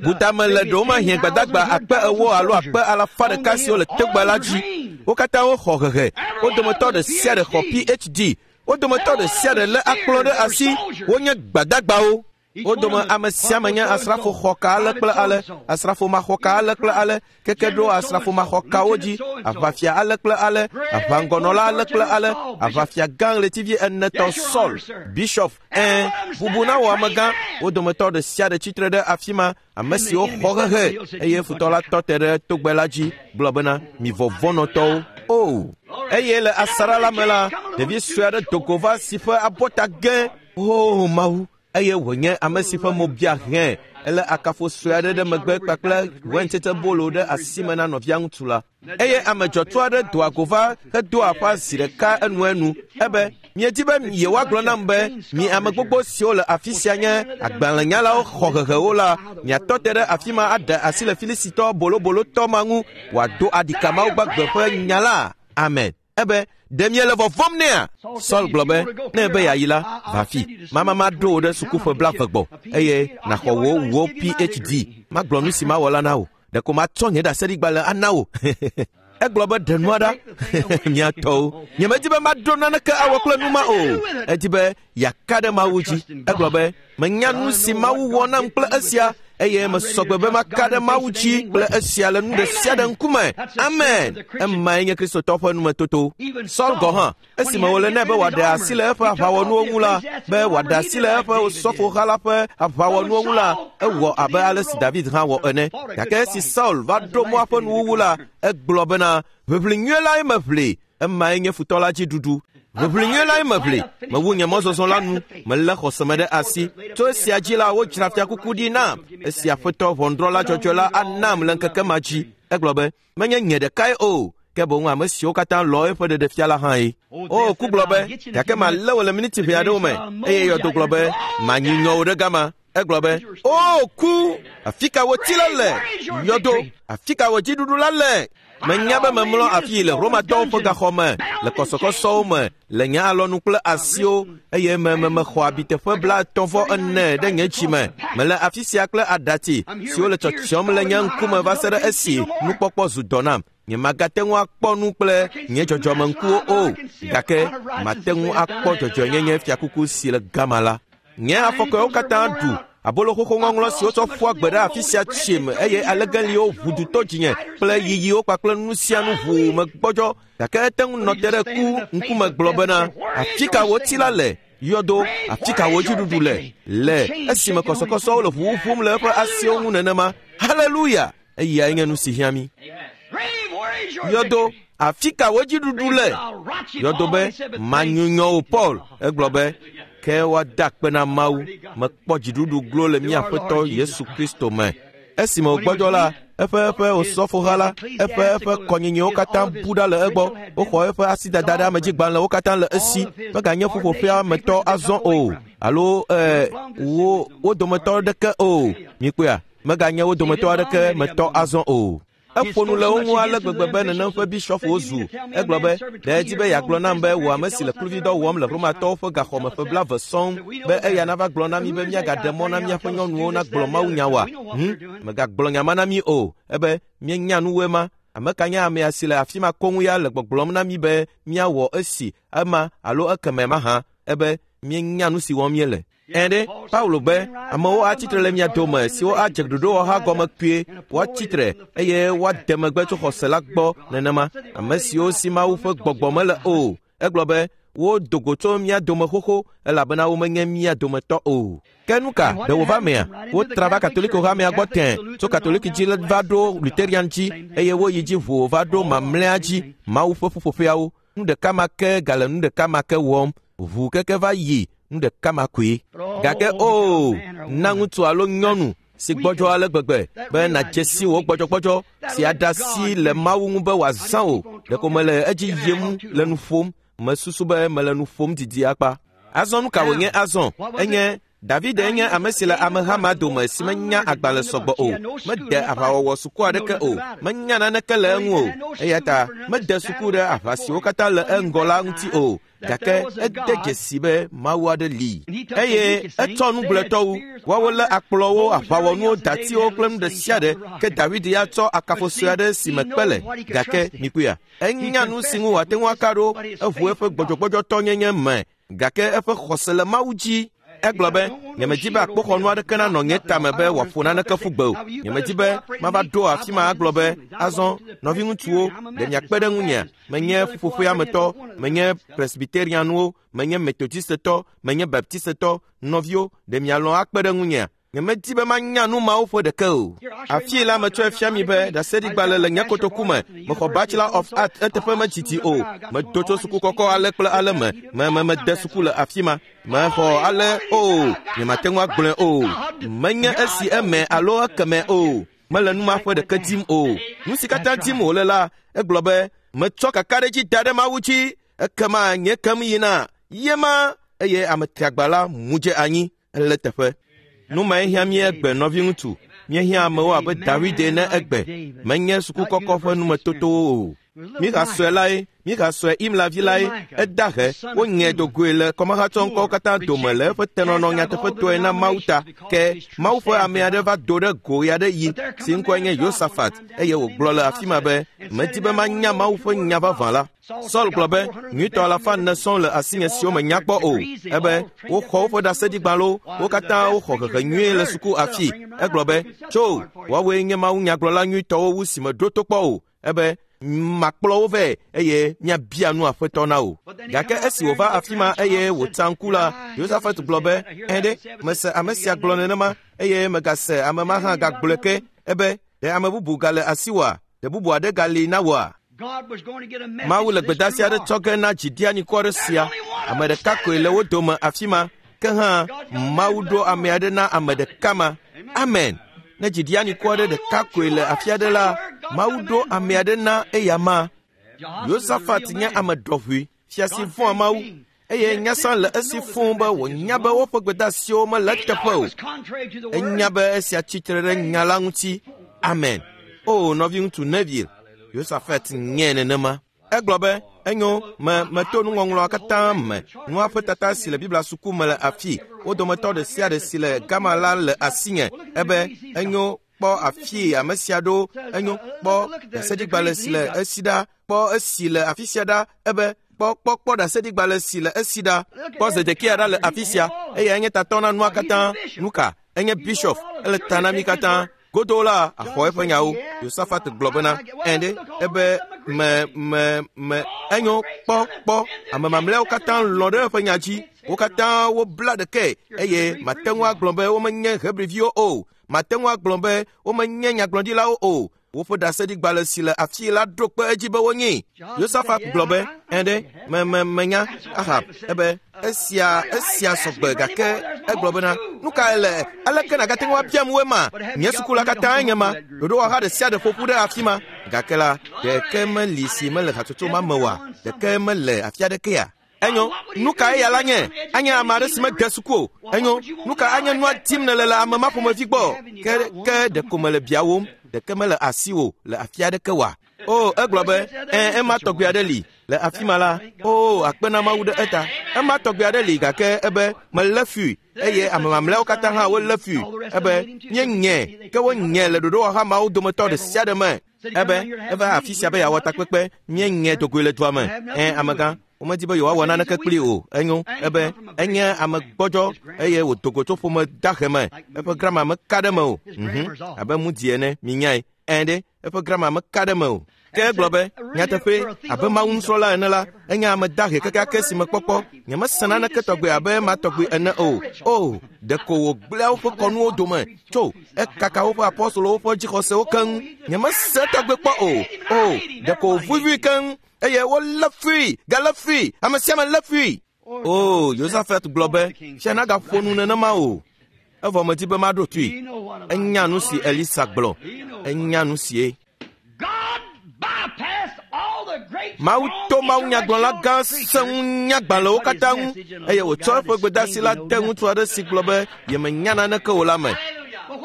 Butame le ɖewomahiã gbadagba akpe ewo alo akpe alafa ɖeka siwo le togbɛ la dzi. Wo katã woxɔ hehe. Wo dometɔ ɖe sia ɖe xɔ P H D. Wo dometɔ ɖe sia ɖe lé akplɔ ɖe asi. Wonye gbadagbawo. Wo dome ame sia ame nye asrafo xɔka ale kple ale, asrafo maxɔka ale kple ale, keke ɖo asrafo maxɔkawo dzi, aʋafia ale kple ale, aʋaŋgɔnɔla ale kple ale, aʋafia gã ɣletivi enetɔ Saul, Bishop, ɛ̃, bubu na wò amegã. Wo dometɔ ɖe sia ɖe tsitre ɖe afi ma, ame siwo xɔ hehe, eye futɔ la tɔ te ɖe togbɛ la dzi, gblɔ bena, mi vɔvɔ̃nɔtɔwo. O! Eye le asaɖa la me la, ɖevi sue aɖe do go va si ƒe abɔta gẽ. O Mawu! Eye wònye ame si ƒe mo bia hẽ. Ele akafo sue aɖe ɖe megbe kpakple wɛntetebolo ɖe asi me na nɔvia ŋutsu la. Eye ame dzɔtsu aɖe doa go va hedoa aƒa zi ɖeka enuenu. Ebe, miedi be yewoagblɔ nam be mi ame gbogbo siwo le afi sia nye agbalẽnyalawo xɔ hehewo la, miatɔ te ɖe afi ma aɖe asi le Filisitɔ bolobolotɔ ma ŋu wòado aɖika Mawu gbagbe ƒe nya la. Amen. Ebe, ɖe miele vɔvɔ̃m nɛa? Saul gblɔ be, ne ebe yeayi la, va afi. Mama maɖo wò ɖe sukuƒe blaeve gbɔ, eye nàxɔ wò wò P H D. Magblɔ nu si mawɔ la na wò. Ɖeko matsɔ nye ɖaseɖigbalẽ ana wò. Egblɔ be, ɖe nua ɖa. Mia tɔwo. Nyemedi be maɖo naneke awɔ kple nu ma o. Edi be yeaka ɖe Mawu dzi. Egblɔ be, menya nu si Mawu wɔ nam kple esia, eye mesɔgbe be maka ɖe Mawu dzi kple esia le nu ɖe sia ɖe ŋkume. Amen. Emae nye Kristotɔ ƒe numetoto. Saul gɔ̃ hã, esime wòle nɛ be wòaɖe asi le eƒe aʋawɔnuwo ŋu la, be wòaɖe asi le eƒe osɔfoha la ƒe aʋawɔnuwo ŋu la, ewɔ abe ale si David hã wɔ ene. Gake esi Saul va ɖo mɔa ƒe nuwuwu la, egblɔ bena, ʋiʋli nyui lae meʋli. Emae nye futɔ la dzi ɖuɖu. Ʋiʋli nyui lae meʋli. Mewu nye mɔzɔzɔ la nu. Melé xɔseme ɖe asi. Tso esia dzi la, wodzra fiakuku ɖi nam. Esi aƒetɔ ʋɔnudrɔ̃la dzɔdzɔe la anam le ŋkeke ma dzi. Egblɔ be, menye nye ɖekae o, ke boŋ ame siwo katã lɔ eƒe ɖeɖefia la hã ye. O, ku gblɔ be, gake malé wò le miniti ʋɛ aɖewo me. Eye yɔdo gblɔ be, manyi nyɔ wò ɖe gama. Egblɔ be, o ku, afi ka wò ti la le? Yɔdo, afi ka wò dziɖuɖu la le? Menya be memlɔ afi le Romatɔwo ƒe gaxɔ me, le kɔsɔkɔsɔwo me, le nye alɔnu kple asiwo, eye me me mexɔ abiteƒe blaetɔ̃ vɔ ene ɖe nye dzime. Mele afi sia kple aɖatsi siwo le tsɔtsiɔm le nye ŋkume va se ɖe esi nukpɔkpɔ zu dɔ nam. Nyemagate ŋu akpɔ nu kple nye dzɔdzɔmeŋkuwo o, gake mate ŋu akpɔ dzɔdzɔenyenye fiakuku si le gama la. Nye afɔkɔewo katã ɖu Abolo xoxo ŋɔŋlɔ si wotsɔ ƒua gbe ɖe afi sia tsim eye alegeliwo ʋu du to dzinye kple yiyiwo kpakple nu sia nu ʋuu megbɔdzɔ gake ete ŋu nɔ te ɖe ku ŋkume gblɔ bena afi ka wò tsi la le yɔdo afi ka wò dziɖuɖu le le esime kɔsɔkɔsɔwo le ʋuʋu ƒom le eƒe asiwo ŋu nenema. Haleluya! Eyae nye nu si hiã mí. Yɔdo afi ka wò dziɖuɖu le? Yɔdo be manyunyɔ wò Paul. Egblɔ be ke woada akpe na Mawu mekpɔ dziɖuɖu glo le mía Aƒetɔ Yesu Kristo me. Esime wògbɔdzɔ la, eƒe eƒe osɔfoha la, eƒe eƒe kɔnyinyiwo katã bu ɖa le egbɔ. Woxɔ eƒe asidada ɖe amedzigbalẽwo katã le esi. Meganye ƒuƒoƒea me tɔ azɔ o alo ee wo wo dometɔ aɖeke o. Mikpɔea, meganye wo dometɔ aɖeke me tɔ azɔ o. Eƒo nu le wo ŋu ale gbegbe be nenem ƒe bishɔpwo zu. Egblɔ be, ɖe edzi be yeagblɔ nam be wò ame si le kluvidɔ wɔm le Romatɔwo ƒe gaxɔme ƒe blaeve sɔŋ be eya nava gblɔ na mí be míagaɖe mɔ na míaƒe nyɔnuwo nagblɔ mawunya oa? Hm, megagblɔ nya ma na mí o. Ebe míenya nuwoe ma. Ame ka nye amea si le afi ma koŋ ya le gbɔgblɔm na mí be míawɔ esi, ema alo ekeme mahã. Ebe míenya nu si wɔm míele. Ẽ ɖe, Paulo be amewo atsitre le mia dome siwo adze ɖoɖowɔha gɔme kpuie, woatsitre eye woade megbe tso xɔse la gbɔ nenema. Ame siwo si Mawu ƒe gbɔgbɔ mele o. Egblɔ be wodo go tso mía dome xoxo elabena womenye mía dometɔ o. Ke nu ka ɖe wòva mea? Wotra va Katoliko hamea gbɔ tẽ tso Katoliki dzi va ɖo Luterian dzi eye woyi dzi ʋuu va ɖo mamlɛa dzi Mawu ƒe ƒuƒoƒeawo. Nu ɖeka ma ke gale nu ɖeka ma ke wɔm. Ʋu keke va yi nu ɖeka ma koe. Gake o, na ŋutsu alo nyɔnu si gbɔdzɔ ale gbegbe be nàdze si wò gbɔdzɔgbɔdzɔ si aɖe asi le Mawu ŋu be wòazã wò. Ɖeko mele edzi yim le nu ƒom. Mesusu be mele nu ƒom didi akpa. Azɔ nu ka wònye azɔ? Enye David nye ame si le ameha ma dome si menya agbalẽ sɔgbɔ o. Mede aʋawɔwɔ suku aɖeke o. Menya naneke le eŋu o. Eya ta mede suku ɖe aʋa siwo katã le eŋgɔ la ŋuti o. Gake ede dzesi be Mawu aɖe li. Eye etsɔ nugblẽtɔwo. Woawo lé akplɔwo, aʋawɔnuwo, datiwo kple nu ɖe sia ɖe. Ke David ya tsɔ akafo sue aɖe si me kpe le. Gake mikpɔea, enya nu si ŋu wòate ŋu aka ɖo. Eʋu eƒe gbɔdzɔgbɔdzɔtɔnyenye me. Gake eƒe xɔse le Mawu dzi. Egblɔ be, nyemedi be akpoxɔnu aɖeke nanɔ nye tame be wòaƒo naneke ƒu gbe o. Nyemedi be mava ɖo afi ma agblɔ be, azɔ, nɔviŋutsuwo, ɖe miakpe ɖe ŋunyea? Menye ƒuƒoƒea me tɔ, menye Presbyterianwo, menye Methodistetɔ, menye Baptistetɔ, nɔviwo, ɖe mialɔ̃ akpe ɖe ŋunyea? Nyemedi be manya nu mawo ƒe ɖeke o. Afii la metsɔe fia mi be ɖaseɖigbalẽ le nye kotoku me. Mexɔ Bachelor of Art eteƒe medzidzi o. Medo tso suku kɔkɔ ale kple ale me. Me me mede suku le afi ma. Mexɔ ale o. Nyemate ŋu agblɔe o. Menye esi eme alo ekeme o. Mele nu ma ƒe ɖeke dim o. Nu si katã dim wòle la, egblɔ be metsɔ kakaɖedzi da ɖe Mawu dzi. Ekema nye kem yina. Yema eye ame triagba la mu dze anyi ele teƒe. Nu mae hiã mí egbe nɔviŋutsu. Míehiã amewo abe David ene egbe. Menye suku kɔkɔ ƒe numetotowo o. Mika sɔe lae, Mika sɔe Imla vi lae, eda he, wonyɛ dogoe le kɔmahatsɔŋkɔwo katã dome le eƒe tenɔnɔ nyateƒetɔe na Mawu ta. Ke Mawu ƒe ame aɖe va do ɖe go ɣe aɖe yi si ŋkɔe nye Yosafat eye wògblɔ le afi ma be, medi be manya Mawu ƒe nya vavã la. Saul gblɔ be, nyuitɔ alafa ene sɔŋ le asinye siwo menya kpɔ o. Ebe woxɔ woƒe ɖaseɖigbalẽwo, wo katã woxɔ hehe nyuie le suku afii. Egblɔ be, tso, woawoe nye mawunyagblɔla nyuitɔwo wu si meɖo to kpɔ o. Ebe makplɔ wo vɛ eye míabia nu Aƒetɔ na wò. Gake esi wòva afi ma eye wòtsa ŋku la, Yosafat gblɔ be, ẽ ɖe, mese ame sia gblɔ nenema eye megase ame ma hã gagblɔe ke. Ebe, ɖe ame bubu gale asiwòa? Ɖe bubu aɖe gali na wòa? Mawu le gbedeasi aɖe tsɔ ge na dziɖianikɔ aɖe sia. Ame ɖeka koe le wo dome afi ma. Ke hã Mawu ɖo ame aɖe na ame ɖeka ma. Amen. Ne dziɖianikɔ aɖe ɖeka koe le afi aɖe la, Mawu ɖo ame aɖe na eya ma. Yosafat nye ame ɖɔʋui, fia si vɔ̃a Mawu eye nyasã le esi fũu be wònya be woƒe gbedeasiwo mele eteƒe o. Enya be esia tsitre ɖe nya la ŋuti. Amen. O nɔviŋutsu Neville, Yosafat nye nenema. Egblɔ be, enyo, me meto nuŋɔŋlɔa katã me. Nua ƒe tata si le Biblia suku me le afii. Wo dometɔ ɖe sia ɖe si le gama la le asinye. Ebe, enyo, kpɔ afii ame sia ɖo. Enyo, kpɔ ɖaseɖigbalẽ si le esi ɖa. Kpɔ esi le afi sia ɖa. Ebe, kpɔ kpɔ kpɔ ɖaseɖigbalẽ si le esi ɖa. Kpɔ Zedekia ɖa le afi sia. Eyae nye tatɔ na nua katã. Nu ka? Enye bishop, ele ta na mí katã. Godo la axɔ eƒe nyawo. Yosafat gblɔ bena, ɛnde ebe me me me enyo kpɔ kpɔ ame mamlɛawo katã lɔ̃ ɖe eƒe nya dzi. Wo katã wobla ɖekae eye mate ŋu agblɔ be womenye Hebriviwo o. Mate ŋu agblɔ be womenye nyagblɔɖilawo o. Woƒe ɖaseɖigbalẽ si le afi la ɖo kpe edzi be wonyi. Yosafat gblɔ be, ɛnde me me menya Ahab ebe esia esia sɔgbe gake egblɔ bena nu kae le aleke nàgate ŋu abiam woe ma? Nye suku la katã nye ma. Ɖoɖowɔha ɖe sia ɖe ƒo ƒu ɖe afi ma. Gake la, ɖeke meli si mele hatsotso ma me oa? Ɖeke mele afi aɖekea? Enyo, nu ka eya la nye? Anye ame aɖe si mede suku o. Enyo, nu ka anye nua dim nèle le ame ma ƒomevi gbɔ? Ke ke ɖeko mele biawòm, ɖeke mele asiwò le afi aɖeke oa? O, egblɔ be, ẽ, ema tɔgbi aɖe li le afi ma la. O, akpe na Mawu ɖe eta. Ema tɔgbi aɖe li gake ebe melé fui eye ame mamlɛawo katã hã wolé fui. Ebe míenye ke wonye le ɖoɖowɔha mawo dometɔ ɖe sia ɖe me. Ebe eva afi sia be yeawɔ takpekpe, míenye dogoe le dua me. Ẽ, amegã, womedi be yewoawɔ naneke kpli o. Enyo, ebe enye ame gbɔdzɔ eye wòdo go tso ƒome dahe me. Eƒe grama meka ɖe me o. Mhm, abe mudi ene, minyae. Ẽ ɖe, eƒe grama meka ɖe me o. Ke egblɔ be, nyateƒe, abe Mawu nusrɔ̃la ene la, enye ame dahe kekeake si mekpɔkpɔ. Nyemese naneke tɔgbe abe ema tɔgbe ene o. O, ɖeko wògblẽa woƒe kɔnuwo dome tso ekaka woƒe apɔstolowo ƒe dzixɔsewo keŋ. Nyemese tɔgbe kpɔ o. O, ɖeko wòvuvui keŋ eye wolé fui, galé fui, ame sia ame lé fui. O, Yosafat gblɔ be, fia nagaƒo nu nenema o. Evɔ medi be maɖo toe. Enya nu si Elisa gblɔ. Enya nu sie. Mawu to Mawu nyagblɔla gã sẽŋu nyagbalẽwo katã ŋu eye wòtsɔ eƒe gbedeasi la de ŋutsu aɖe si gblɔ be yemenya naneke o la me.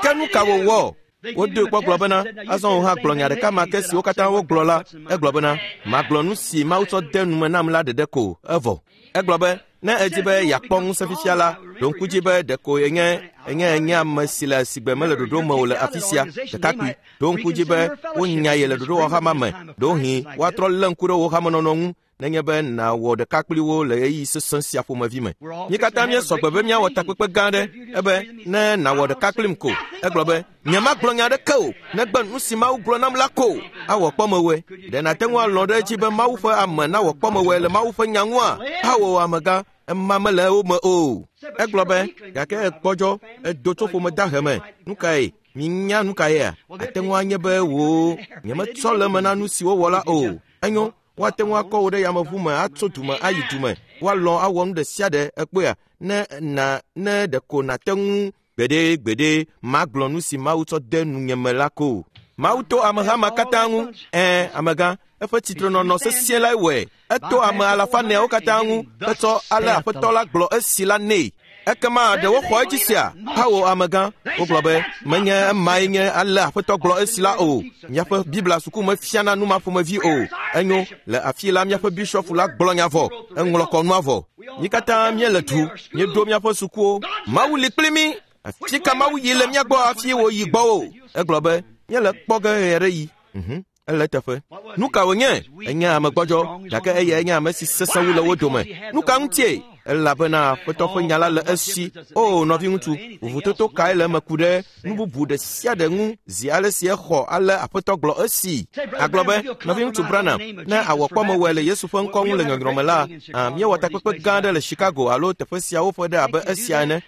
Ke nu ka wòwɔ? Wodoe kpɔ gblɔ bena, azɔ wò hã gblɔ nya ɖeka ma ke siwo katã wogblɔ la. Egblɔ bena, magblɔ nu si Mawu tsɔ de nume nam la ɖeɖe ko, evɔ. Egblɔ be, ne edzi be yeakpɔ ŋusẽ fifia la, ɖo ŋku dzi be ɖeko enye enye enye ame si le sigbe mele ɖoɖo me o le afi sia, ɖekakpui. Ɖo ŋku dzi be wonya ye le ɖoɖowɔha ma me. Ɖewohĩ woatrɔ lé ŋku ɖe wò hamenɔnɔ ŋu nenye be nàwɔ ɖeka kpli wo le ɣeyiɣi sesẽ sia ƒomevi me. Mí katã míesɔ gbe be míawɔ takpekpe gã aɖe ebe ne nàwɔ ɖeka kplim ko. Egblɔ be, nyemagblɔ nya aɖeke o, negbe nu si Mawu gblɔ nam la ko. Awɔ kpɔmewɔe. Ɖe nàte ŋu alɔ̃ ɖe edzi be Mawu ƒe ame nawɔ kpɔmewɔe le Mawu ƒe nya ŋua? Awɔ amegã, ema mele wo me o. Egblɔ be, gake egbɔdzɔ, edo tso ƒome dahe me. Nu kae? Minya nu kaea? Ate ŋu anye be wò nyemetsɔ le eme na nu si wowɔ la o. Enyo, woate ŋu akɔ wò ɖe yameʋu me atso dume ayi dume. Woalɔ̃ awɔ nu ɖe sia ɖe ekpɔea ne na ne ɖeko nàte ŋu gbeɖe gbeɖe magblɔ nu si Mawu tsɔ de nunye me la ko. Mawu to ameha ma katã ŋu. Ẽ, amegã, eƒe tsitrenɔnɔ sesĩe lae wɔe. Eto ame alafa eneawo katã ŋu hetsɔ ale Aƒetɔ la gblɔ esi la nɛ. Ekema ɖe woxɔ edzi sia? Hawo amegã, wogblɔ be menye emae nye ale Aƒetɔ gblɔ esi la o. Míaƒe Biblia suku mefiana nu ma ƒomevi o. Enyo, le afi la míaƒe bishɔpu la gblɔ nya vɔ, eŋlɔ kɔnua vɔ. Mí katã míele du, míeɖo míaƒe sukuwo. Mawu li kpli mí. Afi ka Mawu yi le mía gbɔ hafi wòyi gbɔwò? Egblɔ be, míele kpɔ ge ɣe aɖe yi. Mhm. Ele teƒe. Nu ka wònye? Enye ame gbɔdzɔ, gake eyae nye ame si sesẽ wu le wo dome. Nu ka ŋutie? Elabena Aƒetɔ ƒe nya la le esi. O, nɔviŋutsu, vovototo kae le eme ku ɖe nu bubu ɖe sia ɖe ŋu zi ale si exɔ ale Aƒetɔ gblɔ esi. Agblɔ be, nɔviŋutsu Branham, ne awɔ kpɔmewɔe le Yesu ƒe ŋkɔ ŋu le nyɔnyrɔ me la, míewɔ takpekpe gã aɖe le Chicago alo teƒe siawo ƒe ɖe abe esia ene.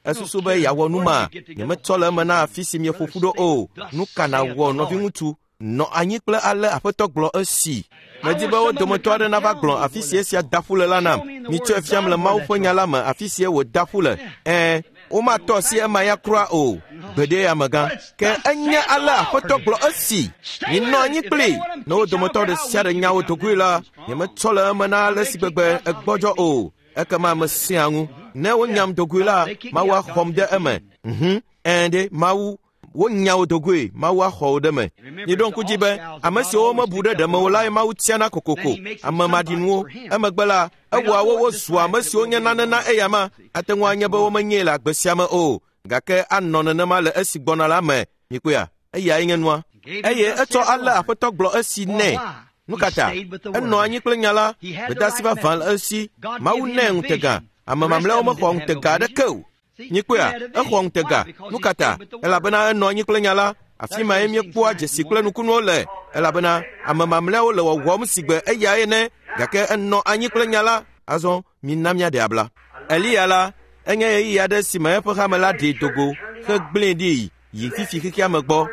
Esusu be yeawɔ nu ma. Nyemetsɔ le eme na afi si mieƒo ƒu ɖo o. Nu ka nàwɔ, nɔviŋutsu? Nɔ anyi kple ale Aƒetɔ gblɔ esi. Medi be wo dometɔ aɖe nava gblɔ afi si esia da ƒu le la nam. Mitsɔe fiam le Mawu ƒe nya la me afi si wòda ƒu le. Ẽ, womatɔ asi ema ya kura o. Gbeɖe amegã. Ke enye ale Aƒetɔ gblɔ esi. Minɔ anyi kpli. Ne wo dometɔ ɖe sia ɖe nya wo dogoe la, nyemetsɔ le eme na ale si gbegbe egbɔdzɔ o. Ekema mesẽa ŋu. Ne wonyam dogoe la, Mawu axɔm ɖe eme. Mhm. Ẽ ɖe, Mawu wonya wo dogoe, Mawu axɔ wo ɖe me. Miɖo ŋku dzi be ame siwo womebu ɖe ɖeme o lae Mawu tiana kokoko, ame maɖinuwo. Emegbe la, ewɔa wo wozua ame siwo nye nane na eyama. Ate ŋu anye be womenyee le agbe sia me o, gake anɔ nenema le esi gbɔna la me. Mikpɔea? Eyae nye nua. Eye etsɔ ale Aƒetɔ gblɔ esi nɛ. Nu ka ta? Enɔ anyi kple nya la, gbedeasi vavã le esi. Mawu nɛ ŋutega. Ame mamlɛawo mexɔ ŋutega aɖeke o. Míekpɔea, exɔ ŋutega. Nu ka ta? Elabena enɔ anyi kple nya la. Afi mae míekpɔa dzesi kple nukunuwo le, elabena ame mamlɛawo le wɔwɔm si gbe eya ene, gake enɔ anyi kple nya la. Azɔ mina míaɖe abla. Eliya la, enye ɣeyiɣi aɖe si me eƒe hame la ɖee dogo hegblẽe ɖi yi fifi xexea me gbɔ.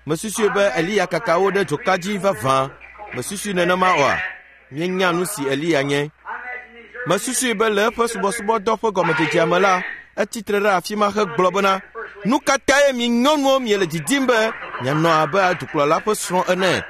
Mesusui be Eliya kaka wo ɖe dzoka dzi vavã. Mesusui nenema oa? Míenya nu si Eliya nye. Mesusui be le eƒe subɔsubɔdɔ ƒe gɔmedzedzea me la, etsitre ɖe afi ma hegblɔ bena, nu ka tae mi nyɔnuwo miele didim be mianɔ abe dukplɔla ƒe srɔ̃ ene?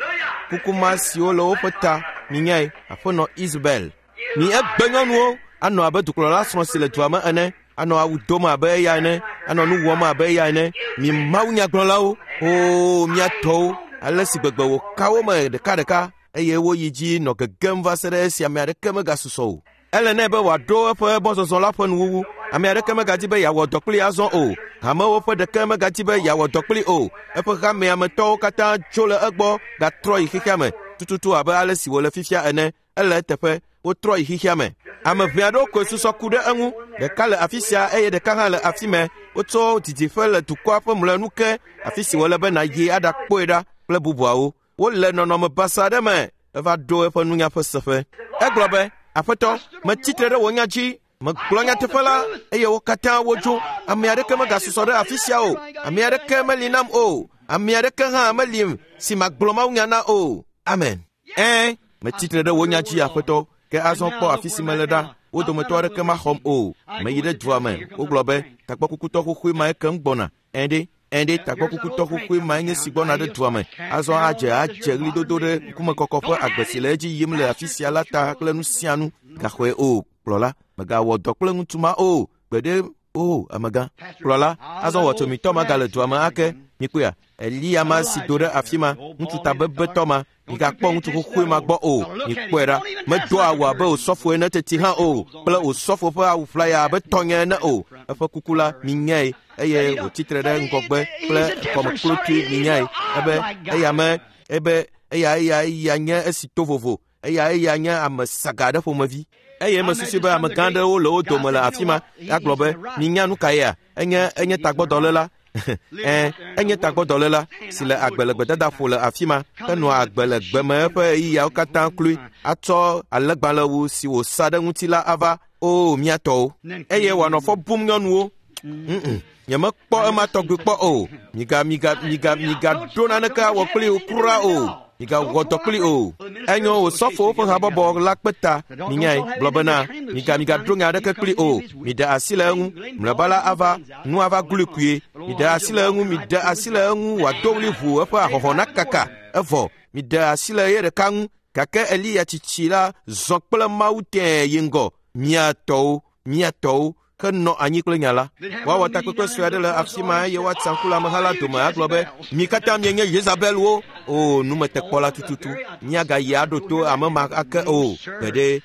Kuku ma siwo le woƒe ta, minyae, aƒenɔ Isabel. Mi egbe nyɔnuwo anɔ abe dukplɔla srɔ̃ si le dua me ene, anɔ awu dom abe eya ene, anɔ nu wɔm abe eya ene. Mi mawunyagblɔlawo, oo mia tɔwo, ale si gbegbe wòka wo me ɖekaɖeka eye woyi dzi nɔ gegem va se ɖe esi ame aɖeke megasusɔ o. Ele nɛ be wòaɖo eƒe mɔzɔzɔ la ƒe nuwuwu. Ame aɖeke megadi be yeawɔ dɔ kpli azɔ o. Hamewo ƒe ɖeke megadi be yeawɔ dɔ kpli o. Eƒe hamea me tɔwo katã tso le egbɔ gatrɔ yi xexea me tututu abe ale si wòle fifia ene. Ele eteƒe, wotrɔ yi xexea me. Ame ʋɛ aɖewo koe susɔ ku ɖe eŋu. Ɖeka le afi sia eye ɖeka hã le afi mɛ. Wotsɔ didiƒe le dukɔa ƒe mlɔenu ke, afi si wòle be nàyi aɖakpɔe ɖa kple bubuawo. Wole nɔnɔme basa aɖe me. Eva ɖo eƒe nunya ƒe seƒe. Egblɔ be, Aƒetɔ, metsitre ɖe wò nya dzi. Megblɔ nyateƒe la, eye wo katã wodzo. Ame aɖeke megasusɔ ɖe afi sia o. Ame aɖeke meli nam o. Ame aɖeke hã meli si magblɔ mawunya na o. Amen. Ɛ̃, metsitre ɖe wò nya dzi, Aƒetɔ. Ke azɔ kpɔ afi si mele ɖa. Wo dometɔ aɖeke maxɔm o. Meyi ɖe dua me. Wogblɔ be, tagbɔkukutɔ xoxoe mae kem gbɔna. Ɛ̃ ɖe, ɛ̃ ɖe, tagbɔkukutɔ xoxoe mae nye si gbɔna ɖe dua me. Azɔ adze adze ɣlidodo ɖe ŋkumekɔkɔ ƒe agbe si le edzi yim le afi sia la ta kple nu sia nu. Gaxɔe o, kplɔla, mègawɔ dɔ kple ŋutsu ma o. Gbeɖe o, amegã. Kplɔla, azɔ wɔtsomitɔ ma gale dua me ake. Mikpɔea, Eliya ma si do ɖe afi ma, ŋutsu tabebetɔ ma, migakpɔ ŋutsu xoxoe ma gbɔ o. Mikpɔe ɖa, medoa awu abe osɔfo ene teti hã o, kple osɔfo ƒe awu ƒlaya abe tɔnye ene o. Eƒe kuku la, minyae, eye wòtsitre ɖe ŋgɔgbe kple kɔmekplotui, minyae. Ebe eya me, ebe eya eya eya nye esi to vovo. Eya eya nye ame saga aɖe ƒomevi. Eye mesusui be amegã aɖewo le wo dome le afi ma. Agblɔ be, minya nu ka yea? Enye enye tagbɔdɔléla. Ɛ̃, enye tagbɔdɔléla si le agbe le gbedadaƒo le afi ma, henɔa agbe le gbe me eƒe ɣeyiɣiawo katã kloe, atsɔ alẽgbalẽwu si wòsa ɖe ŋuti la ava. Oo, mía tɔwo. Eye wòanɔ fɔ bum nyɔnuwo. Mm-mm. Nyemekpɔ ema tɔgbi kpɔ o. Miga miga miga migaɖo naneke awɔ kpli wo kura o. Migawɔ dɔ kpli o. Enyo wòsɔfowo ƒe habɔbɔ la kpe ta. Minyae, gblɔ bena, miga migaɖo nya aɖeke kpli o. Miɖe asi le eŋu. Mlɔeba la ava, nu ava glui kpuie. Miɖe asi le eŋu, miɖe asi le eŋu wòado ɣli ʋuu eƒe ahɔhɔ̃ nakaka. Evɔ, miɖe asi le ye ɖeka ŋu. Gake Eliya tsitsi la zɔ kple Mawu tẽe yi ŋgɔ. Mía tɔwo, mía tɔwo, henɔ anyi kple nya la. Woawɔ takpekpe sue aɖe le afi ma eye woatsa ŋku le ameha la dome agblɔ be, mi katã mienye Yezabelwo. O, numetekpɔla tututu. Míagayi aɖo to ame ma ake o. Gbeɖe,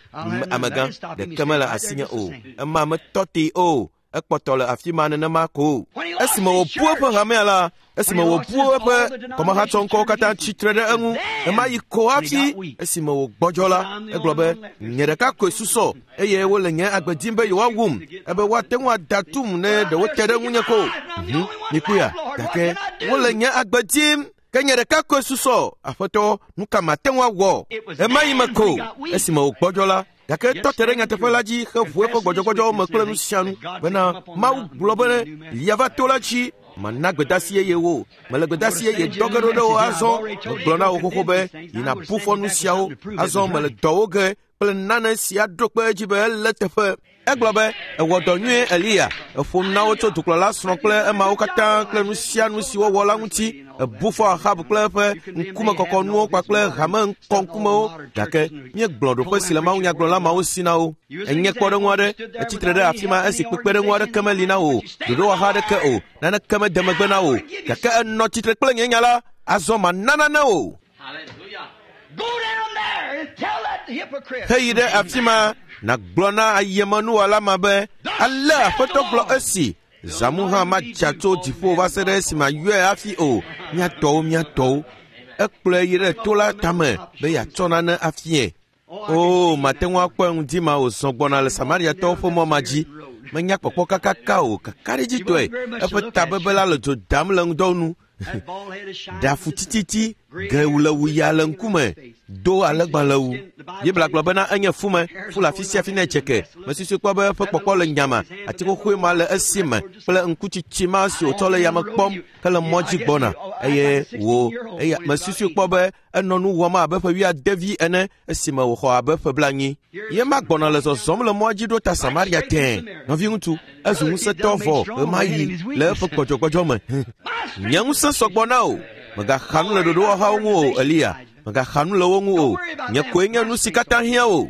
amegã, ɖeke mele asinye o. Ema metɔ tee o. Ekpɔtɔ le afi ma nenema ko. Esime wòbu eƒe hamea la, esime wòbu eƒe kɔmahatsɔŋkɔwo katã tsitre ɖe eŋu, ema yi ko hafi esime wògbɔdzɔ la, egblɔ be, nye ɖeka koe susɔ eye wole nye agbe dim be yewoawum, ebe woate ŋu ada tum ne ɖe wote ɖe ŋunye ko. Mhm, mikpɔea, gake wole nye agbe dim. Ke nye ɖeka koe susɔ, Aƒetɔ, nu ka mate ŋu awɔ? Ema yi me ko, esime wògbɔdzɔ la, gake etɔ te ɖe nyateƒe la dzi heʋu eƒe gbɔdzɔgbɔdzɔwo me kple nu sia nu bena Mawu gblɔ be lia va to la dzi, mana gbedasi yeye wo. Mele gbedasi yeye dɔ ge ɖo ɖe wo azɔ. Megblɔ na wo xoxo be yina bu fɔ nu siawo. Azɔ mele dɔwo ge kple nane si aɖo kpe edzi be ele teƒe. Egblɔ be, ewɔ dɔ nyuie Eliya. Eƒo nu na wo tso dukplɔla srɔ̃ kple emawo katã kple nu sia nu si wowɔ la ŋuti. Ebu fɔ Ahab kple eƒe ŋkumekɔkɔnuwo kpakple hame ŋkɔŋkumewo. Gake míegblɔ ɖoƒe si le mawunyagblɔla mawo si na wo. Enye kpɔɖeŋu aɖe. Etsitre ɖe afi ma esi kpekpeɖeŋu aɖeke meli na wò, ɖoɖowɔha aɖeke o, naneke mede megbe na wò. Gake enɔ tsitre kple nye nya la. Azɔ mana nane wò. Heyi ɖe afi ma nàgblɔ na ayemenuwɔla ma be, ale Aƒetɔ gblɔ esi, zãmu hã madza tso dziƒo va se ɖe esime ayɔe hafi o. Mía tɔwo, mía tɔwo. Ekplɔe yi ɖe to la tame be yeatsɔ nane afie. Oo, mate ŋu akpɔe ŋdi ma wòzɔ gbɔna le Samariatɔwo ƒe mɔ ma dzi. Menya kpɔkpɔ kakaka o, kakaɖedzitɔe. Eƒe tabebe la le dzo dam le ŋdɔ nu. Ɖafu tititi, gewu le wuya le ŋkume, do alegbalẽwu. Biblia gblɔ bena enye fume, fu le afi sia afi ne dzeke. Mesusui kpɔ be eƒe kpɔkpɔ le nyama, ati xoxoe ma le esi me kple ŋkutsitsi ma si wòtsɔ le yame kpɔm hele mɔ dzi gbɔna. Eye wò, eya mesusui kpɔ be enɔ nu wɔm abe ƒe wuiade ene esime wòxɔ abe ƒe blaenyi. Ye ma gbɔna le zɔzɔm le mɔa dzi ɖo ta Samaria tẽe. Nɔviŋutsu, ezu ŋusẽtɔ vɔ ɣemaɣi le eƒe gbɔdzɔgbɔdzɔ me. Nye ŋusẽ sɔgbɔ na wò. Mègaxa nu le ɖoɖowɔhawo ŋu o, Eliya. Mègaxa nu le wo ŋu o. Nye koe nye nu si katã hiã wò.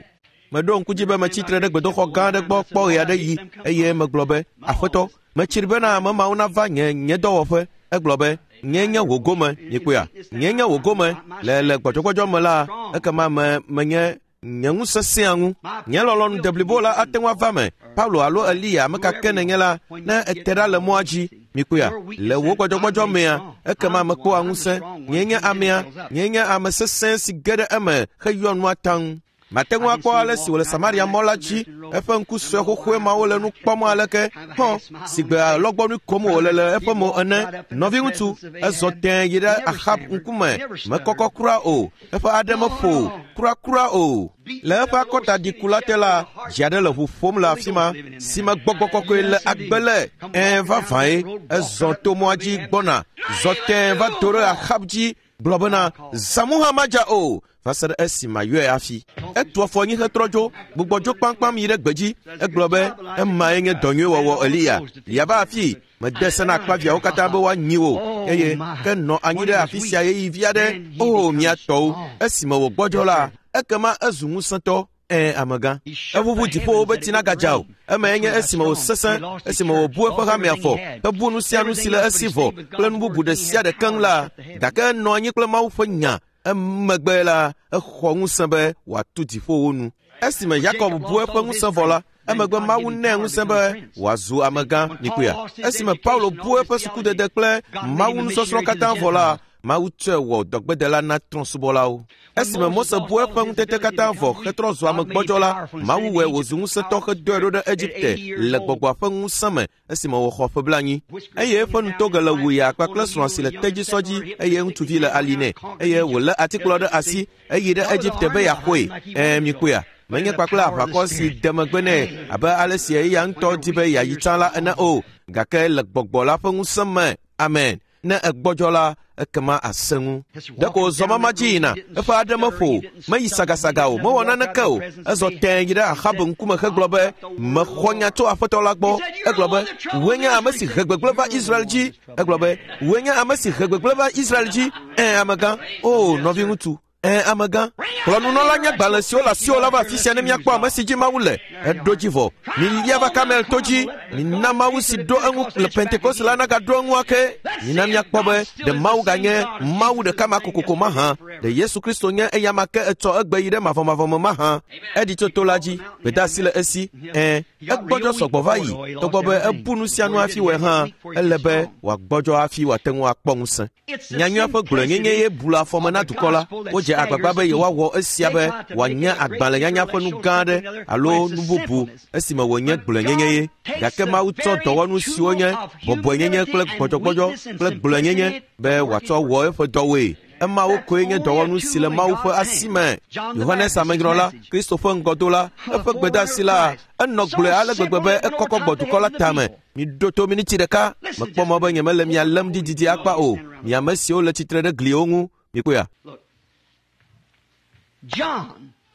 Meɖo ŋku dzi be metsi tre ɖe gbedoxɔ gã aɖe gbɔ kpɔ ɣe aɖe yi eye megblɔ be, Aƒetɔ, metsri bena ame mawo nava nye nye dɔwɔƒe. Egblɔ be, nye nye wò gome, mikpɔea? Nye nye wò gome le le gbɔdzɔgbɔdzɔ me la, ekema me menye nye ŋusẽ sẽa ŋu. Nye lɔlɔ̃nu deblibo la ate ŋu ava me. Paulo alo Eliya, ame ka ke nenye la, ne ete ɖa le mɔa dzi, mikpɔea? Le wò gbɔdzɔgbɔdzɔ mea, ekema mekpɔa ŋusẽ. Nye nye amea, nye nye ame sesẽ si ge ɖe eme heyɔ nua taŋ. Mate ŋu akpɔ ale si wòle Samaria mɔ la dzi, eƒe ŋku sue xoxoe mawo le nu kpɔm aleke, hɔ, si gbe alɔgbɔnui kom wòle le eƒe mo ene. Nɔviŋutsu, ezɔ tẽe yi ɖe Ahab ŋkume, mekɔkɔ kura o, eƒe aɖe meƒo o, kurakura o. Le eƒe akɔtaɖiku la te la, dzi aɖe le ʋu ƒom le afi ma, si me gbɔgbɔ kɔkɔe le agbe le. Ɛ̃, vavãe, ezɔ to mɔa dzi gbɔna, zɔ tẽe va do ɖe Ahab dzi, gblɔ bena, zãmu hã madza o, va se ɖe esi mayɔe hafi. Etu afɔ anyi hetrɔ dzo, gbugbɔ dzo kpamkpam yi ɖe gbedzi. Egblɔ be, emae nye dɔ nyui wɔwɔ Eliya. Lia va afi, mede se na akpaviawo katã be woanyi wò, eye ke nɔ anyi ɖe afi sia ɣeyiɣi vi aɖe. O, mia tɔwo, esime wògbɔdzɔ la, ekema ezu ŋusẽtɔ. Ɛ̃, amegã. Eʋuʋu dziƒowo be tsi nagadza o. Emae nye esime wòsesẽ, esime wòbu eƒe hamea fɔ, hebu nu sia nu si le esi vɔ kple nu bubu ɖe sia ɖe keŋ la, gake enɔ anyi kple Mawu ƒe nya. Emegbe la, exɔ ŋusẽ be wòatu dziƒowo nu. Esime Yakob bu eƒe ŋusẽ vɔ la, emegbe Mawu nɛ ŋusẽ be wòazu amegã, mikpɔea? Esime Paulo bu eƒe sukudede kple Mawu nusɔsrɔ̃ katã vɔ la, Mawu tsɔe wɔ dɔgbedela na trɔ̃subɔlawo. Esime Mose bu eƒe ŋutete katã vɔ hetrɔ zu ame gbɔdzɔ la, Mawu wɔe wòzu ŋusẽtɔ hedɔe ɖo ɖe Egipte le gbɔgbɔa ƒe ŋusẽ me esime wòxɔ ƒe blaenyi. Eye eƒe nutoge le wuya kpakple srɔ̃a si le tedzisɔ dzi eye ŋutsuvi le ali nɛ eye wòlé atikplɔ ɖe asi eyi ɖe Egipte be yeaxɔe. Ɛ̃, mikpɔea? Menye kpakple aʋakɔ si de megbe nɛ abe ale si eya ŋutɔ di be yeayi tsã la ene o, gake le gbɔgbɔ la ƒe ŋusẽ me. Amen. Ne egbɔdzɔ la, ekema ase ŋu. Ɖeko wòzɔ mama dzi yina, eƒe aɖe meƒo o, meyi sagasaga o, mewɔ naneke o. Ezɔ tẽe yi ɖe Ahab ŋkume hegblɔ be, mexɔ nya tso Aƒetɔ la gbɔ. Egblɔ be, wòe nye ame si he gbegblẽ va Israel dzi. Egblɔ be, wòe nye ame si he gbegblẽ va Israel dzi. Ɛ̃, amegã. O, nɔviŋutsu. Ɛ̃, amegã. Kplɔ nunɔla nye agbalẽ siwo le asiwò la va afi sia ne míakpɔ ame si dzi Mawu le. Eɖo dzi vɔ. Milia va Karmel to dzi. Mina Mawu si ɖo eŋu le Pentekoste la nagaɖo eŋu ake. Mina míakpɔ be ɖe Mawu ganye Mawu ɖeka ma kokoko mahã. Ɖe Yesu Kristo nye eya ma ke etsɔ egbe yi ɖe mavɔmavɔ me mahã. Eɖi tso to la dzi. Gbedeasi le esi. Ɛ̃, egbɔdzɔ sɔgbɔ va yi. Togbɔ be ebu nu sia nu hafi wɔe hã, ele be wòagbɔdzɔ hafi wòate ŋu akpɔ ŋusẽ. Nyanyuia ƒe gblɔenyenye ye bu le afɔme na dukɔ la. Wodze agbagba be yewoawɔ esia be wòanye agbalẽnyanya ƒe nu gã aɖe alo nu bubu esime wònye gblɔenyenye ye. Gake Mawu tsɔ dɔwɔnu siwo nye bɔbɔenyenye kple gbɔdzɔgbɔdzɔ kple gblɔenyenye be wòatsɔ wɔ eƒe dɔwoe. Emawo koe nye dɔwɔnu si le Mawu ƒe asi me. Yohanes Amenyrɔla, Kristo ƒe ŋgɔdola, eƒe gbedeasi la, enɔ gblɔe ale gbegbe be ekɔkɔ gbɔ dukɔ la tame. Miɖo to miniti ɖeka. Mekpɔ mɔ be nyemele mia lém ɖi didi akpa o. Mi ame siwo le tsitre ɖe gliwo ŋu. Mikpɔea?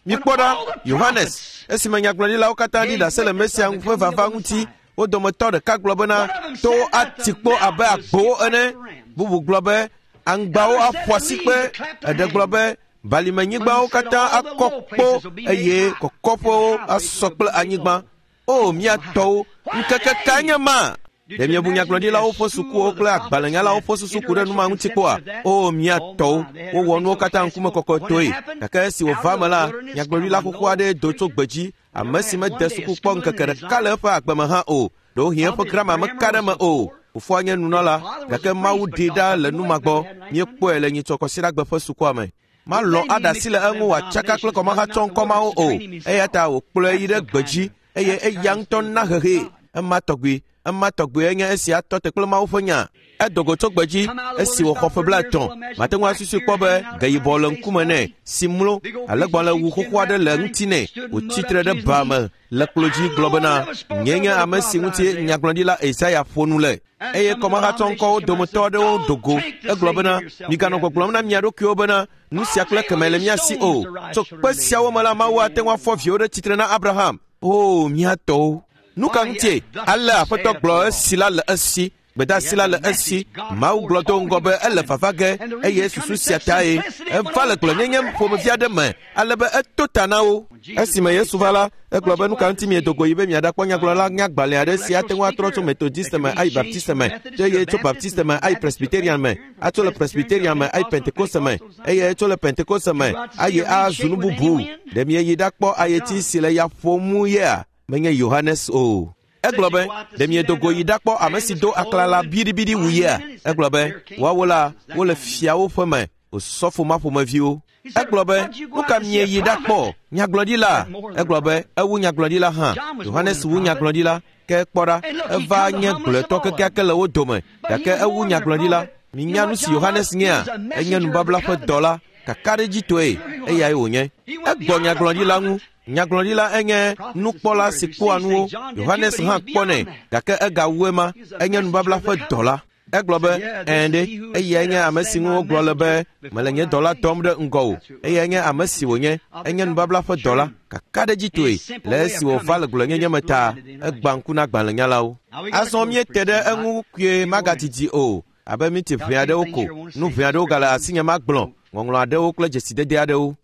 Mikpɔ ɖa, Yohanes, esime nyagblɔɖilawo katã ɖi ɖase le Mesia ŋu ƒe vava ŋuti, wo dometɔ ɖeka gblɔ bena, towo ati kpo abe agbowo ene. Bubu gblɔ be, aŋgbawo aƒo asikpe. Eɖe gblɔ be, balimenyigbawo katã akɔ kpo eye kɔkɔƒewo asɔ kple anyigba. O, mia tɔwo, ŋkeke kae nye ma? Ɖe miebu nyagblɔɖilawo ƒe sukuwo kple agbalẽnyalawo ƒe susu ku ɖe nu ma ŋuti kpɔa? O, mia tɔwo, wowɔ nuwo katã ŋkume kɔkɔtɔe. Gake esi wòva me la, nyagblɔɖila xoxo aɖee do tso gbedzi, ame si mede suku kpɔ ŋkeke ɖeka le eƒe agbe me hã o. Ɖewohĩ eƒe grama meka ɖe eme o. Fofoa nye nunɔla, gake Mawu ɖee ɖa le nu ma gbɔ. Míekpɔe le nyitsɔ kɔsiɖagbe ƒe sukua me. Malɔ̃ aɖe asi le eŋu wòatsaka kple kɔmahatsɔŋkɔmawo o. Eya ta wòkplɔe yi ɖe gbedzi eye eya ŋutɔ na hehee. Ema tɔgbi, ema tɔgbi enye esia tɔ te kple Mawu ƒe nya. Edo go tso gbedzi esi wòxɔ ƒe blaetɔ̃. Mate ŋu asusui kpɔ be geyibɔ le ŋkume nɛ si mlo alẽgbalẽwu xoxo aɖe le ŋuti nɛ. Wòtsi tre ɖe ba me le klo dzi gblɔ bena, nye nye ame si ŋuti nyagblɔɖila Yesaya ƒo nu le. Eye kɔmahatsɔŋkɔwo dometɔ aɖewo do go. Egblɔ bena, miganɔ gbɔgblɔm na mia ɖokuiwo bena, nu sia kple keme le mia si o. Tso kpe siawo me la, Mawu ate ŋu afɔ viwo ɖe tsitre na Abraham. O, mia tɔwo! Nu ka ŋutie? Ale Aƒetɔ gblɔ esi la le esi. Gbedeasi la le esi. Mawu gblɔ do ŋgɔ be ele vava ge eye susu sia tae. Eva le gblɔnyenye ƒomevi aɖe me ale be eto ta na wo. Esime Yesu va la, egblɔ be nu ka ŋuti miedo go yi be miaɖakpɔ nyagblɔla nyagbalẽ aɖe si ate ŋu atrɔ tso Methodiste me ayi Baptiste me, eye tso Baptiste me ayi Presbyterian me, atso le Presbyterian me ayi Pentekoste me, eye tso le Pentekoste me ayi azu nu bubu. Ɖe mieyi ɖakpɔ ayeti si le ya ƒom yea? Menye Yohanes o. Egblɔ be, ɖe miedo go yi ɖakpɔ ame si do aklala biɖibiɖi wu yea? Egblɔ be, woawo la, wole fiawo ƒe me, osɔfo ma ƒomeviwo. Egblɔ be, nu ka mieyi ɖakpɔ? Nyagblɔɖila? Egblɔ be, ewu nyagblɔɖila hã. Yohanes wu nyagblɔɖila, ke kpɔ ɖa, eva nye gblɔetɔ kekeake le wo dome, gake ewu nyagblɔɖila. Minya nu si Yohanes nyea? Enye nubabla ƒe dɔla, kakaɖedzitɔe, eyae wònye. Egbɔ nyagblɔɖila ŋu. Nyagblɔɖila enye nukpɔla si kpɔa nuwo. Yohanes hã kpɔnɛ, gake egawu ema. Enye nubabla ƒe dɔla. Egblɔ be, ɛ̃ ɖe, eyae nye ame si ŋu wogblɔ le be, mele nye dɔla dɔm ɖe ŋgɔwò. Eyae nye ame si wònye. Enye nubabla ƒe dɔla. Kakaɖedzitɔe, le esi wòva le gblɔnyenye me ta, egbã ŋku na agbalẽnyalawo. Azɔ míete ɖe eŋu kpuie magadidi o, abe minti ʋɛ aɖewo ko. Nu ʋɛ aɖewo gale asinye magblɔ, ŋɔŋlɔ aɖewo kple dzesidede aɖewo.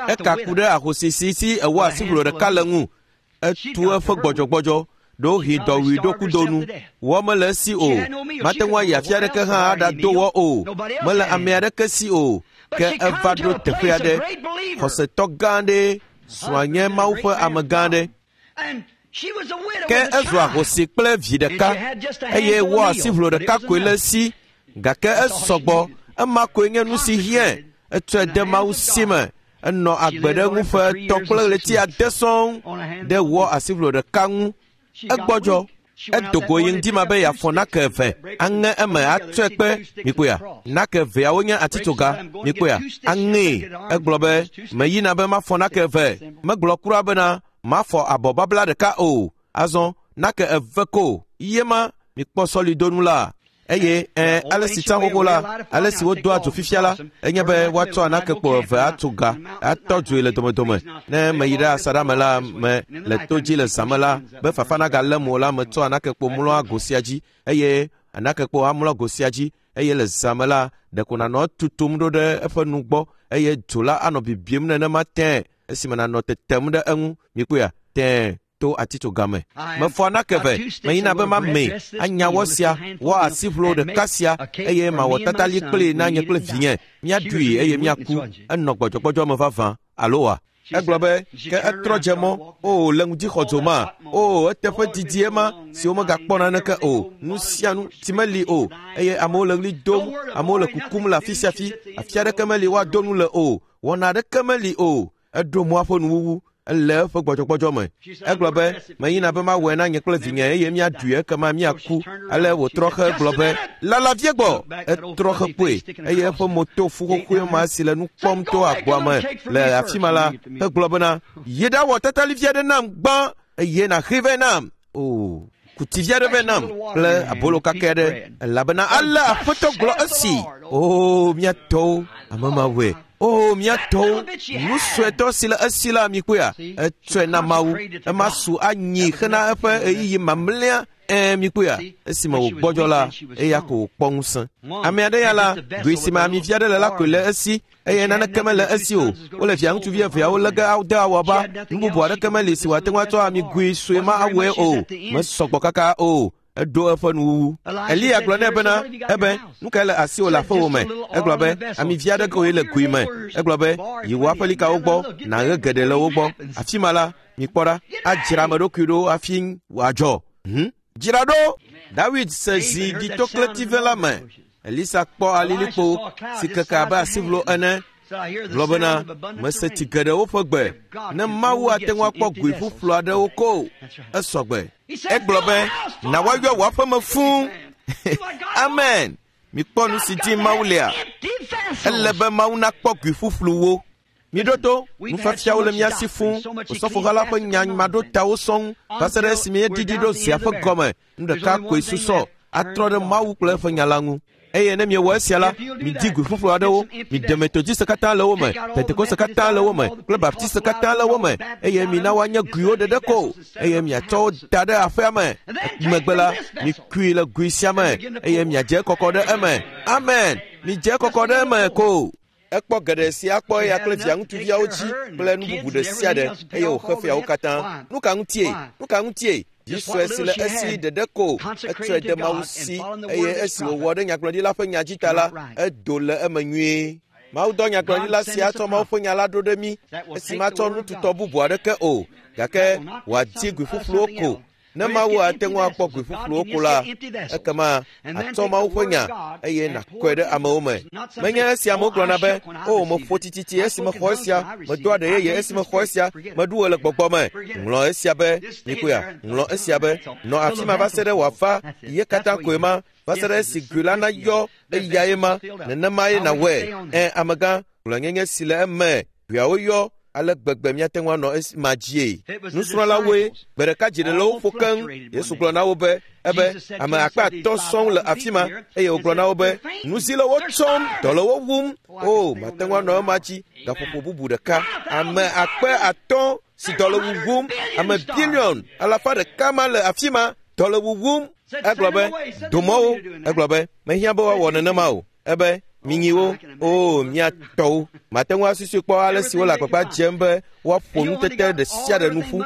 Eka ku ɖe ahosi si si ewɔ asiʋlo ɖeka le ŋu. Etu eƒe gbɔdzɔgbɔdzɔ, ɖewohĩ dɔwui ɖo kudo nu. Wɔ mele esi o. Mate ŋu ayi afi aɖeke hã aɖado wɔ o. Mele ame aɖeke si o. Ke eva ɖo teƒe aɖe. Xɔsetɔ gã aɖe, srɔ̃a nye Mawu ƒe ame gã aɖe. Ke ezu ahosi kple vi ɖeka eye wɔ asiʋlo ɖeka koe le esi. Gake esɔgbɔ. Ema koe nye nu si hiãe. Etsɔe de Mawu si me. Enɔ agbe ɖe ŋu ƒe etɔ̃ kple ɣleti ade sɔŋ ɖe wɔ asiʋlo ɖeka ŋu. Egbɔdzɔ. Edo go yi ŋdi ma be yeafɔ nake eve, aŋe eme atsɔe kpe. Mikpɔea? Nake eveawo nye atitsoga. Mikpɔea? Aŋee. Egblɔ be, meyina be mafɔ nake eve. Megblɔ kura bena mafɔ abɔ babla ɖeka o. Azɔ nake eve ko. Ye ma mikpɔ sɔlidonu la. Eye ɛ ale si tsã xoxo la, ale si wodoa dzo fifia la, enye be woatsɔ anakekpo eve atso ga, atɔ dzoe le domedome. Ne meyi ɖe asaɖa me la me le to dzi le zã me la, be fafa nagalém o la, metsɔ anakekpo mlɔa go sia dzi, eye anakekpo amlɔ go sia dzi, eye le zã me la, ɖeko nànɔ etutum ɖo ɖe eƒe nu gbɔ, eye dzo la anɔ bibim nenema tẽe esime nànɔ tetem ɖe eŋu. Mikpɔea? Tẽe. To atitsoga me. Mefɔ anake eve, meyina be mamee, anya wɔ sia, wɔ asiʋlo ɖeka sia, eye mawɔ tatali kplii na nye kple vinye. Míaɖui eye míaku. Enɔ gbɔdzɔgbɔdzɔ me vavã, alo wa? Egblɔ be, ke etrɔ dze mɔ. O, le ŋudixɔdzo ma. O, eteƒe didi ema si womegakpɔ naneke o. Nu sia nu ti meli o. Eye amewo le ɣli dom, amewo le kukum le afi sia afi. Afi aɖeke meli woado nu le o. Wɔna aɖeke meli o. Eɖo mɔa ƒe nuwuwu. Ele eƒe gbɔdzɔgbɔdzɔ me. Egblɔ be, meyina be mawɔe na nye kple vinye eye míaɖui ekema míaku. Ale wòtrɔ xe gblɔ be, lala vie gbɔ. Etrɔ xe kpoe eye eƒe mo to fu xoxoe ma si le nu kpɔm to agboa me le afi ma la, hegblɔ bena, yi ɖawɔ tatali vi aɖe nam gbã eye nàxee vɛ nam. O, kuti vi aɖe vɛ nam kple abolo kake aɖe, elabena ale Aƒetɔ gblɔ esi. O, mía tɔwo, ame ma wɔe. O, mía tɔwo, nu suetɔ si le esi la mikpɔea? Etsɔe na Mawu. Ema su anyi hena eƒe ɣeyiɣi mamlɛa. Ɛ̃, mikpɔea? Esime wògbɔdzɔ la, eya ko wòkpɔ ŋusẽ. Ame aɖe ya la, goe si me ami vi aɖe le la koe le esi, eye naneke mele esi o. Wole via ŋutsuvi eveawo lé ge ade awɔba. Nu bubu aɖeke meli si wòate ŋu atsɔ amigoe sue ma awɔe o. Mesɔgbɔ kaka o. Eɖo eƒe nuwuwu. Eliya gblɔ nɛ bena, ebe, nu kae le asiwò le aƒewò me? Egblɔ be, ami vi aɖe koe le goe me. Egblɔ be, yi wò aƒelikawo gbɔ, nàɣe geɖe le wo gbɔ. Afi ma la, mikpɔ ɖa, adzra ame ɖokui ɖo hafi wòadzɔ. Hm? Dzra ɖo! Dawid se zi ɖitokletive la me. Elisa kpɔ alilikpo si keke abe asiʋlo ene. Gblɔ bena, mese tsi geɖewo ƒe gbe. Ne Mawu ate ŋu akpɔ goe ƒuƒlu aɖewo ko, esɔgbe. Egblɔ be, na woayɔ wò aƒeme fũu. Amen. Mikpɔ nu si dim Mawu lea. Ele be Mawu nakpɔ gui ƒuƒluwo. Miɖo to, nufiafiawo le mía si fũu. Osɔfoha la ƒe nya maɖotawo sɔŋ va se ɖe esime míeɖiɖi ɖo zea ƒe gɔme. Nu ɖeka koe susɔ atrɔ ɖe Mawu kple eƒe nya la ŋu. Eye ne miewɔ esia la, midi gui ƒuƒlu aɖewo, miɖe Metodiste katã le wo me, Pentekoste katã le wo me, kple Baptiste katã le wo me, eye mina woanye guiwo ɖeɖe ko, eye miatsɔ wo da ɖe aƒea me. Megbe la, mikui le gui sia me, eye miadze kɔkɔ ɖe eme. Amen. Midze kɔkɔ ɖe eme ko. Ekpɔ geɖe si akpɔ eya kple via ŋutsuviawo dzi kple nu bubu ɖe sia ɖe, eye wòxe fiawo katã. Nu ka ŋutie? Nu ka ŋutie? Vi sue si le esi ɖeɖe ko, etsɔe de Mawu si, eye esi wòwɔ ɖe nyagblɔɖila ƒe nya dzi ta la, edo le eme nyuie. Mawu dɔ nyagblɔɖila sia tsɔ Mawu ƒe nya la ɖo ɖe mí, esi matsɔ nututɔ bubu aɖeke o, gake wòadi gui ƒuƒluwo ko. Ne Mawu ate ŋu akpɔ gui ƒuƒluwo ko la, ekema atsɔ Mawu ƒe nya eye nàkɔe ɖe amewo me. Menye esi amewo gblɔna be, o, meƒo tititi esi mexɔ esia, medo aɖe yeye esi mexɔ esia, meɖu wò le gbɔgbɔ me. Ŋlɔ esia be, mikoya, ŋlɔ esia be, nɔ afi ma va se ɖe wòava, ye katã koe ma, va se ɖe esi gui la nayɔ eyae ma, nenemae nàwɔe. Ẽ, amegã, gblɔnyenye si le eme, guiawo yɔ, ale gbegbe míate ŋu anɔ esi ma dzie. Nusrɔ̃lawoe, gbe ɖeka dzi ɖe le wo ƒo keŋ. Yesu gblɔ na wo be, ebe ame akpe atɔ̃ sɔŋ le afi ma, eye wògblɔ na wo be, nu si le wo tsɔm, dɔ le wo wum. O, mate ŋu anɔ ema dzi gaƒoƒo bubu ɖeka. Ame akpe atɔ̃ si dɔ le wuwum, ame biliɔn alafa ɖeka ma le afi ma, dɔ le wuwum. Egblɔ be, domɔwo. Egblɔ be, mehiã be woawɔ nenema o. Ebe, minyiwo, o, mía tɔwo. Mate ŋu asusui kpɔ ale si wole agbagba dzem be woaƒo nutete ɖe sia ɖe nu ƒu.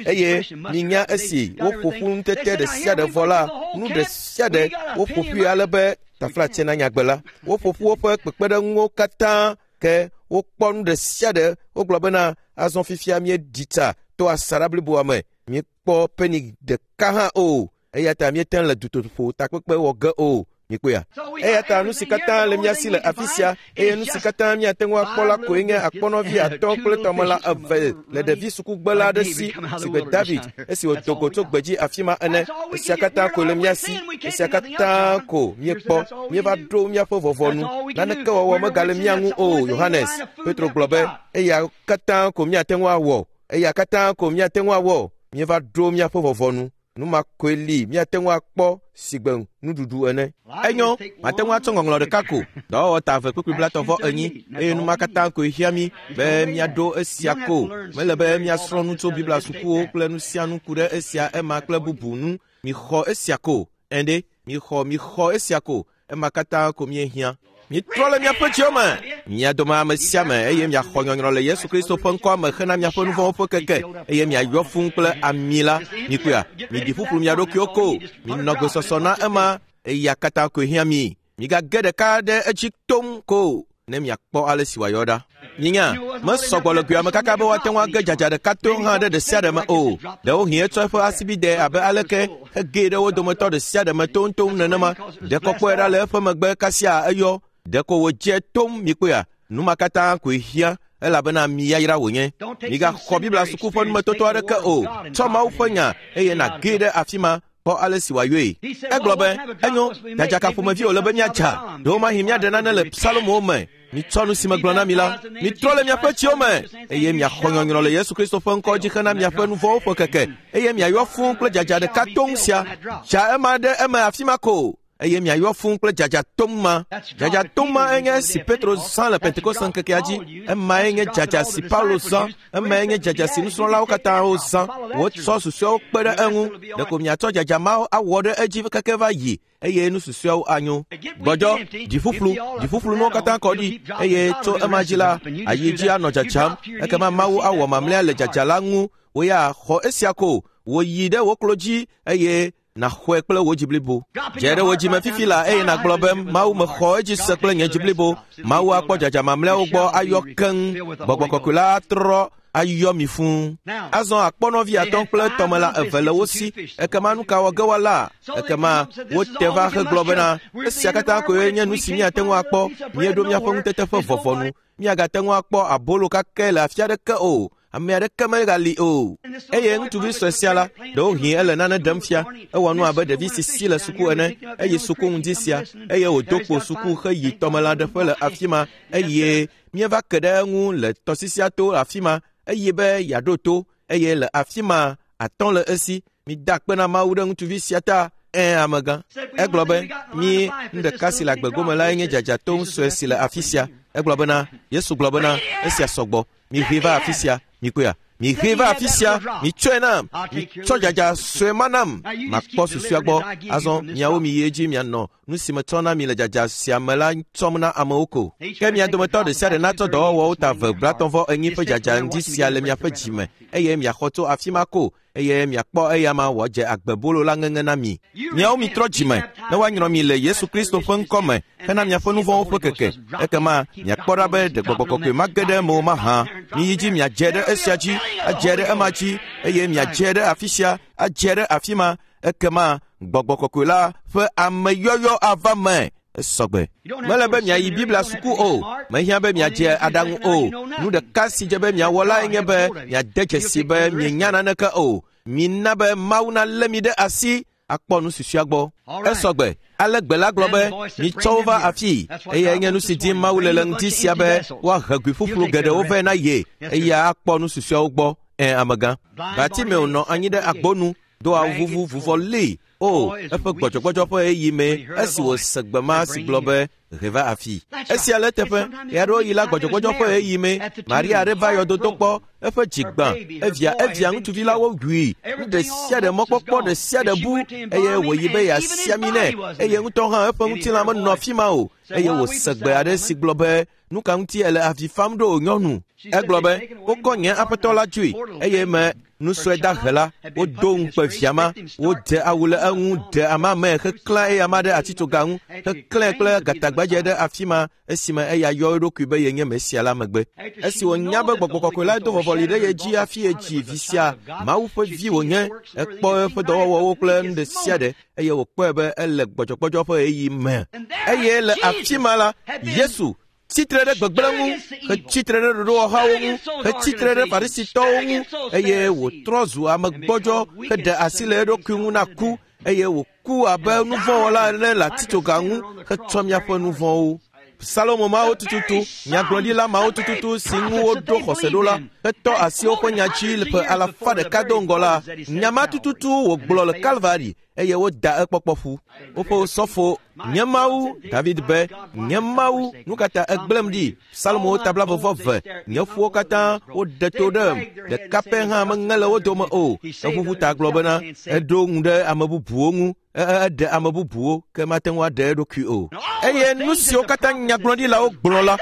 Eye minya esi woƒo ƒu nutete ɖe sia ɖe vɔ la, nu ɖe sia ɖe woƒo ƒui ale be taflatse na nyagbe la. Woƒo ƒu woƒe kpekpeɖeŋuwo katã ke wokpɔ nu ɖe sia ɖe. Wogblɔ bena azɔ fifia míeɖi tsa to asaɖa bliboa me. Míekpɔ peni ɖeka hã o. Eya ta míete le dutoƒo takpekpe wɔ ge o. Mikpɔea? Eya ta nu si katã le mía si le afi sia, eye nu si katã míate ŋu akpɔ la koe nye akpɔnɔvi atɔ̃ kple tɔmela eve le ɖevi sukugbela aɖe si, si gbe David, esi wòdo go tso gbedzi afi ma ene. Esia katã koe le mía si, esia katã ko míekpɔ. Míeva ɖo míaƒe vɔvɔnu. Naneke wɔwɔ megale mía ŋu o, Yohanes. Petro gblɔ be, eya katã ko míate ŋu awɔ. Eya katã ko míate ŋu awɔ. Míeva ɖo míaƒe vɔvɔnu. Nu ma koe li míate ŋu akpɔ sigbe nuɖuɖu ene. Enyo, mate ŋu atsɔ ŋɔŋlɔ ɖeka ko, dɔwɔwɔ ta eve kpukpui blatɔ̃ vɔ enyi, eye nu ma katã koe hiã mí be míaɖo esia ko. Mele be míasrɔ̃ nu tso Biblia sukuwo kple nu sia nu ku ɖe esia, ema kple bubu ŋu. Mixɔ esia ko. Ẽ ɖe, mixɔ, mixɔ esia ko. Ema katã ko míehiã. Mitrɔ le miaƒe dziwo me, mia dome ame sia ame, eye miaxɔ nyɔnyrɔ le Yesu Kristo ƒe ŋkɔa me hena miaƒe nu vɔ̃wo ƒe keke, eye miayɔ fũu kple ami la. Mikpɔea, miɖi ƒuƒlu mia ɖokuiwo ko, minɔ gbesɔsɔ na ema, eya katã koe hiã mi. Migage ɖeka ɖe edzi tom ko, ne miakpɔ ale si wòayɔ ɖa. Minya, mesɔgbɔ le goa me kaka be woate ŋu age dzadza ɖeka to hã ɖe ɖe sia ɖe me o. Ɖewohĩ etsɔ eƒe asibidɛ abe aleke hegee ɖe wo dometɔ ɖe sia ɖe me toŋtoŋ nenema. Ɖe kɔkɔe ɖa le eƒe megbe kasia eyɔ. Ɖeko wòdze tom mikpɔea, nu ma katã koe hiã, elabena mi yayra wònye. Migaxɔ Biblia suku ƒe numetoto aɖeke o. Tsɔ Mawu ƒe nya eye nàgee ɖe afi ma. Kpɔ ale si wòayɔe. Egblɔ be, enyo, dzadzaka ƒomevi wòle be míadza. Ɖewomahi míaɖe nane le Psalomowo me. Mitsɔ nu si megblɔ na mi la, mitrɔ le miaƒe tsiwo me, eye miaxɔ nyɔnyrɔ le Yesu Kristo ƒe ŋkɔ dzi hena miaƒe nu vɔ̃wo ƒe keke, eye miayɔ fũu kple dzadza ɖeka toŋ sia. Dza ema ɖe eme afi ma ko, eye miayɔ fũu kple dzadza toŋ ma. Dzadza toŋ ma enye esi Petro zã le Pentekoste ŋkekea dzi. Emae nye dzadza si Paulo zã. Emae nye dzadza si nusrɔ̃lawo katã wozã. Wotsɔ susɔeawo kpe ɖe eŋu. Ɖeko miatsɔ dzadza mawo awɔ ɖe edzi keke va yi, eye nu susɔeawo anyo. Gbɔdzɔ, dziƒuƒlu, dziƒuƒlu nuwo katã kɔ ɖi, eye tso ema dzi la, ayi dzi anɔ dzadzam. Ekema Mawu awɔ mamlɛa le dzadza la ŋu. Wò ya xɔ esia ko, wò yi ɖe wò klo dzi eye nàxɔe kple wò dzi blibo. Dze ɖe wò dzime fifi la eye nàgblɔ be, Mawu mexɔ edzi se kple nye dzi blibo. Mawu akpɔ dzadza mamlɛawo gbɔ ayɔ keŋ. Gbɔgbɔ kɔkɔe la atrɔ ayɔ mi fũu. Azɔ akpɔnɔvi atɔ̃ kple tɔmela eve le wo si. Ekema nu ka wɔ ge woala? Ekema wote va hegblɔ bena, esia katã koe nye nu si míate ŋu akpɔ. Míeɖo míaƒe ŋutete ƒe vɔvɔnu. Míagate ŋu akpɔ abolo kakɛ le afi aɖeke o. Ame aɖeke megali o. Eye ŋutsuvi sue sia la, ɖewohĩ ele nane ɖem fia. Ewɔ nu abe ɖevi si si le suku ene, eye suku ŋdi sia, eye wòdo kpo suku heyi tɔmelãɖeƒe le afi ma, eye míeva ke ɖe eŋu le tɔsisia to afi ma, eye be yeaɖo to, eye le afi ma atɔ̃ le esi. Mida akpe na Mawu ɖe ŋutsuvi sia ta. Ẽ, amegã. Egblɔ be, mí nu ɖeka si le agbegome lae nye dzadzato sue si le afi sia. Egblɔ bena, Yesu gblɔ bena, esia sɔgbɔ. Miʋe va afi sia, mikpɔea. Miʋe va afi sia, mitsɔe nam. Mitsɔ dzadza sue ma nam. Makpɔ susua gbɔ. Azɔ miawo miyi edzi mianɔ nu si metsɔ na mi le dzadza sia me la tsɔm na amewo ko. Ke mia dometɔ ɖe sia ɖe natsɔ dɔwɔwɔwo ta ve blatɔ̃ enyi ƒe dzadza ŋdi sia le miaƒe dzi me, eye miaxɔ tso afi ma ko, eye miakpɔ eya ma wòadze agbebolo la ŋeŋe na mi. Miawo mitrɔ dzime ne woanyrɔ mi le Yesu Kristo ƒe ŋkɔ me hena miaƒe nu vɔ̃wo ƒe keke. Ekema miakpɔ ɖa be ɖe gbɔgbɔ kɔkɔe mage ɖe eme o mahã. Miyi dzi miadze ɖe esia dzi, adze ɖe ema dzi, eye miadze ɖe afi sia, adze ɖe afi ma. Ekema gbɔgbɔ kɔkɔe la ƒe ameyɔyɔ ava me. Esɔgbe. Mele be miayi Biblia suku o, mehiã be miadze aɖaŋu o. Nu ɖeka si dze be miawɔ lae nye be miade dzesi be mienya naneke o. Mina be Mawu nalé mi ɖe asi akpɔ nu susua gbɔ. Esɔgbe. Ale gbe la gblɔ be, mitsɔ wo va afii. Eyae nye nu si dim Mawu le le ŋdi sia be woahe gui ƒuƒlu geɖewo vɛ na ye, eya akpɔ nu susuawo gbɔ. Ẽ, amegã. Bartimeo nɔ anyi ɖe agbonu, do awu vuvu vuvɔ lée. O, eƒe gbɔdzɔgbɔdzɔ ƒe ɣeyiɣi me esi wòse gbe ma si gblɔ be, he va afi. Esia le eteƒe, ɣeaɖewoɣi la gbɔdzɔgbɔdzɔ ƒe ɣeyiɣi me, Maria aɖe va yɔdodo kpɔ, eƒe dzi gbã, evia evia ŋutsuvi la wowui, nu ɖe sia ɖe mɔkpɔkpɔ ɖe sia ɖe bu, eye wòyi be yeasi ami nɛ, eye ŋutɔ hã eƒe ŋutilã menɔ afi ma o, eye wòse gbe aɖe si gblɔ be, nu ka ŋuti ele avi fam ɖo nyɔnu? Egblɔ be, wokɔ nye aƒetɔ la dzoe, eye me nu sue dahe la, wodo ŋukpe via ma, wodze awu le eŋu, ɖe ama me heklã eya ma ɖe atitsoga ŋu, heklãe kple gatagbadze ɖe afi ma esime eya yɔ eɖokui be yenye Mesia la megbe. Esi wònya be gbɔgbɔ kɔkɔe la do vɔvɔli ɖe ye dzi hafi yedzi vi sia, Mawu ƒe vi wònye, ekpɔ eƒe dɔwɔwɔwo kple nu ɖe sia ɖe, eye wòkpɔe be ele gbɔdzɔgbɔdzɔ ƒe ɣeyiɣi me. Eye le afi ma la, Yesu tsitre ɖe gbegblẽ ŋu, hetsitre ɖe ɖoɖowɔhawo ŋu, hetsitre ɖe Farisitɔwo ŋu, eye wòtrɔ zu ame gbɔdzɔ heɖe asi le eɖokui ŋu na ku, eye wòku abe nuvɔ̃wɔla ene le atitsoga ŋu hetsɔ miaƒe nu vɔ̃wo. Salomo mawo tututu, nyagblɔɖila mawo tututu si ŋu woɖo xɔse ɖo la, hetɔ asi woƒe nya dzi le ƒe alafa ɖeka do ŋgɔ la, nya ma tututu wògblɔ le Kalvari, eye woda ekpɔkpɔ ƒu. Woƒe sɔfo, nye Mawu, David be, nye Mawu, nu ka ta egblẽm ɖi? Salomo tabla vɔvɔ ve, nye ƒuwo katã woɖe to ɖem, ɖeka pɛ hã meŋe le wo dome o. Eʋuʋu ta gblɔ bena, eɖo ŋu ɖe ame bubuwo ŋu, eɖe ame bubuwo, ke mate ŋu aɖe eɖokui o. Eye nu siwo katã nyagblɔɖilawo gblɔ la,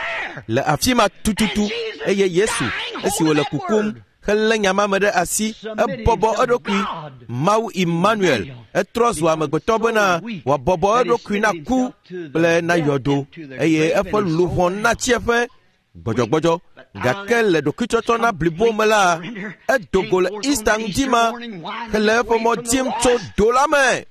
le afi ma tututu, eye Yesu, esi wòle kukum, helé nya ma me ɖe asi, ebɔbɔ eɖokui. Mawu Emmanuel, etrɔ zu amegbetɔ bena wòabɔbɔ eɖokui na ku kple na yɔdo, eye eƒe luʋɔ natsi eƒe gbɔdzɔgbɔdzɔ. Gake le ɖokuitsɔtsɔ na blibo me la, edo go le Easter ŋdi ma hele eƒe mɔ dim tso do la me.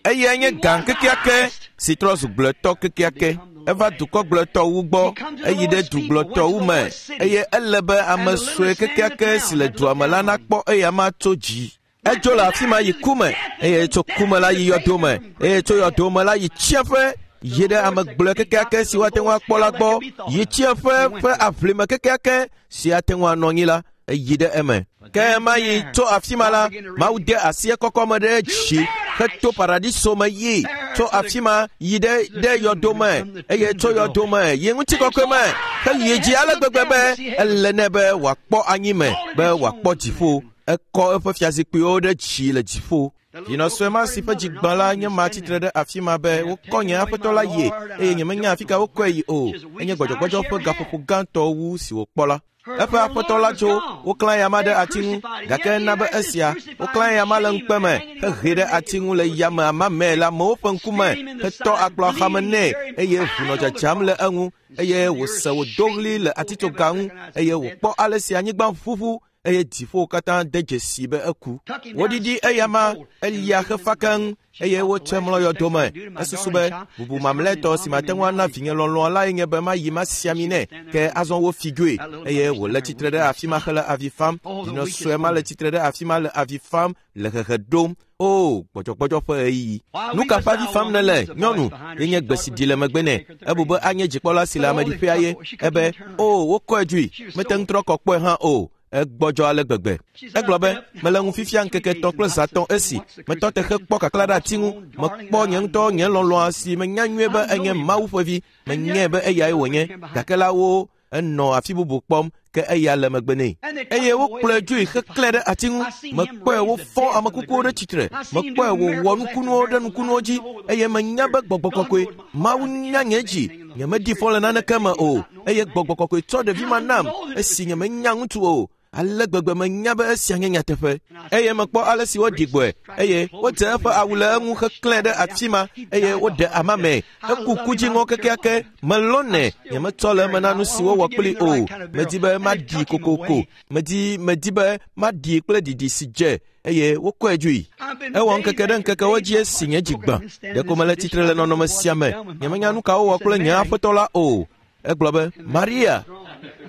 Eyae nye gã kekeake si trɔ zu gblɔetɔ kekeake. Eva dukɔ gblɔetɔwo gbɔ, eyi ɖe du gblɔetɔwo me, eye ele be ame sue kekeake si le dua me la nakpɔ eya ma tso dzi. Edzo le afi ma yi ku me, eye tso ku me la yi yɔdo me, eye tso yɔdo me la yi tsiẽƒe, yi ɖe ame gblɔe kekeake si woate ŋu akpɔ la gbɔ, yi tsiẽƒe ƒe aʋlime kekeake si ate ŋu anɔ anyi la, eyi ɖe eme. Ke ma yi tso afi ma la, Mawu de asi ekɔkɔ me ɖe dzi heto paradiso me yi tso afi ma yi ɖe ɖe yɔdo me, eye tso yɔdo me yi ŋutikɔkɔe me, heyi dzi ale gbegbe be ele nɛ be wòakpɔ anyi me, be wòakpɔ dziƒo. Ekɔ eƒe fiazikpuiwo ɖe dzi le dziƒo. Vinɔ sue ma si ƒe dzi gbã la nye ma tsitre ɖe afi ma be wokɔ nye aƒetɔ la yie, eye nyemenya afi ka wokɔe yi o. Enye gbɔdzɔgbɔdzɔ ƒe gaƒoƒo gãtɔ wu si wòkpɔ la. Eƒe aƒetɔ la tso, woklã ya ma ɖe ati ŋu, gake ena be esia, woklã ya ma le ŋukpe me, hehe ɖe ati ŋu le yame amame le amewo ƒe ŋkume, hetɔ akplɔ axame nɛ, eye ʋu nɔ dzadzam le eŋu, eye wòse wòdo ɣli le atitsoga ŋu, eye wòkpɔ ale si anyigba ʋuʋu, eye dziƒowo katã de dzesi be eku. Woɖiɖi eyama elia xefa keŋ eye wotsɔe mlɔ yɔdo me. Esusu be bubu mamlɛtɔ si mate ŋu ana vinye lɔlɔ̃a lae nye be mayi masi ami nɛ, ke azɔ wofi dzoe eye wòle tsitre ɖe afi ma hele avi fam. Vinɔ sue ma le tsitre ɖe afi ma le avi fam le hehe ɖom. O, gbɔdzɔgbɔdzɔ ƒe ɣeyiɣi. Nu ka ƒe avi fam nèle, nyɔnu? Ye nye gbe si ɖi le megbe nɛ. Ebu be anye dzikpɔla si le ameɖiƒea ye. Ebe, o, wokɔe dzoe. Mete ŋu trɔ kɔ kpɔe hã o. Egbɔdzɔ ale gbegbe. Egblɔ be, mele ŋu fifia ŋkeke etɔ̃ kple zã etɔ̃ esi. Metɔ te hekpɔ kakla ɖe ati ŋu. Mekpɔ nye ŋutɔ nye lɔlɔ̃a si menya nyuie be enye Mawu ƒe vi. Menyae be eyae wònye. Gake la wo enɔ afi bubu kpɔm, ke eya le megbe nɛ. Eye wokplɔe dzoe heklãe ɖe ati ŋu. Mekpɔe wofɔ ame kukuwo ɖe tsitre. Mekpɔe wòwɔ nukunuwo ɖe nukunuwo dzi. Eye menya be gbɔgbɔ kɔkɔe, Mawu nya nye dzi. Nyemedi fɔ le naneke me o. Eye gbɔgbɔ kɔkɔe tsɔ ɖevi ma nam esi nyemenya ŋutsu o. Ale gbegbe menya be esia nye nyateƒe. Eye mekpɔ ale si woɖi gbɔe, eye wodze eƒe awu le eŋu heklãe ɖe afi ma, eye woɖe amame. Eku kudziŋɔ kekeake. Melɔ̃nɛ. Nyemetsɔ le eme na nu si wowɔ kpli o. Medi be maɖi kokoko. Medi medi be maɖi kple ɖiɖi si dze, eye wokɔe dzoe. Ewɔ ŋkeke ɖe ŋkekewo dzi esi nye dzi gbã. Ɖeko mele tsitre le nɔnɔme sia me. Nyemenya nu ka wowɔ kple nye aƒetɔ la o. Egblɔ be, Maria.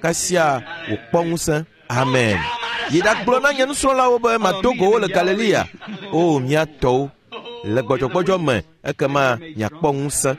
Kasia wòkpɔ ŋusẽ. Amen. Yi ɖagblɔ na nye nusrɔ̃lawo be mado go wo le Galilea. O, mia tɔwo, le gbɔdzɔgbɔdzɔ me, ekema miakpɔ ŋusẽ.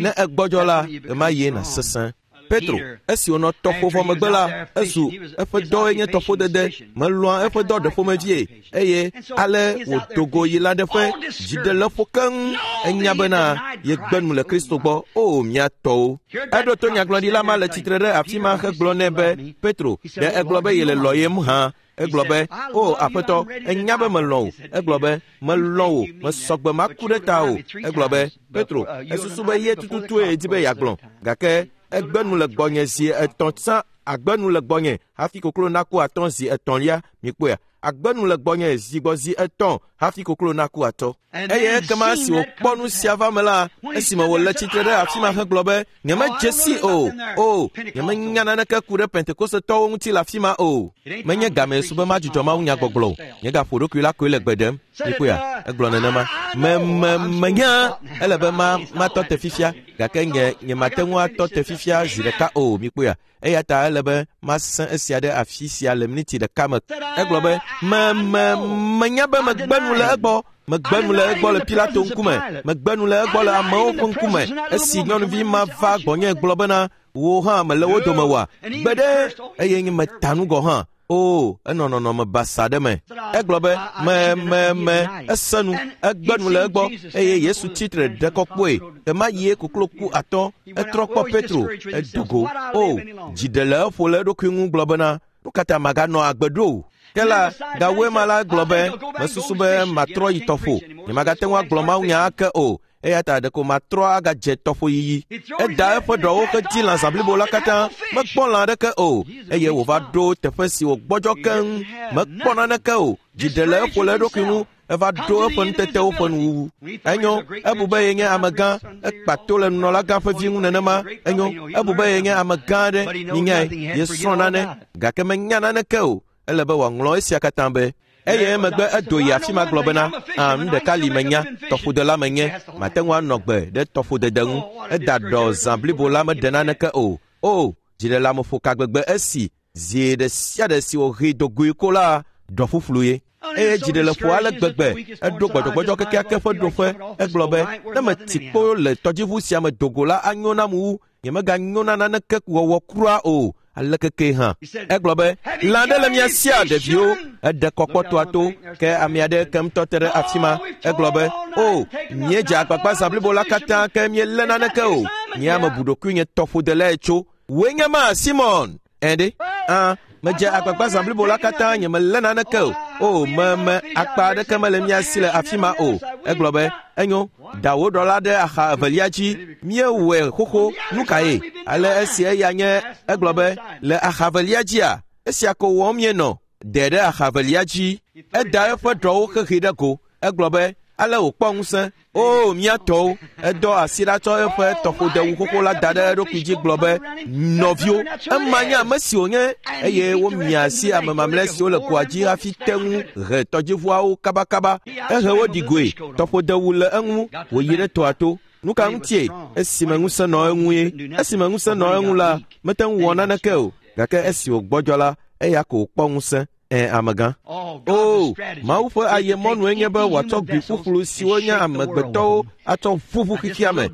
Ne egbɔdzɔ la, ɣemaɣie nàsesẽ. Petro, esi wònɔ tɔƒo vɔ megbe la, ezu eƒe dɔe nye tɔƒodede. Melɔ̃a eƒe dɔ ɖeƒomevie, eye ale wòdo go yi lãɖeƒe, dziɖeleƒo keŋ. Enya bena yegbe nu le Kristo gbɔ. O, mia tɔwo. Eɖo to nyagblɔɖila ma le tsitre ɖe afi ma hegblɔ nɛ be, Petro, ɖe egblɔ be yele lɔ̃yem hã? Egblɔ be, o, aƒetɔ, enya be melɔ̃ wò. Egblɔ be, melɔ̃ wò, mesɔgbe maku ɖe ta o. Egblɔ be, Petro, esusu be ye tututue di be yeagblɔ, gake egbe nu le gbɔnye zi etɔ̃ tsã, agbe nu le gbɔnye hafi koklo naku atɔ̃ zi etɔ̃lia. Mikpɔea? Agbe nu le gbɔnye zi gbɔ zi etɔ̃ hafi koklo naku atɔ̃. Eye ekema esi wòkpɔ nu sia va me la, esime wòle tsitre ɖe afi ma hegblɔ be, nyemedze si o. O, nyemenya naneke ku ɖe Pentekosetɔwo ŋuti le afi ma o. Menye game su be madzudzɔ mawunyagbɔgblɔ o. Nye gaƒo ɖokui la koe le gbe ɖem. Mikpɔea? Egblɔ nenema. Me me menya ele be ma matɔ te fifia, gake nye nyemate ŋu atɔ te fifia zi ɖeka o. Mikpɔea? Eya ta ele be masẽ esia ɖe afi sia le miniti ɖeka me. Egblɔ be, me me menya be megbe nu le egbɔ. Megbe nu le egbɔ le Pilato ŋkume. Megbe nu le egbɔ le amewo ƒe ŋkume. Esi nyɔnuvi ma va gbɔnye gblɔ bena, wò hã mele wo dome oa? Gbe ɖe, eye nye meta nu gɔ̃ hã. O, enɔ nɔnɔme basa ɖe me. Egblɔ be, me me me, ese nu, egbe nu le egbɔ, eye Yesu tsitre ɖe kɔkɔe. Ɣemaɣie koklo ku atɔ̃. Etrɔ kpɔ Petro, edo go. O, dzi ɖe le eƒo le eɖokui ŋu gblɔ bena, nu ka ta maganɔ agbe ɖo o? Ke la, gawoe ma la gblɔ be, mesusu be matrɔ yi tɔƒo. Nyemagate ŋu agblɔ mawunya ake o. Eya ta ɖeko matrɔ agadze tɔƒo yiyi. Eda eƒe ɖɔwo hedi lã zã blibo la katã, mekpɔ lã aɖeke o. Eye wòva ɖo teƒe si wògbɔdzɔ keŋ, mekpɔ naneke o. Dzi ɖe le eƒo le eɖokui ŋu, eva ɖo eƒe nutetewo ƒe nuwuwu. Enyo, ebu be yenye amegã, ekpa to le nunɔlagã ƒe vi ŋu nenema. Enyo, ebu be yenye amegã aɖe, minyae, yesrɔ̃ nane, gake menya naneke o. Ele be wòaŋlɔ esia katã be. Eye emegbe edo yi afi ma gblɔ bena, a, nu ɖeka li menya, tɔƒodela menye, mate ŋu anɔ gbe ɖe tɔƒodede ŋu. Eda ɖɔ zã blibo la meɖe naneke o. O, dziɖeleameƒo ka gbegbe esi zi ɖe sia ɖe si wòhee do goe ko la, ɖɔ ƒuƒlu ye. Eye dziɖeleƒo ale gbegbe, eɖo gbɔdzɔgbɔdzɔ kekeake ƒe ɖoƒe. Egblɔ be, ne meti kpo le tɔdziʋu sia me do go la anyo nam wu. Nyemeganyo na naneke wɔwɔ kura o. Ale keke hã. Egblɔ be, lã ɖe le mia sia ɖeviwo. Eɖe kɔkpɔtoa to, ke ame aɖe ke ŋutɔ te ɖe afi ma. Egblɔ be, o, míedze agbagba zã blibo la katã ke míelé naneke o. Nye ame bu ɖokuinye tɔƒodelae tso. Wòe nye ma, Simon? Ẽ ɖe? Ã, medze agbagba zã blibo la katã nyemelé naneke o. O, me me akpa aɖeke mele mia si le afi ma o. Egblɔ be, enyo, da wò ɖɔ la ɖe axa evelia dzi. Míewɔe xoxo, nu kae? Ale esi eya nye, egblɔ be, le axa evelia dzia, esia ko wɔm míenɔ. Ɖe ɖe axa evelia dzi. Eda eƒe ɖɔwo xexi ɖe go. Egblɔ be, Ale wòkpɔ ŋusẽ. O, mía tɔwo, edɔ asi ɖa tsɔ eƒe tɔƒodewu xoxo la da ɖe eɖokui dzi gblɔ be, nɔviwo, ema nye ame si wònye. Eye womia asi ame mamlɛ siwo le goa dzi hafi te ŋu he tɔdziʋuawo kabakaba. Ehe wo ɖi goe, tɔƒodewu le eŋu, wòyi ɖe tɔa to. Nu ka ŋutie? Esime ŋusẽ nɔ eŋue. Esime ŋusẽ nɔ eŋu la, mete ŋu wɔ naneke o. Gake esi wògbɔdzɔ la, eya ko wòkpɔ ŋusẽ. Ẽ, amegã. O, Mawu ƒe ayemɔnue nye be wòatsɔ gui ƒuƒlu siwo nye amegbetɔwo atsɔ ʋuʋu xexea me.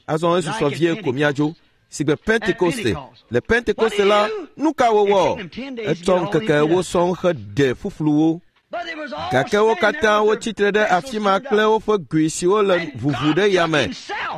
Azɔ esusɔ vie ko míadzo. Sigbe Pentekoste. Le Pentekoste la, nu ka wowɔ? Etsɔ ŋkeke ewo sɔŋ heɖe ƒuƒluwo. Gake wo katã wotsi tre ɖe afi ma kple woƒe gui siwo le ʋuʋu ɖe yame,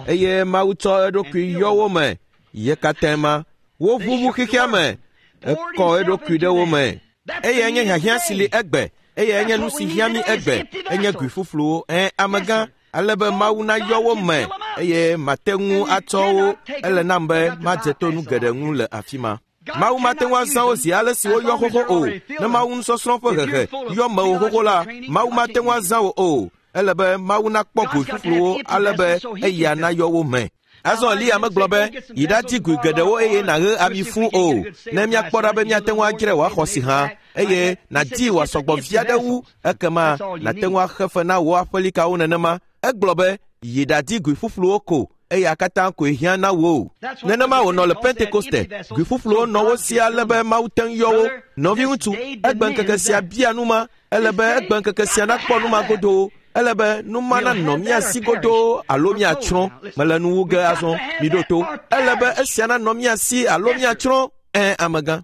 eye Mawu tsɔ eɖokui yɔ wo me. Ye katã ma, woʋuʋu xexea me, ekɔ eɖokui ɖe wo me. Eyae nye hiahiã si li egbe. Eyae nye nu si hiã mí egbe. Enye gui ƒuƒluwo. Ẽ, amegã, ale be Mawu nayɔ wo me, eye mate ŋu atsɔ wo. Ele nam be madze to nu geɖe ŋu le afi ma. Mawu mate ŋu azã wo zi ale si woyɔ xoxo o. Ne Mawu nusɔsrɔ̃ ƒe hehe yɔ mewò xoxo la, Mawu mate ŋu azã wo o. Ele be Mawu nakpɔ gui ƒuƒluwo ale be eya nayɔ wo me. Azɔ Eliya megblɔ be, yi ɖadi gui geɖewo eye nàɣe ami fũu o, ne míakpɔ ɖa be míate ŋu adzrae wòaxɔ si hã, eye nàdi wòasɔgbɔ vi aɖe wu, ekema nàte ŋu axe fe na wò aƒelikawo nenema. Egblɔ be, yi ɖadi gui ƒuƒluwo ko, eya katã koe hiã na wò. Nenema wònɔ le Pentekoste. Gui ƒuƒluwo nɔ wo si ale be Mawu te ŋu yɔ wo. Nɔviŋutsu, egbe ŋkeke sia bia nu ma. Ele be egbe ŋkeke sia nakpɔ nu ma godoo. Ele be nu ma nanɔ mía si godoo alo míatsrɔ̃. Mele nu wu ge azɔ, miɖo to. Ele be esia nanɔ mía si alo míatsrɔ̃. Ẽ, amegã.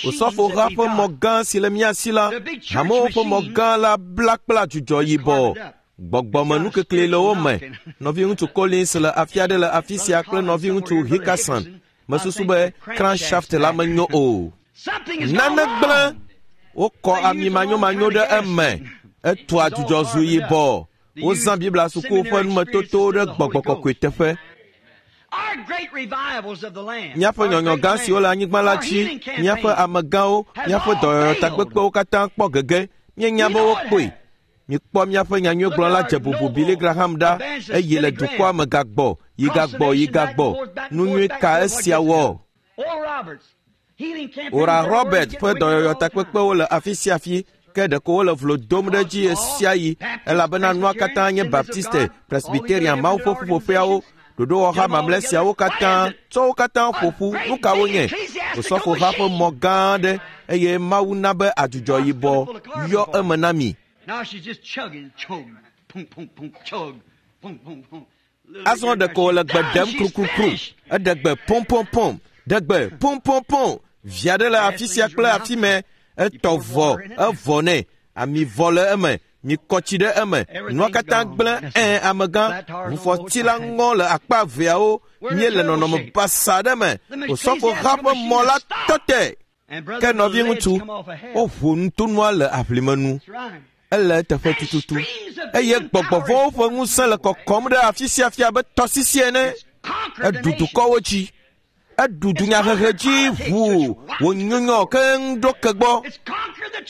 Osɔfoha ƒe mɔ gã si le mía si la, hamewo ƒe mɔ gã la bla kple adzudzɔ yibɔ. Gbɔgbɔmenukekli le wo me. Nɔviŋutsu Collins le afi aɖe le afi sia kple nɔviŋutsu Hickerson. Mesusu be crankshaft la menyo o. Nane gblẽ. Wokɔ ami manyomanyo ɖe eme. Etua dzudzɔ zu yibɔ. Wozã Biblia suku ƒe numetotowo ɖe gbɔgbɔ kɔkɔe teƒe. Míaƒe nyɔnyɔ gã siwo le anyigba la dzi, míaƒe amegãwo, míaƒe dɔyɔyɔtakpekpewo katã kpɔ gege. Míenya be wokpɔe. Mikpɔ míaƒe nyanyuigblɔla dze bubu Billy Graham ɖa, eye le dukɔa me gagbɔ, yi gagbɔ, yi gagbɔ. Nu nyui ka esia wɔ? Ora Robert ƒe dɔyɔyɔtakpekpewo le afi sia afi, ke ɖeko wole vlo dom ɖe edzi ɣe sia ɣi, elabena nua katã nye Baptiste, Presbyterian, Mawu ƒe ƒuƒoƒeawo, ɖoɖowɔha mamlɛ siawo katã, tsɔ wo katã ƒo ƒu. Nu ka wonye? Osɔfoha ƒe mɔ gã aɖe, eye Mawu na be adzudzɔ yibɔ yɔ eme na mi. Azɔ ɖeko wòle gbe ɖem krukrukru. Eɖe gbe pɔmpɔmpɔm, ɖe gbe pɔmpɔmpɔm. Vi aɖe le afi sia kple afi mɛ. Etɔ vɔ, evɔ nɛ. Ami vɔ le eme. Mikɔ tsi ɖe eme. Nua katã gblẽ. Ẽ, amegã, ʋufɔti la ŋɔ le akpa eveawo. Míele nɔnɔme basa ɖe me. Osɔfoha ƒe mɔ la tɔ te. Ke nɔviŋutsu, woʋu nutonua le aʋlime nu. Ele eteƒe tututu. Eye gbɔgbɔvɔ̃wo ƒe ŋusẽ le kɔkɔm ɖe afi sia afi abe tɔsisi ene. Eɖu dukɔwo dzi. Eɖu dunyahehe dzi ʋuu wònyunyɔ keŋ ɖo ke gbɔ.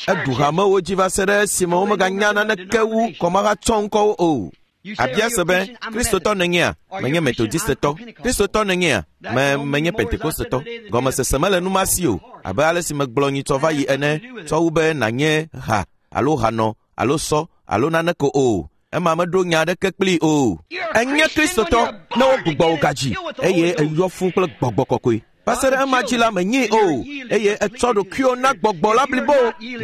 Eɖu hamewo dzi va se ɖe esime womeganya naneke wu kɔmahatsɔ ŋkɔwo o. Abia se be, Kristotɔ nènyea? Menye Metodistetɔ. Kristotɔ nènyea? Me menye Pentekostetɔ. Gɔmesese mele nu ma si o, abe ale si megblɔ nyitsɔ va yi ene, tsɔ wu be nànye ha alo hanɔ alo sɔ alo naneke o. Ema meɖo nya aɖeke kplii o. Enye Kristotɔ ne wogbugbɔ wò gadzi eye eyɔ fũu kple gbɔgbɔ kɔkɔe. Va se ɖe ema dzi la menyee o, eye etsɔ ɖokuiwò na gbɔgbɔ la blibo.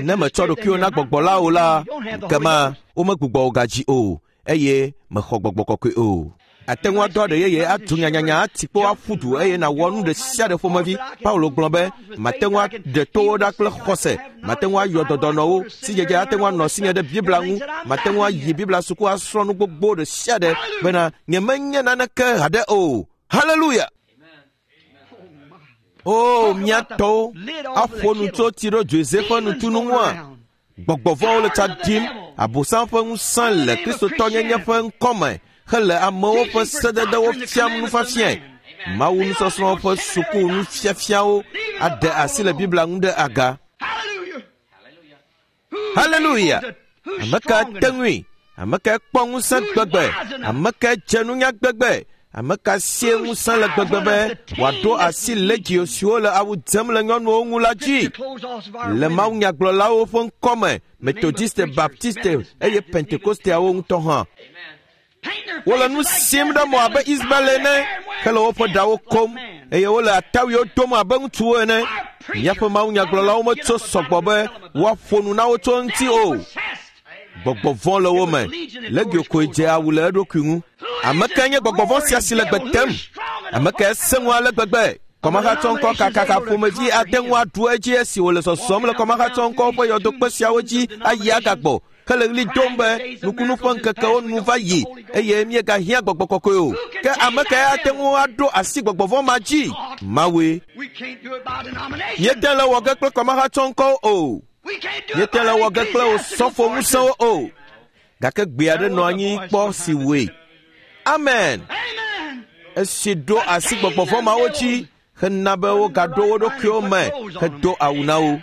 Ne metsɔ ɖokuiwò na gbɔgbɔ la o la, ekema womegbugbɔ wò gadzi o, eye mexɔ gbɔgbɔ kɔkɔe o. Ate ŋu adɔ aɖe yeye atu nyanyanya ati kpo aƒu du eye nàwɔ nu ɖe sia ɖe ƒomevi. Paulo gblɔ be, mate ŋu aɖe towo ɖa kple xɔse, mate ŋu ayɔ dɔdɔnɔwo, sidzedze ate ŋu anɔ asinye ɖe Biblia ŋu, mate ŋu ayi Biblia suku asrɔ̃ nu gbogbo ɖe sia ɖe bena nyemenye naneke haɖe o. Haleluya! O, mía tɔwo aƒo nu tso tsiɖodzoedze ƒe nutunu ŋua? Gbɔgbɔvɔ̃wo le tsa ɖim. Abosam ƒe ŋusẽ le Kristotɔnyenye ƒe ŋkɔme hele amewo ƒe sededewo fiam nufiafiae. Mawu nusɔsrɔ̃ ƒe suku nufiafiawo aɖe asi le Biblia ŋu ɖe aga. Haleluya! Ame ka te ŋui? Ame ka kpɔ ŋusẽ gbegbe? Ame ka dze nunya gbegbe? Ame ka sie ŋusẽ le gbegbe be wòaɖo asi legio siwo le awu dzem le nyɔnuwo ŋu la dzi? Le mawunyagblɔlawo ƒe ŋkɔme, Metodiste, Baptiste eye Pentekosteawo ŋutɔ hã. Wole nu sim ɖe mo abe Ismael ene, hele woƒe ɖawo kom eye wole atawuiwo dom abe ŋutsuwo ene. Míaƒe mawunyagblɔlawo metso sɔgbɔ be woaƒo nu na wo tso eŋuti o. Gbɔgbɔ vɔ̃ le wo me. Legio koe dze awu le eɖokui ŋu. Ame kae nye gbɔgbɔ vɔ̃ sia si le gbe tem? Ame kae sẽ ŋu ale gbegbe? Kɔmahatsɔŋkɔ kakaka ƒomevi ate ŋu aɖu edzi esi wòle zɔzɔm le kɔmahatsɔŋkɔwo ƒe yɔdokpe siawo dzi ayi agagbɔ hele ɣli dom be nukunu ƒe ŋkekewo nu va yi eye míegahiã gbɔgbɔ kɔkɔe o. Ke ame kae ate ŋu aɖo asi gbɔgbɔ vɔ̃ ma dzi? Mawue. Míete le wɔ ge kple kɔmahatsɔŋkɔwo o. Míete le wɔ ge kple osɔfo ŋusẽwo o. Gake gbe aɖe nɔ anyi kpɔ si wɔe. Amen. Esi ɖo asi gbɔgbɔ vɔ̃ mawo dzi hena be wogaɖo wo ɖokuiwo me hedo awu na wo.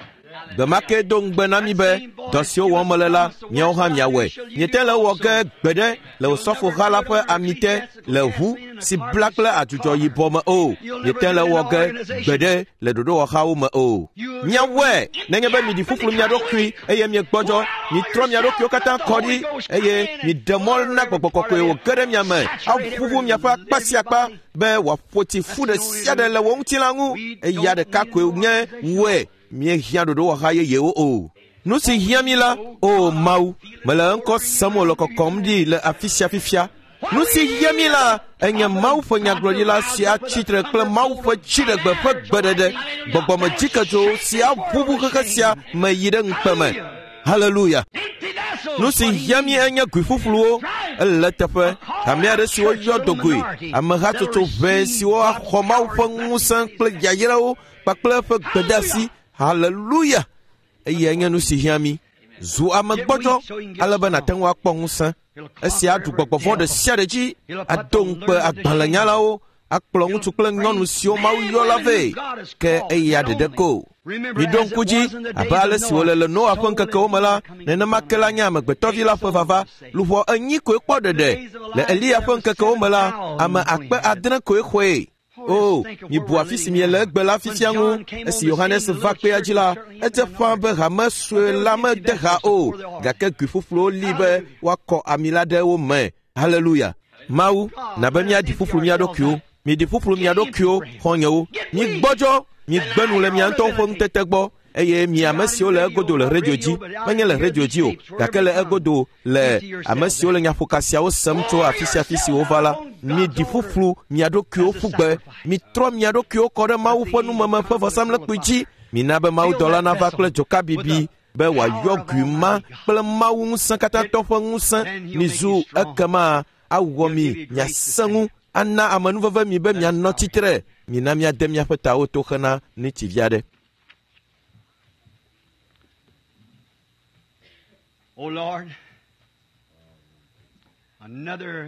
Gbe ma ke do ŋugbe na mi be dɔ siwo wɔm mele la, miawo hã miawɔe. Miete le wɔ ge gbe ɖe le osɔfoha la ƒe ami te le ʋu si bla kple adzudzɔ yibɔ me o. Miete le wɔ ge gbe ɖe le ɖoɖowɔhawo me o. Miawɔe nenye be miɖi ƒuƒlu mia ɖokui eye miegbɔdzɔ, mitrɔ mia ɖokuiwo katã kɔ ɖi eye miɖe mɔ na gbɔgbɔ kɔkɔe wòge ɖe mia me aʋuʋu miaƒe akpa sia akpa be wòaƒo tsi fu ɖe sia ɖe le wò ŋutilã ŋu. Eya ɖeka koe nye wɔe. Míehiã ɖoɖowɔha yeyewo o. Nu si hiã mi la, o Mawu, mele eŋkɔ sem wòle kɔkɔm ɖi le afi sia fifia. Nu si hiã mi la, enye Mawu ƒe nyagblɔɖila si atsi tre kple Mawu ƒe dziɖegbe ƒe gbeɖeɖe, gbɔgbɔmedzikedzo si aʋuʋu xexe sia me yi ɖe ŋukpe me. Haleluya! Nu si hiã mi enye gui ƒuƒluwo. Ele teƒe hame aɖe si woyɔ dogoe, amehatsotso ʋɛ siwo axɔ Mawu ƒe ŋusẽ kple yayrawo kpakple eƒe gbedeasi. Haleluya! Eyae nye nu si hiã mi. Zu ame gbɔdzɔ ale be nàte ŋu akpɔ ŋusẽ. Esia aɖu gbɔgbɔ vɔ̃ ɖe sia ɖe dzi, ado ŋukpe agbalẽnyalawo, akplɔ ŋutsu kple nyɔnu siwo Mawu yɔ la vɛ. Ke eya ɖeɖe ko. Miɖo ŋku dzi abe ale si wòle le Noa ƒe ŋkekewo me la, nenema ke la nye amegbetɔvi la ƒe vava. Luʋɔ enyi koe kpɔ ɖeɖe. Le Eliya ƒe ŋkekewo me la, ame akpe adre koe xɔe. O, mibu afi si miele egbe la fifia ŋu. Esi Yohanes va kpea dzi la, edze ƒã be hame sue la mede ha o, gake gui ƒuƒluwo li be woakɔ ami la ɖe wo me. Haleluya! Mawu, na be míaɖi ƒuƒlu mía ɖokuiwo. Miɖi ƒuƒlu mia ɖokuiwo, xɔ̃nyewo. Migbɔdzɔ, migbe nu le mia ŋutɔwo ƒe ŋutete gbɔ eye mi ame siwo le egodo le redio dzi, menye le redio dzi o, gake le egodo le ame siwo le nyaƒoka siawo sem tso afi sia afi si wova la, miɖi ƒuƒlu mia ɖokuiwo ƒu gbe. Mitrɔ mia ɖokuiwo kɔ ɖe Mawu ƒe numeme ƒe vɔsamlekpui dzi. Mina be mawudɔla nava kple dzoka bibi be wòayɔ gui ma kple Mawu ŋusẽ katãtɔ ƒe ŋusẽ. Mizu ekema awɔ mi miasẽ ŋu, ana amenuveve mi be mianɔ tsitre. Mina míade míaƒe tawo to hena ŋuti vi aɖe.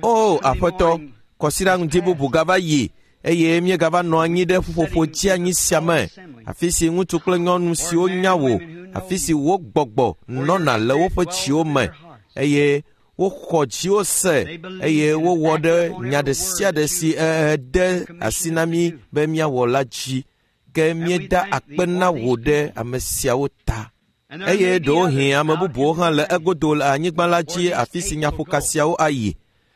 O Aƒetɔ, kɔsiɖa ŋdi bubu gava yi eye míegava nɔ anyi ɖe ƒuƒoƒo dzianyi sia me, afi si ŋutsu kple nyɔnu siwo nya wò, afi si wò gbɔgbɔ nɔna le woƒe dziwo me eye woxɔ dziwo se eye wowɔ ɖe nya ɖe sia ɖe si de asi na mí be míawɔ la dzi. Ke míeda akpe na wò ɖe ame siawo ta. Eye ɖewohĩ ame bubuwo hã le egodo le anyigba la dzi afi si nyaƒoka siawo ayi,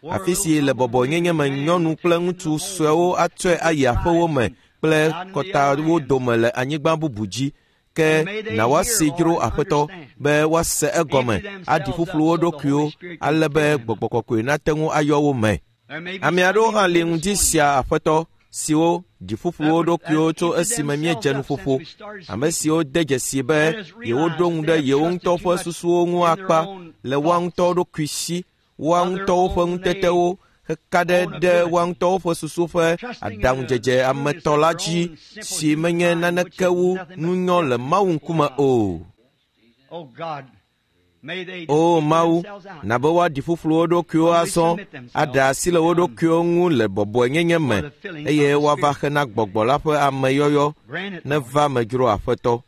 afi si le bɔbɔnyenye me nyɔnu kple ŋutsu suewo atsɔe ayi aƒewo me kple kɔtawo dome le anyigba bubu dzi. Ke na woasi dzro Aƒetɔ be woase egɔme, aɖi ƒuƒlu wo ɖokuiwo ale be gbɔgbɔ kɔkɔe nate ŋu ayɔ wo me. Ame aɖewo hã li ŋdi sia Aƒetɔ siwo ɖi ƒuƒlu wo ɖokuiwo tso esime míedze nuƒoƒo, ame siwo de dzesi be yewoɖo ŋu ɖe yewo ŋutɔ ƒe susuwo ŋu akpa le woa ŋutɔ ɖokui si, woa ŋutɔwo ƒe ŋutetewo heka ɖe ɖe woa ŋutɔwo ƒe susu ƒe aɖaŋudzedze ametɔ la dzi si menye naneke wu nunyɔ le Mawu ŋkume o. O Mawu, na be woaɖi ƒuƒlu wo ɖokuiwo azɔ, aɖe asi le wo ɖokuiwo ŋu le bɔbɔenyenye me eye woava hena gbɔgbɔ la ƒe ameyɔyɔ neva me dzro Aƒetɔ.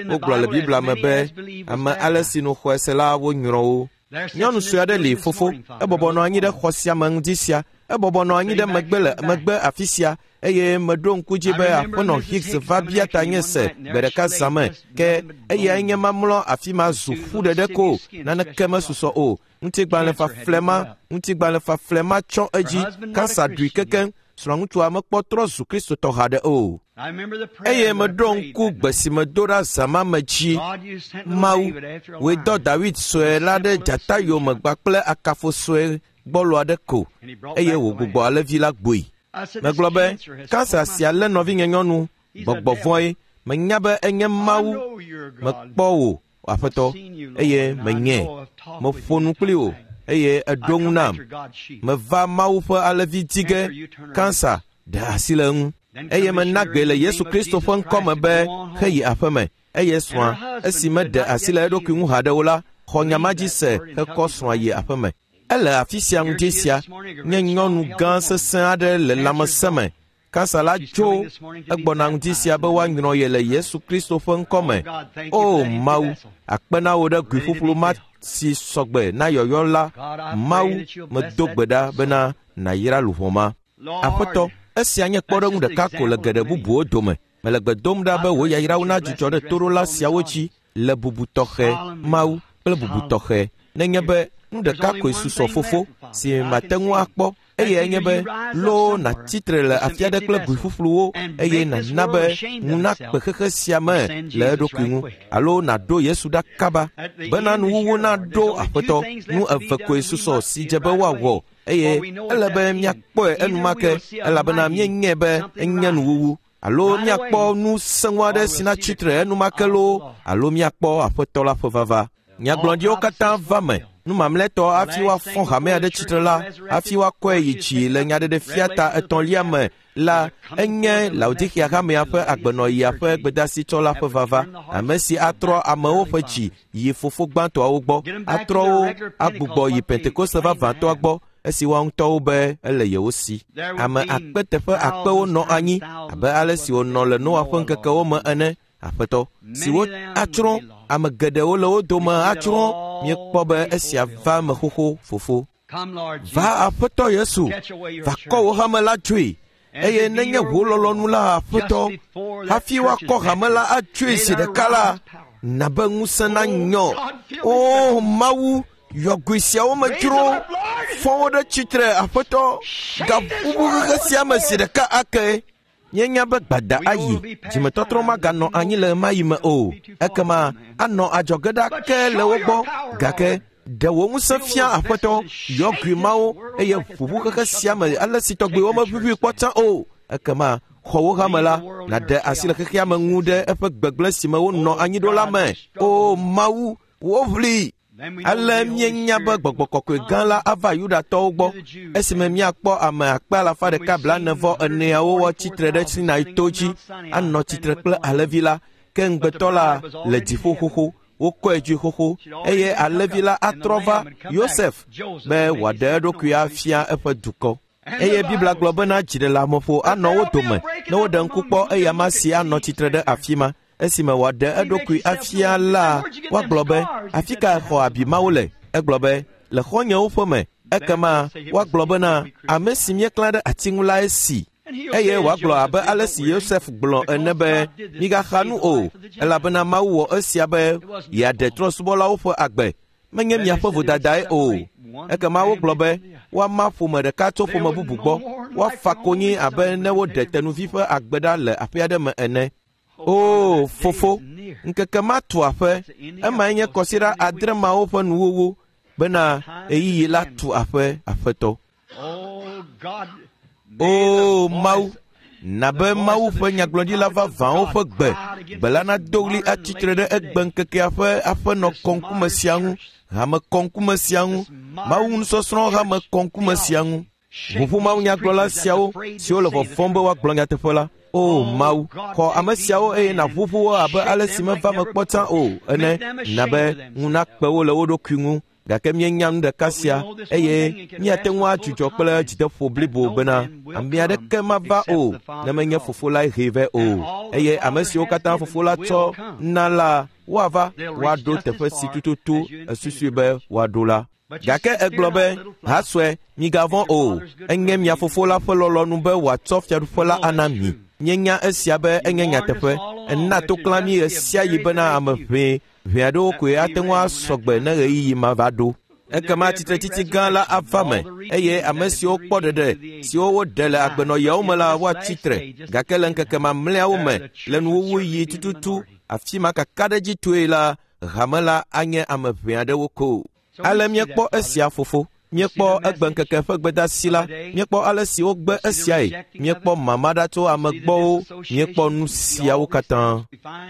Wogblɔ le Biblia me be ame ale si nu xɔe se la wonyrɔ wo. Nyɔnu sue aɖe li fofo, ebɔbɔ nɔ anyi ɖe xɔ sia me ŋdi sia, ebɔbɔ nɔ anyi ɖe megbe le megbe afi sia, eye meɖo ŋku dzi be aƒenɔ Hicks va bia ta nye se gbe ɖeka zã me, ke eyae nye mamlɔ afi ma zu ƒu ɖeɖe ko, naneke mesusɔ o. Ŋutigbalẽ faflɛ ma, ŋutigbalẽ faflɛ ma tsɔ edzi, kansa ɖui kekeŋ, srɔ̃ŋutsua mekpɔ trɔ zu Kristotɔ haɖe o. Eye meɖo ŋku gbe si medo ɖa zã ma me dzi. Mawu, wòe dɔ Dawid sue la ɖe dzata yome kpakple akafo sue gbɔlo aɖe ko, eye wògbugbɔ alẽvi la gbɔe. Megblɔ be, kansa sia lé nɔvinye nyɔnu, gbɔgbɔ vɔ̃e, menya be enye Mawu, mekpɔ wò, Aƒetɔ, eye menyae. Meƒo nu kpli wò, eye eɖo ŋu nam. Meva Mawu ƒe alẽvi di ge, kansa ɖe asi le eŋu. Eye mena gbe le Yesu Kristo ƒe ŋkɔme be heyi aƒeme, eye srɔ̃a, esi meɖe asi le eɖokui ŋu haɖe o la, xɔ nya ma dzi se hekɔ srɔ̃a yi aƒeme. Ele afi sia ŋdi sia, nye nyɔnu gã sesẽ aɖe le lãmesẽ me. Kansa la tso egbɔna ŋdi sia be woanyrɔ ye le Yesu Kristo ƒe ŋkɔme. O Mawu, akpe na wò ɖe gui ƒuƒlu ma si sɔgbe na yɔyɔ la. Mawu, medo gbe ɖa bena nàyra luʋɔ ma. Aƒetɔ, esia nye kpɔɖeŋu ɖeka ko le geɖe bubuwo dome. Mele gbe dom ɖa be wò yayrawo nadzudzɔ ɖe toɖola siawo dzi le bubu tɔxɛ, Mawu, kple bubu tɔxɛ. Nenye be nu ɖeka koe susɔ fofo si mate ŋu akpɔ, eye enye be loo nàtsi tre le afi aɖe kple gui ƒuƒluwo, eye nàna be ŋu nakpe xexe sia me le eɖokui ŋu, alo nàɖo Yesu ɖa kaba bena nuwuwu naɖo. Aƒetɔ, nu eve koe susɔ si dze be woawɔ, eye ele be míakpɔe enumake, elabena míenyae be enye nuwuwu. Alo míakpɔ nu sẽŋu aɖe si natsi tre enumake loo, alo míakpɔ Aƒetɔ la ƒe vava. Nyagblɔɖiwo katã va me. Nu mamlɛtɔ hafi woafɔ hamea ɖe tsitre la, hafi woakɔe yi dzi le nyaɖeɖefia ta etɔ̃lia me la, enye Laodikea hamea ƒe agbenɔɣia ƒe gbedasitsɔla ƒe vava, ame si atrɔ amewo ƒe dzi yi fofo gbãtɔawo gbɔ, atrɔ wo agbugbɔ yi Pentekoste vavãtɔa gbɔ, esi woa ŋutɔwo be ele yewo si. Ame akpe teƒe akpewo nɔ anyi abe ale si wònɔ le Noa ƒe ŋkekewo me ene. Aƒetɔ, siwo atsrɔ̃, ame geɖewo le wo dome atsrɔ̃. Míekpɔ be esia va me xoxo, fofo. Va Aƒetɔ Yesu, va kɔ wò hame la dzoe, eye nenye wò lɔlɔ̃nu la, Aƒetɔ, hafi woakɔ hame la atsoe zi ɖeka la, na be ŋusẽ nanyɔ. O Mawu, yɔ goe siawo me dzro, fɔ wo ɖe tsitre, Aƒetɔ, gaƒuƒu xexe sia me zi ɖeka ake. Míenya be gbada ayi, dzimetɔtrɔ maganɔ anyi le ɣemaɣi me o. Ekema anɔ adzɔge ɖa ke le wo gbɔ, gake ɖe wò ŋusẽ fia, Aƒetɔ, yɔ gui mawo, eye ʋuʋu xexe sia me ale si tɔgbi womeʋuʋui kpɔ tsã o. Ekema xɔ wo hame la, nàɖe asi le xexea me ŋu ɖe eƒe gbegblẽ si me wonɔ anyi ɖo la me. O Mawu, woʋli. Ale míenya be gbɔgbɔ kɔkɔe gã la ava Yudatɔwo gbɔ, esime míakpɔ ame akpe alafa ɖeka blaene vɔ eneawo woatsi tre ɖe Sinai to dzi, anɔ tsitre kple alẽvi la, ke ŋugbetɔ la le dziƒo xoxo, wokɔe dzoe xoxo, eye alẽvi la atrɔ va Yosef be wòaɖe eɖokui afia eƒe dukɔ. Eye Biblia gblɔ bena dziɖeleameƒo anɔ wo dome ne woɖe ŋku kpɔ eyama si anɔ tsitre ɖe afi ma. Esime wòaɖe eɖokui afia la, woagblɔ be, afi ka xɔ abi mawo le? Egblɔ be, le xɔ̃nyewo ƒe me. Ekema woagblɔ bena, ame si míeklã ɖe ati ŋu lae si. Eye wòagblɔ abe ale si Yosef gblɔ ene be, migaxa nu o, elabena Mawu wɔ esia be yeaɖe trɔ̃subɔlawo ƒe agbe. Menye miaƒe vodadae o. Ekema wogblɔ be, woama ƒome ɖeka tso ƒome bubu gbɔ, woafa konyi abe ne woɖe tenuvi ƒe agbe ɖa le aƒe aɖe me ene. O fofo, ŋkeke ma tu aƒe, emae nye kɔsiɖa adre mawo ƒe nuwuwu, bena ɣeyiɣi la tu aƒe, Aƒetɔ. O Mawu, na be Mawu ƒe nyagblɔɖila vavãwo ƒe gbe, gbe la nado ɣli atsi tre ɖe egbe ŋkekea ƒe aƒenɔ kɔŋkume sia ŋu, hame kɔŋkume sia ŋu, Mawu nusɔsrɔ̃ hame kɔŋkume sia ŋu. Ʋuʋu Mawu nyagblɔla siawo siwo le vɔvɔ̃m be woagblɔ nyateƒe la. O Mawu, xɔ ame siawo eye nàʋuʋu wo abe ale si meva me kpɔ tsã o ene, na be ŋu nakpe wo le wo ɖokui ŋu Gake míenya nu ɖeka sia eye míate ŋu adzudzɔ kple dzideƒo blibo bena ame aɖeke mava o ne menye fofo lae hee vɛ o. Eye ame siwo katã fofo la tsɔ na la woava woaɖo teƒe si tututu esusui be woaɖo la. Gake egblɔ be, hasɔe, migavɔ̃ o, enye mia fofo la ƒe lɔlɔ̃nu be wòatsɔ fiaɖuƒe la ana mi. Míenya esia be enye nyateƒe. Ena toklã mí ɣe sia ɣi bena ame ʋɛ ʋɛ aɖewo koe ate ŋu asɔgbe ne ɣeyiɣi ma va ɖo. Ekema tsitretsitsi gã la ava me eye ame siwo kpɔ ɖeɖe siwo woɖe le agbenɔɣiawo me la woatsi tre. Gake le ŋkeke mamlɛawo me le nuwuwuɣi tututu afi ma kakaɖedzitɔe la hame la anye ame ʋɛ aɖewo ko. Ale míekpɔ esia fofo. Míekpɔ egbeŋkeke ƒe gbedasi la, míekpɔ ale si wogbe esiae, míekpɔ mama ɖa tso ame gbɔwo, míekpɔ nu siawo katã.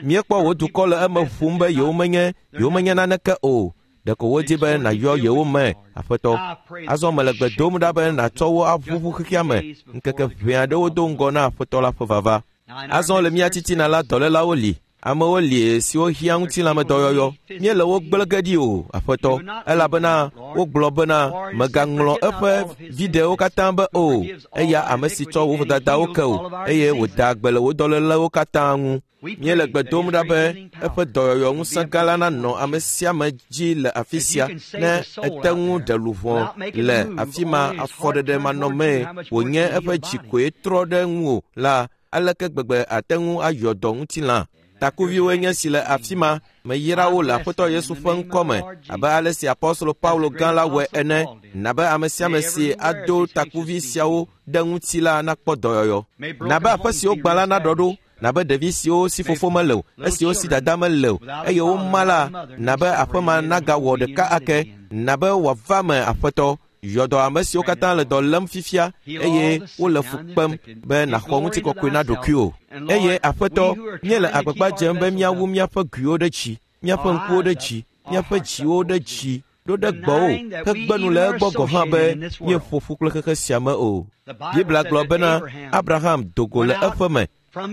Míekpɔ wò dukɔ le eme ƒom be yewomenye yewomenye naneke o. Ɖeko wodi be nàyɔ yewo me, Aƒetɔ. Azɔ mele gbe dom ɖa be nàtsɔ wo aʋuʋu xexea me ŋkeke ʋɛ aɖewo do ŋgɔ na Aƒetɔ la ƒe vava. Azɔ le mía titina la dɔlélawo li. Amewo li siwo hiã ŋutilãmedɔyɔyɔ. Míele wo gblẽ ge ɖi o, Aƒetɔ, elabena wogblɔ bena mègaŋlɔ eƒe viɖewo katã be o, eya ame si tsɔ wò vodadawo ke o, eye wòda agbe le wò dɔlélewo katã ŋu. Míele gbe dom ɖa be eƒe dɔyɔyɔ ŋusẽ gã la nanɔ ame sia ame dzi le afi sia ne ete ŋu ɖe luʋɔ le afi ma afɔɖeɖe manɔmee wònye eƒe dzi koe trɔ ɖe ŋuwò la, aleke gbegbe ate ŋu ayɔ dɔ ŋutilã. Takuviwoe nye si le afi ma, meyra wo le Aƒetɔ Yesu ƒe ŋkɔ me abe ale si Apostolo Paulo gã la wɔe ene, na be ame sia ame si ado takuvi siawo ɖe ŋuti la nakpɔ dɔyɔyɔ. Na be aƒe siwo gbã la naɖɔ ɖo, na be ɖevi siwo si fofo mele o, esiwo si dada mele o, eye woma la, na be aƒe ma nagawɔ ɖeka ake, na be wòava me Aƒetɔ. Yɔ dɔ ame siwo katã le dɔ lém fifia eye wole fu kpem be nàxɔ ŋutikɔkɔe na ɖokuiwò. Eye Aƒetɔ, míele agbagba dzem be míawu míaƒe guiwo ɖe dzi, míaƒe ŋkuwo ɖe dzi, míaƒe dziwo ɖe dzi ɖo ɖe gbɔwò hegbe nu le egbɔ gɔ̃ hã be míeƒo ƒu kple xexe sia me o. Biblia gblɔ bena Abraham do go le eƒe me,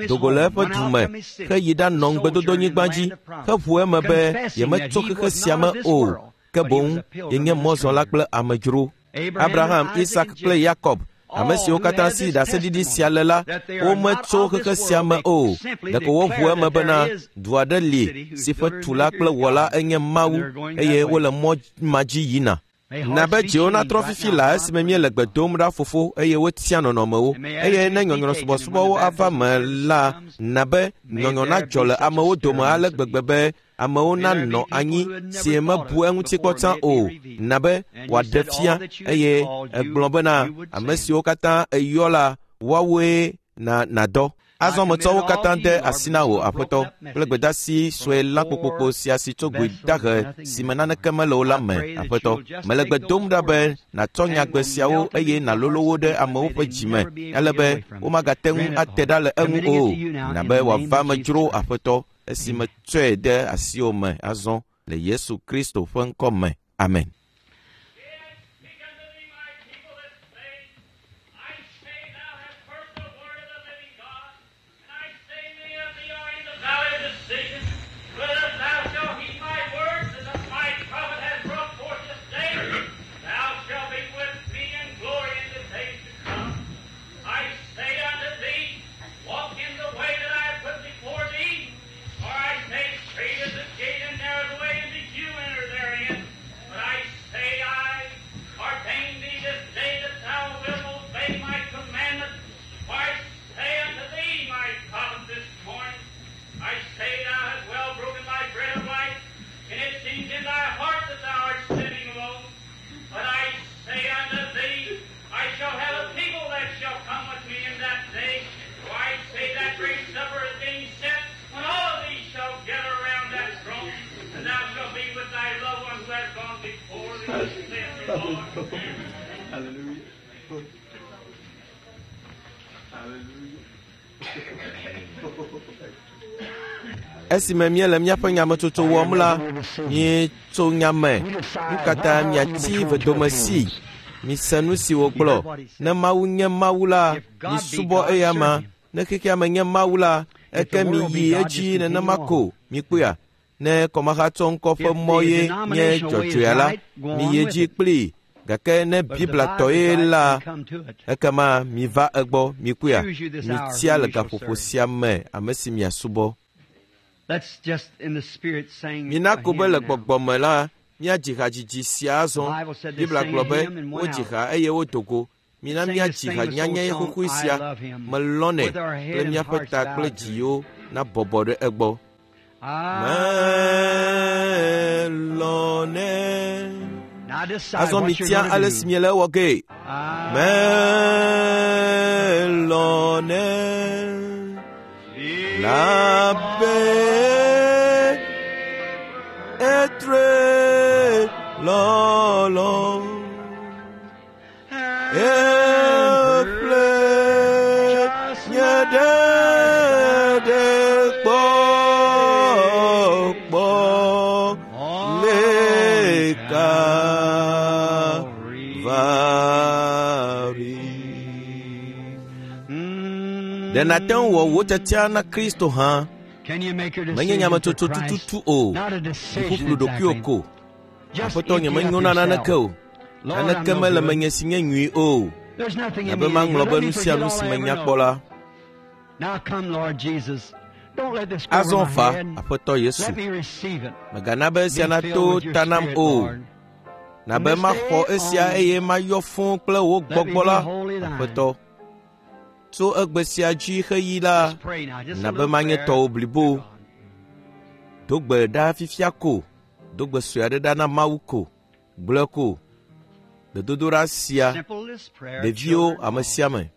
do go le eƒe du me heyi ɖanɔ ŋugbedodonyigba dzi heʋu eme be yemetso xexe sia me o, ke boŋ yenye mɔzɔla kple amedzro. Abraham, Isak kple Yakob, ame siwo katã si ɖaseɖiɖi sia le la, wometso xexe sia me o. Ɖeko woʋu eme bena du aɖe li si ƒe tula kple wɔla enye Mawu eye wole mɔ ma dzi yina. Na be dziwo natrɔ fifi la esime míele gbe dom ɖa fofo eye wotia nɔnɔmewo. Eye ne nyɔnyrɔsubɔsubɔwo ava me la, na be nyɔnyɔ nadzɔ le amewo dome ale gbegbe be amewo nanɔ anyi si mebu eŋuti kpɔ tsã o, na be wòaɖe fia eye egblɔ bena ame siwo katã eyɔ la woawoe na nadɔ. Azɔ metsɔ wo katã de asi na wò, Aƒetɔ, kple gbedasi sue la kpokpokpo sia si tso goe dahe si me naneke mele o la me, Aƒetɔ. Mele gbe dom ɖa be nàtsɔ nyagbe siawo eye nàlolo wo ɖe amewo ƒe dzi me ale be womagate ŋu ate ɖa le eŋu o, na be wòava me dzro, Aƒetɔ, esi metsɔe de asiwò me azɔ le Yesu Kristo ƒe ŋkɔ me. Amen. Esime míele míaƒe nyametsotso wɔm la, míetso nya me. Nu ka ta miatsi vedomesi? Mise nu si wògblɔ. Ne Mawu nye Mawu la, misubɔ eyama. Ne xexea me nye Mawu la, eke miyi edzi nenema ko. Mikpɔea? Ne kɔmahatsɔ ŋkɔ ƒe mɔ ye nye dzɔdzɔea la, miyi edzi kplii. Gake ne Biblia tɔ ye la, ekema miva egbɔ, mikuya, mitia le gaƒoƒo sia me ame si miasubɔ. Mina ko be le gbɔgbɔ me la, míadzi hadzidzi sia azɔ. Biblia gblɔ be wodzi ha eye wodo go. Mina míadzi ha nyanya xoxoe sia, melɔnɛ kple míaƒe ta kple dziwo nabɔbɔ ɖe egbɔ. Melɔnɛ. Azɔ mitia ale si miele ewɔ gee. Melɔnɛ. Labe etre lɔlɔ. Eƒle nye ɖeɖe kpɔkpɔ le Kalvari. Ɖe nàte ŋu wɔ wò tiatia na Kristo hã? Menye nyametsotso tututu o, ƒuƒlu ɖokuiwò ko. Aƒetɔ, nyemenyo na naneke o. Naneke mele menye si nye nyui o. Abe maŋlɔ be nu sia nu si menya kpɔ la. Azɔ va, Aƒetɔ Yesu. Mègana be esia nato ta nam o. Na be maxɔ esia eye mayɔ fũu kple wò gbɔgbɔ la, Aƒetɔ. Tso egbe sia dzi xeyi la, na be manye tɔwò blibo. Do gbe ɖa fifia ko. Do gbe sue aɖe ɖa na Mawu ko. Gblɔe ko. Gbedodoɖa sia, ɖeviwo, ame sia ame.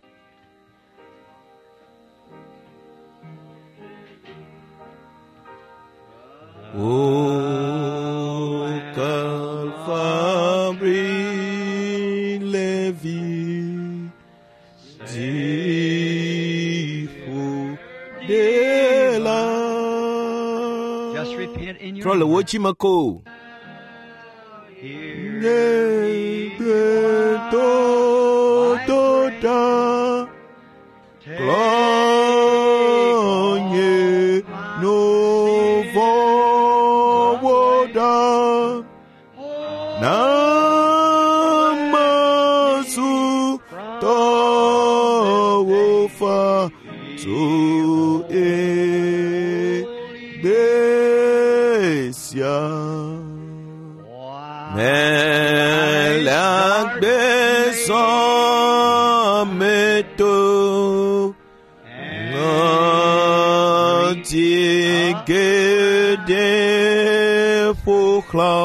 O Kalvari Levi, dziƒo ɖela. Trɔ le wò dzime ko. Nye gbedodoɖa klɔ nye nu vɔ̃wo ɖa. Na mazu tɔwò fa tso egbe sia. Mele agbe zɔme to ŋɔti geɖe ƒo xlã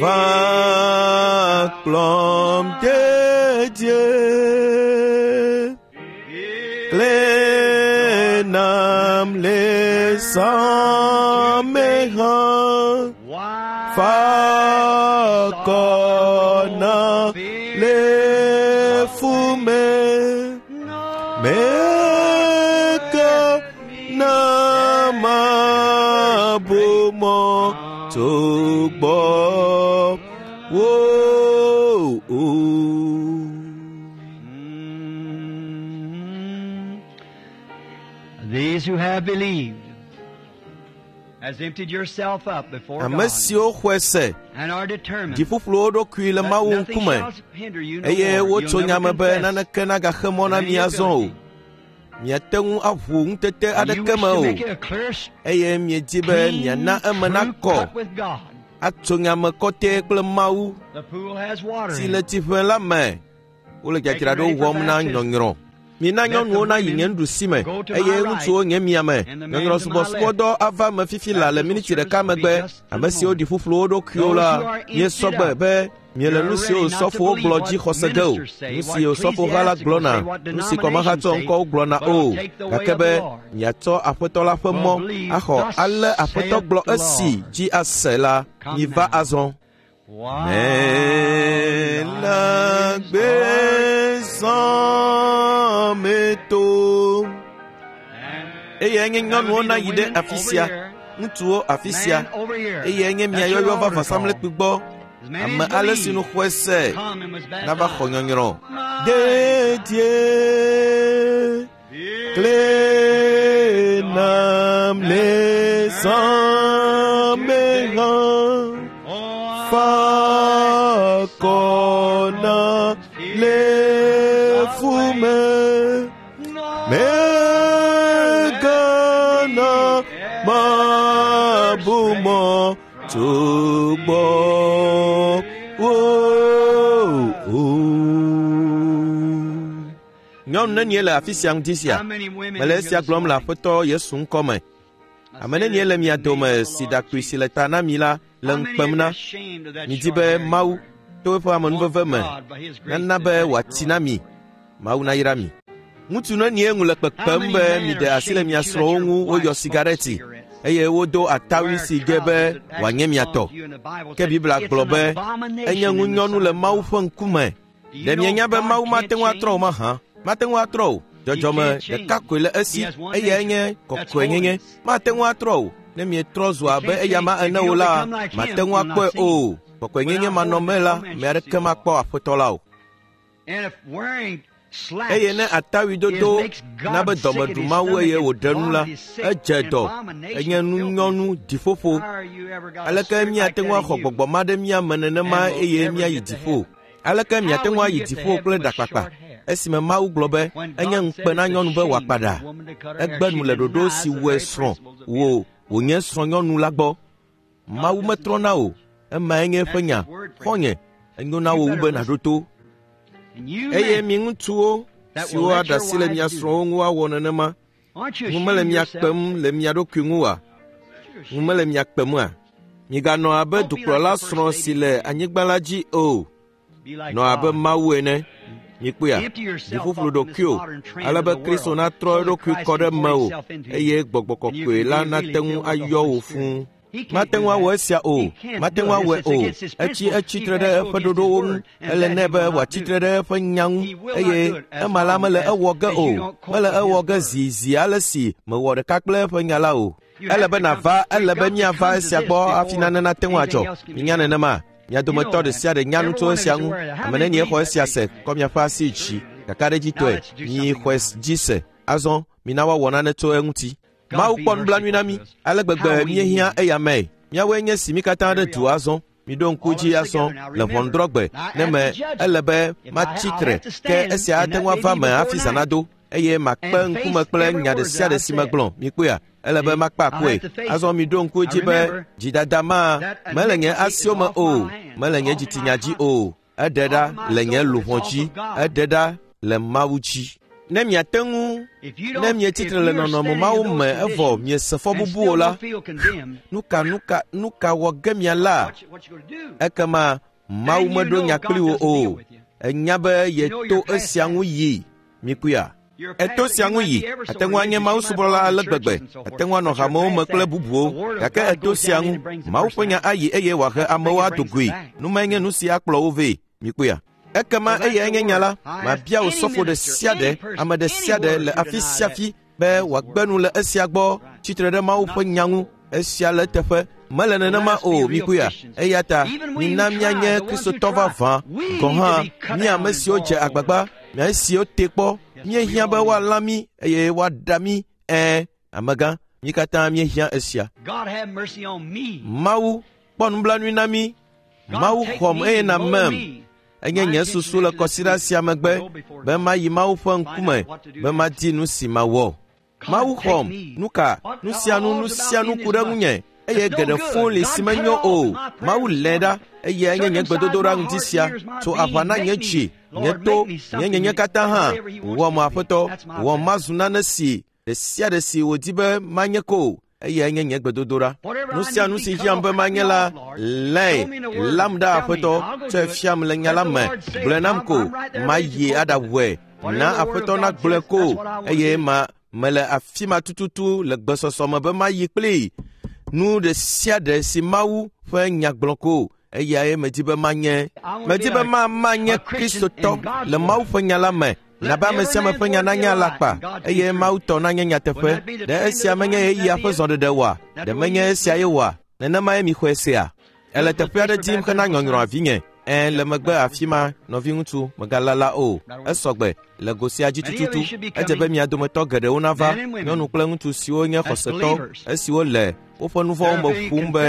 va kplɔm dedie. Kle nam le zã me hã. Fa kɔ na le fu me. Meke na mabu mɔ tso gbɔ wo o. These who have believed has emptied yourself up before Ame God siwo xɔe se and are determined dziƒuƒlu wo ɖokui le that Mawu nothing ŋkume shall hinder you no eye more. You'll wotso never nya me be confess naneke nagaxe mɔ na any mi azɔ o. ability. Miate ŋu aʋu ŋutete And you aɖeke wish me to o make it a clear, eye miedi be clean, miana eme true nakɔ cut with God. atso nya me kɔtɛ kple Mawu The pool has water si in le it. tsiʋe la me. Wole dzadzraɖo wɔm na nyɔnyrɔ. Mina nyɔnuwo nayi nye nuɖusi me eye ŋutsuwo nye mia me. Nyɔnyrɔ subɔsubɔdɔ ava me fifi la le miniti ɖeka megbe. Ame siwo ɖi ƒuƒlu wo ɖokuiwo la, miesɔ gbe be miele nu siwo sɔfowo gblɔ dzi xɔse ge o. Nu si sɔfoha la gblɔna, nu si kɔmahatsɔ ŋkɔwo gblɔna o. Gake be miatsɔ Aƒetɔ la ƒe mɔ axɔ ale Aƒetɔ gblɔ esi dzi ase la, miva azɔ. Mele agbe zã me to. Eye nye nyɔnuwo nayi ɖe afi sia, ŋutsuwo afi sia, eye nye mia yɔyɔ va vɔsamlekpui gbɔ. Ame ale si nu xɔe se nava xɔ nyɔnyrɔ. Dedie kle nam le zã me hã fa akɔ na le fu me. Megana mabu mɔ tso gbɔ wo o. Nyɔnu nenie le afi sia ŋdi sia? Mele esia gblɔm le Aƒetɔ Yesu ŋkɔ me. Ame nenie le mia dome si ɖakpui si le ta na mi la le ŋu kpem na? Midi be Mawu to eƒe amenuveve me nana be wòatsi na mi. Mawu nayra mi. Ŋutsu nenie ŋu le kpekpem be miɖe asi le mia srɔ̃wo ŋu woyɔ sigareti eye wodo atawui si ge be wòanye mia tɔ. Ke Biblia gblɔ be enye ŋunyɔnu le Mawu ƒe ŋkume. Ɖe mienya be Mawu mate ŋu atrɔ o mahã? Mate ŋu atrɔ o. Dzɔdzɔme ɖeka koe le esi, eyae nye kɔkɔenyenye. Mate ŋu atrɔ o. Ne mietrɔ zu abe eyama ene o la, mate ŋu akpɔe o. Kɔkɔenyenye manɔme la, ame aɖeke makpɔ Aƒetɔ la o. Eye ne atawui dodo na be dɔme ɖu Mawu eye wòɖe nu la, edze dɔ, enye nunyɔnu dziƒoƒo. Aleke míate ŋu axɔ gbɔgbɔ ma ɖe mía me nenema eye míayi dziƒo? Aleke miate ŋu ayi dziƒo kple ɖakpakpa? Esime Mawu gblɔ be enye ŋukpe na nyɔnu be wòakpa ɖa. Egbe nu le ɖoɖo si wɔe srɔ̃ wò wònye srɔ̃nyɔnu la gbɔ. Mawu metrɔna o. Emae nye eƒe nya. Xɔ̃nye, enyo na wò wu be nàɖo to. Eye mi ŋutsuwo siwo aɖe asi le mia srɔ̃wo ŋu woawɔ nenema, ŋu mele mia kpem le mia ɖokui ŋu oa? Ŋu mele mia kpem oa? Miganɔ abe dukplɔla srɔ̃ si le anyigba la dzi o. Nɔ abe Mawu ene. Mikpɔea, ɖiƒoƒlo ɖokuiwò, ale be Kristo natrɔ eɖokui kɔ ɖe mewò eye Gbɔgbɔ Kɔkɔe la nate ŋu ayɔ wò fũu. Mate ŋu awɔ esia o. Mate ŋu awɔe o. Etsi etsitre ɖe eƒe ɖoɖowo ŋu. Ele nɛ be wòatsitre ɖe eƒe nya ŋu eye ema la mele ewɔ ge o. Mele ewɔ ge zi zi ale si mewɔ ɖeka kple eƒe nya la o. Ele be nàva, ele be míava esia gbɔ hafi nane nate ŋu adzɔ. Minya nenema? Mia dometɔ ɖe sia ɖe nya nu tso esia ŋu. Ame nenie xɔ esia se kɔ miaƒe asi dzi. Kakaɖedzitɔe, mi xɔe dzi se. Azɔ mina woawɔ nane tso eŋuti. Mawu kpɔ nublanui na mí ale gbegbe míehiã eya mee. Míawoe nye si mí katã ɖe du azɔ. Miɖo ŋku dzi azɔ le ʋɔnudrɔ̃gbe ne me ele be matsi tre ke esia ate ŋu ava me hafi zã nado eye makpe ŋkume kple nya ɖe sia ɖe si megblɔ. Mikpɔea? Ele be makpe akɔe. Azɔ miɖo ŋku dzi be dzidada ma mele nye asiwo me o, mele nye dzitsinya dzi o. Eɖe ɖa le nye luʋɔ dzi, eɖe ɖa le Mawu dzi. Ne miate ŋu, ne mietsi tre le nɔnɔme mawo me evɔ miese fɔbubu o la, nuka nuka nuka wɔ ge miala? Ekema Mawu meɖo nya kpli wò o. Enya be yeto esia ŋu yi. Mikpɔea? Eto sia ŋu yi. Ate ŋu anye Mawu subɔla ale gbegbe. Ate ŋu anɔ hamewo me kple bubuwo. Gake eto sia ŋu. Mawu ƒe nya ayi eye wòahe amewo ado goe. Nu mae nye nu si akplɔ wo vɛ. Mikpɔea? Ekema eyae nye nya la. Mabia osɔfo ɖe sia ɖe, ame ɖe sia ɖe le afi sia afi be wòagbe nu le esia gbɔ tsitre ɖe Mawu ƒe nya ŋu. Esia le eteƒe. Mele nenema o, mikpɔea? Eya ta mina míanye Kristotɔ vavã gɔ̃ hã, mí ame siwo dze agbagba, mía siwo te kpɔ, míehiã be woalã mí eye woaɖa mí. Ɛ̃, amegã, mí katã míehiã esia. Mawu kpɔ nublanui na mí. Mawu xɔm eye nàmem. Enye nye susu le kɔsiɖa sia megbe be mayi Mawu ƒe ŋkume be madi nu si mawɔ. Mawu xɔm, nu ka, nu sia nu, nu sia nu ku ɖe ŋunye eye geɖe fũu li si menyo o. Mawu lé ɖa eye enye nye gbedodoɖa ŋdi sia. Tso aʋa na nye dzi, nye to, nye nyenye katã hã. Wɔm Aƒetɔ, wɔm mazu nane si ɖe sia ɖe si wòdi be manye ko. Eye enye nye gbedodoɖa. Nu sia nu si hiãm be manye la, lée, lam ɖa Aƒetɔ, tsɔe fiam le nya la me. Gblɔe nam ko, mayi aɖawɔe. Na Aƒetɔ nagblɔe ko eye ma mele afi ma tututu le gbesɔsɔ me be mayi kplii. Nu ɖe sia ɖe si Mawu ƒe nya gblɔ ko, eyae medi be manye. Medi be ma manye Kristotɔ le Mawu ƒe nya la me. Na be ame sia ame ƒe nya nanye alakpa eye Mawu tɔ nanye nyateƒe. Ɖe esia menye ɣeyiɣia ƒe zɔɖeɖe oa? Ɖe menye esia ye oa? Nenemae mixɔe sea? Ele teƒe aɖe dim hena nyɔnyrɔ vinye. Ẽ, le megbe afi ma, nɔviŋutsu, mègalala o. Esɔgbe le go sia dzi tututu. Edze be mia dometɔ geɖewo nava, nyɔnu kple ŋutsu siwo nye xɔsetɔ, esiwo le woƒe nu vɔ̃wo me ƒum be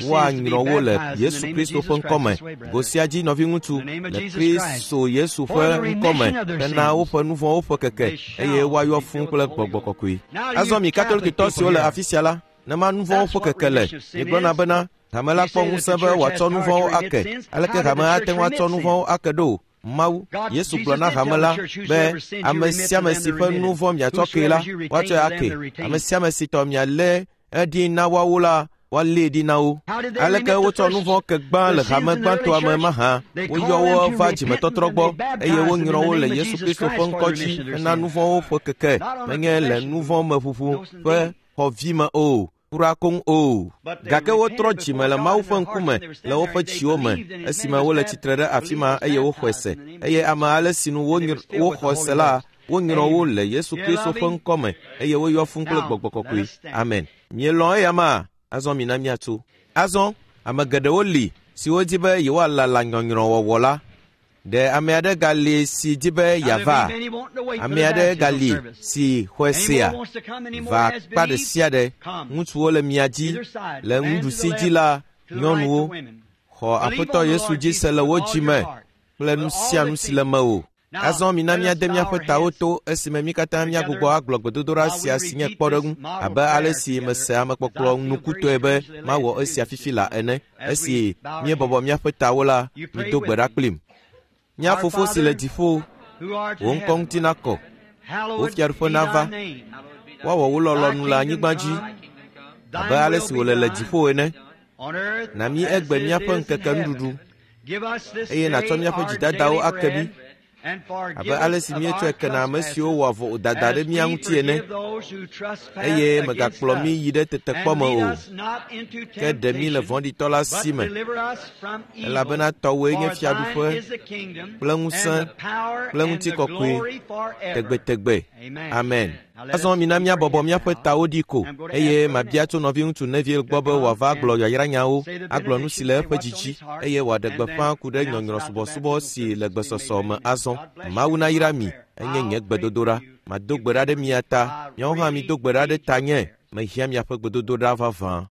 woanyrɔ wo le Yesu Kristo ƒe ŋkɔme. Go sia dzi nɔviŋutsu le Kristo Yesu ƒe ŋkɔme hena woƒe nu vɔ̃wo ƒe keke eye woayɔ fũu kple gbɔgbɔ kɔkɔe. Azɔ mi Katolikitɔ siwo le afi sia la, nema nu vɔ̃wo ƒe keke le, miegblɔna bena hame la kpɔ ŋusẽ be wòatsɔ nu vɔ̃wo ake. Aleke hame ate ŋu atsɔ nu vɔ̃wo ake ɖo? Mawu, Yesu gblɔ na hame la be ame sia ame si ƒe nu vɔ̃ miatsɔ kee la, woatsɔe ake. Ame sia ame si tɔ mialé eɖi na woawo la, woalée ɖi na wo. Aleke wotsɔ nu vɔ̃ ke gbã le hame gbãtɔa me mahã? Woyɔ wo va dzimetɔtrɔ gbɔ eye wonyrɔ wo le Yesu Kristo ƒe ŋkɔ dzi hena nu vɔ̃wo ƒe keke, menye le nu vɔ̃ me ʋuʋu ƒe xɔvi me o. Kura koŋ o. Gake wotrɔ dzime le Mawu ƒe ŋkume le woƒe dziwo me esime wole tsitre ɖe afi ma eye woxɔe se. Eye ame ale si nu woxɔ se la, wonyrɔ wo le Yesu Kristo ƒe ŋkɔme eye woyɔ fũu kple gbɔgbɔ kɔkɔe. Amen. Mielɔ̃ eya ma? Azɔ mina míatso. Azɔ ame geɖewo li siwo di be yewoalala nyɔnyrɔwɔwɔ la. Ɖe ame aɖe gali si di be yeava? Ame aɖe gali si xɔe sea? Va akpa ɖe sia ɖe. Ŋutsuwo le mia dzi, le nuɖusi dzi la, nyɔnuwo. Xɔ Aƒetɔ Yesu dzi se le wo dzime kple nu sia nu si le mewò. Azɔ mina míade míaƒe tawo to esime mí katã míagbugbɔ agblɔ gbedodoɖa sia si nye kpɔɖeŋu abe ale si mese amekpɔkplɔ nukutɔe be mawɔ esia fifi la ene. Esi míebɔbɔ míaƒe tawo la, mido gbe ɖa kplim. Mía Fofo si le dziƒo, wò ŋkɔ ŋuti nakɔ, wò fiaɖuƒe nava, woawɔ wò lɔlɔ̃nu le anyigba dzi abe ale si wòle le dziƒo ene. Na mí egbe míaƒe ŋkeke nuɖuɖu eye nàtsɔ míaƒe dzidadawo ake mí abe ale si míetsɔe kena ame siwo wɔ vodada ɖe mía ŋuti ene. Eye mègakplɔ mí yi ɖe tetekpɔ me o, ke ɖe mí le vɔ̃ɖitɔ la si me, elabena tɔwòe nye fiaɖuƒe kple ŋusẽ kple ŋutikɔkɔe tegbetegbe. Amen. Azɔ mina míabɔbɔ míaƒe tawo ɖi ko eye mabia tso nɔviŋutsu Neville gbɔ be wòava agblɔ yayranyawo, agblɔ nu si le eƒe dzi dzi eye wòaɖe gbeƒã ku ɖe nyɔnyrɔsubɔsubɔ si le gbesɔsɔ me azɔ. Mawu nayra mi, enye nye gbedodoɖa. Mado gbe ɖa ɖe mia ta, miawo hã mido gbe ɖa ɖe tanye. Mehiã miaƒe gbedodoɖa vavã.